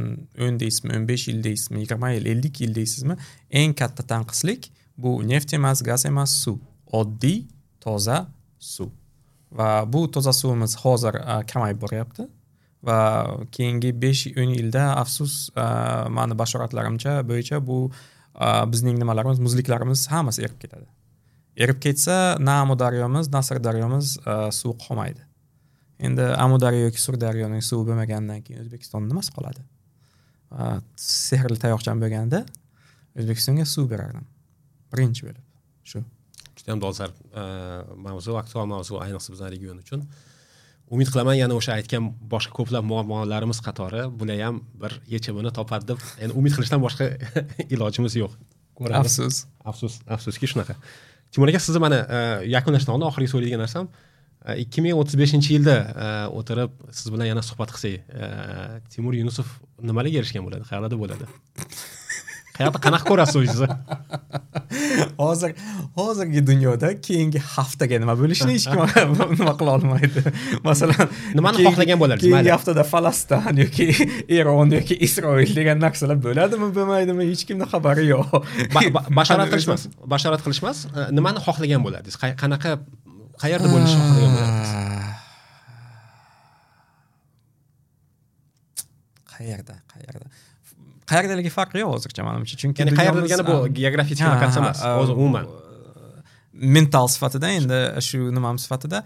[SPEAKER 1] o'n deysizmi, o'n besh yil deysizmi, yigirma yil, ellik yil deysizmi, eng katta tanqislik bu neft emas, gaz emas, suv. Oddiy, toza suv. Va bu toza suvimiz hozir kamayib boryapti. Va keyingi besh o'n yilda afsus mani bashoratlarimcha bo'yicha bu bizning nimalarimiz, muzliklarimiz hammasi erib ketadi. Erib ketsa, na Amudaryomiz, na Sirdaryomiz suv qolmaydi. Endi Amudaryo yoki Sirdaryoning suvi bo'lmagandan keyin O'zbekistonda nimasi qoladi? Sehrli tayoqcham bo'lganda O'zbekistonga suv berardim. Birinchi bo'lib shu.
[SPEAKER 2] Juda ham dolzarb mavzu, aktual mavzu, ayniqsa bizning region uchun. Umid qilaman yana o'sha aytgan boshqa ko'plab muammolarimiz qatori bular ham bir yechimini topadi deb, ya'ni umid qilishdan boshqa ilojimiz yo'q.
[SPEAKER 1] Ko'ramiz. Afsus,
[SPEAKER 2] afsus, afsuski shunaqa. Timur aka, sizni mana yakunlashdan oldin oxirgi so'raydigan narsam, ikki ming o'ttiz beshinchi yilda o'tirib siz bilan yana suhbat qilsak, Timur Yunusov nimalarga erishgan bo'ladi, qayerda bo'ladi? Qayerda qanaqa ko'rasiz o'zingizni?
[SPEAKER 1] Hozir hozirgi dunyoda keyingi haftaga nima bo'lishini hech kim nima qila olmaydi. Masalan,
[SPEAKER 2] nimani xohlagan bo'lardingiz?
[SPEAKER 1] Keyingi haftada Falastin yoki Eron yoki Isroil degan narsalar bo'ladimi, bo'lmaydimi, hech kimning xabari yo'q.
[SPEAKER 2] Bashorat qilish emas, bashorat qilish emas, nimani xohlagan bo'lardingiz? Qanaqa, qayerda bo'lishni xohlagan bo'lardingiz? Qayerda, qayerda?
[SPEAKER 1] Qayerdaligi farqi yo'q hozircha menimcha, chunki
[SPEAKER 2] ya'ni qayerda degani bu geografik lokatsiya emas, o'zi umuman
[SPEAKER 1] mental sifatida, endi shu nimam sifatida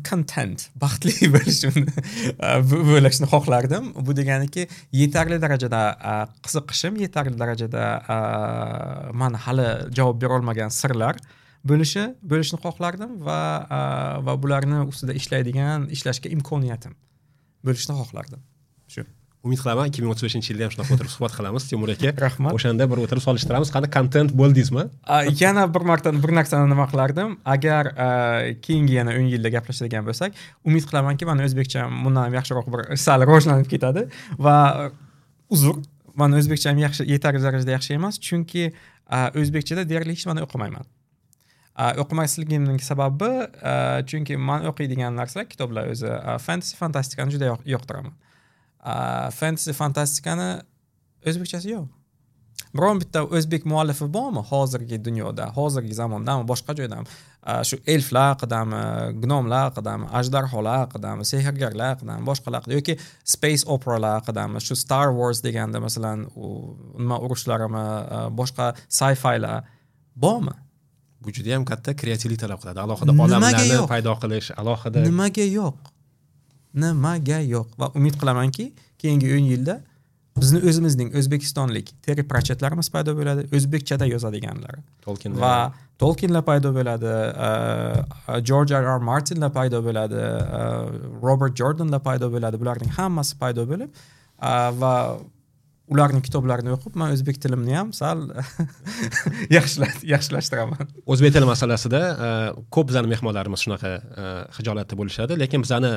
[SPEAKER 1] content, baxtli bo'lishimni bo'lishni xohlardim. Bu deganiki, yetarli darajada qiziqishim, yetarli darajada man hali javob bera olmagan sirlar bo'lishi bo'lishni xohlardim va va bularni ustida ishlaydigan, ishlashga imkoniyatim bo'lishni xohlardim. Shu.
[SPEAKER 2] Umid qilaman ikki ming o'ttiz beshinchi yilda ham shunaqa o'tirib suhbat qilamiz Timur aka.
[SPEAKER 1] Rahmat.
[SPEAKER 2] O'shanda bir o'tirib solishtiramiz, qani kontent bo'ldingizmi?
[SPEAKER 1] Yana bir marta bir narsani nima qilardim? Agar keyingi yana o'n yilda gaplashadigan bo'lsak, umid qilamanki, meni o'zbekcham bundan ham yaxshiroq bir sal rivojlanib ketadi va uzr, meni o'zbekcham yaxshi, yetarli darajada yaxshi emas, chunki o'zbekchada deyarli hech nimani o'qimayman. O'qimasligimning sababi, chunki men o'qiydigan narsalar, kitoblar o'zi fantasy, fantastikani juda yoqtiraman. Fantasy, fantastikani o'zbekchasi yo'q. Biron bitta o'zbek muallifi bormi hozirgi dunyoda, hozirgi zamondami, boshqa joydami? Shu elflar haqidami, gnomlar haqidami, ajdarholar haqidami, sehrgarlar haqidami, boshqalar haqida yoki space operalar haqidami, shu Star Wars deganda masalan, nima urushlarimi, boshqa sci-filar bormi?
[SPEAKER 2] Bu juda ham katta kreativlik talab qiladi. Alohida olamlarni paydo qilish, alohida.
[SPEAKER 1] Nimaga yo'q? Nimaga yo'q? Va umid qilamanki, keyingi o'n yilda bizni o'zimizning o'zbekistonlik Terry Pratchettlarimiz paydo bo'ladi, o'zbekchada yozadiganlar.
[SPEAKER 2] Tolkienlar
[SPEAKER 1] va Tolkienlar paydo bo'ladi, George R. R. Martinlar paydo bo'ladi, Robert Jordanlar paydo bo'ladi. Bularning hammasi paydo bo'lib va ularning kitoblarini o'qib, men o'zbek tilimni ham sal yaxshilashtiraman.
[SPEAKER 2] O'zbek tili masalasida ko'p bizning mehmonlarimiz shunaqa xijolatda bo'lishadi, lekin bizani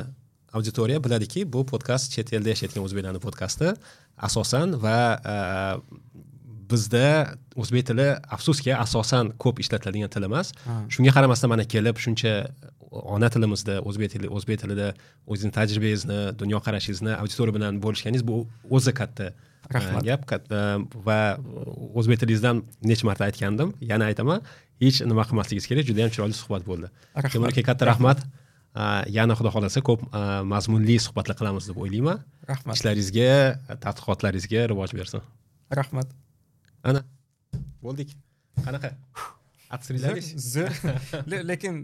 [SPEAKER 2] auditoriya biladiki, bu podkast chet elda yashayotgan o'zbeklarning podkasti asosan va bizda o'zbek tili afsuski asosan ko'p ishlatiladigan til emas. Shunga qaramasdan mana kelib shuncha ona tilimizda o'zbek tili o'zbek tilida o'zingizni tajribangizni, dunyoqarashingizni auditoriya bilan bo'lishganingiz bu o'zi katta
[SPEAKER 1] rahmat
[SPEAKER 2] gap katta va o'zbek tilingizdan necha marta aytgandim, yana aytaman, hech nima qilmasligingiz kerak, juda ham chiroyli suhbat bo'ldi. Timur aka, katta rahmat. Yana xudo xolasa ko'p mazmunli suhbatlar qilamiz deb o'ylayman.
[SPEAKER 1] Rahmat.
[SPEAKER 2] Ishlaringizga, tadqiqotlaringizga rivoj bersin.
[SPEAKER 1] Rahmat.
[SPEAKER 2] Ana, bo'ldik. Qanaqa? Atsirilaringiz?
[SPEAKER 1] Zo'r. Lekin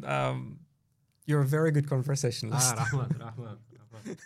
[SPEAKER 1] you're a very good conversationalist.
[SPEAKER 2] Ah, rahmat, rahmat, rahmat.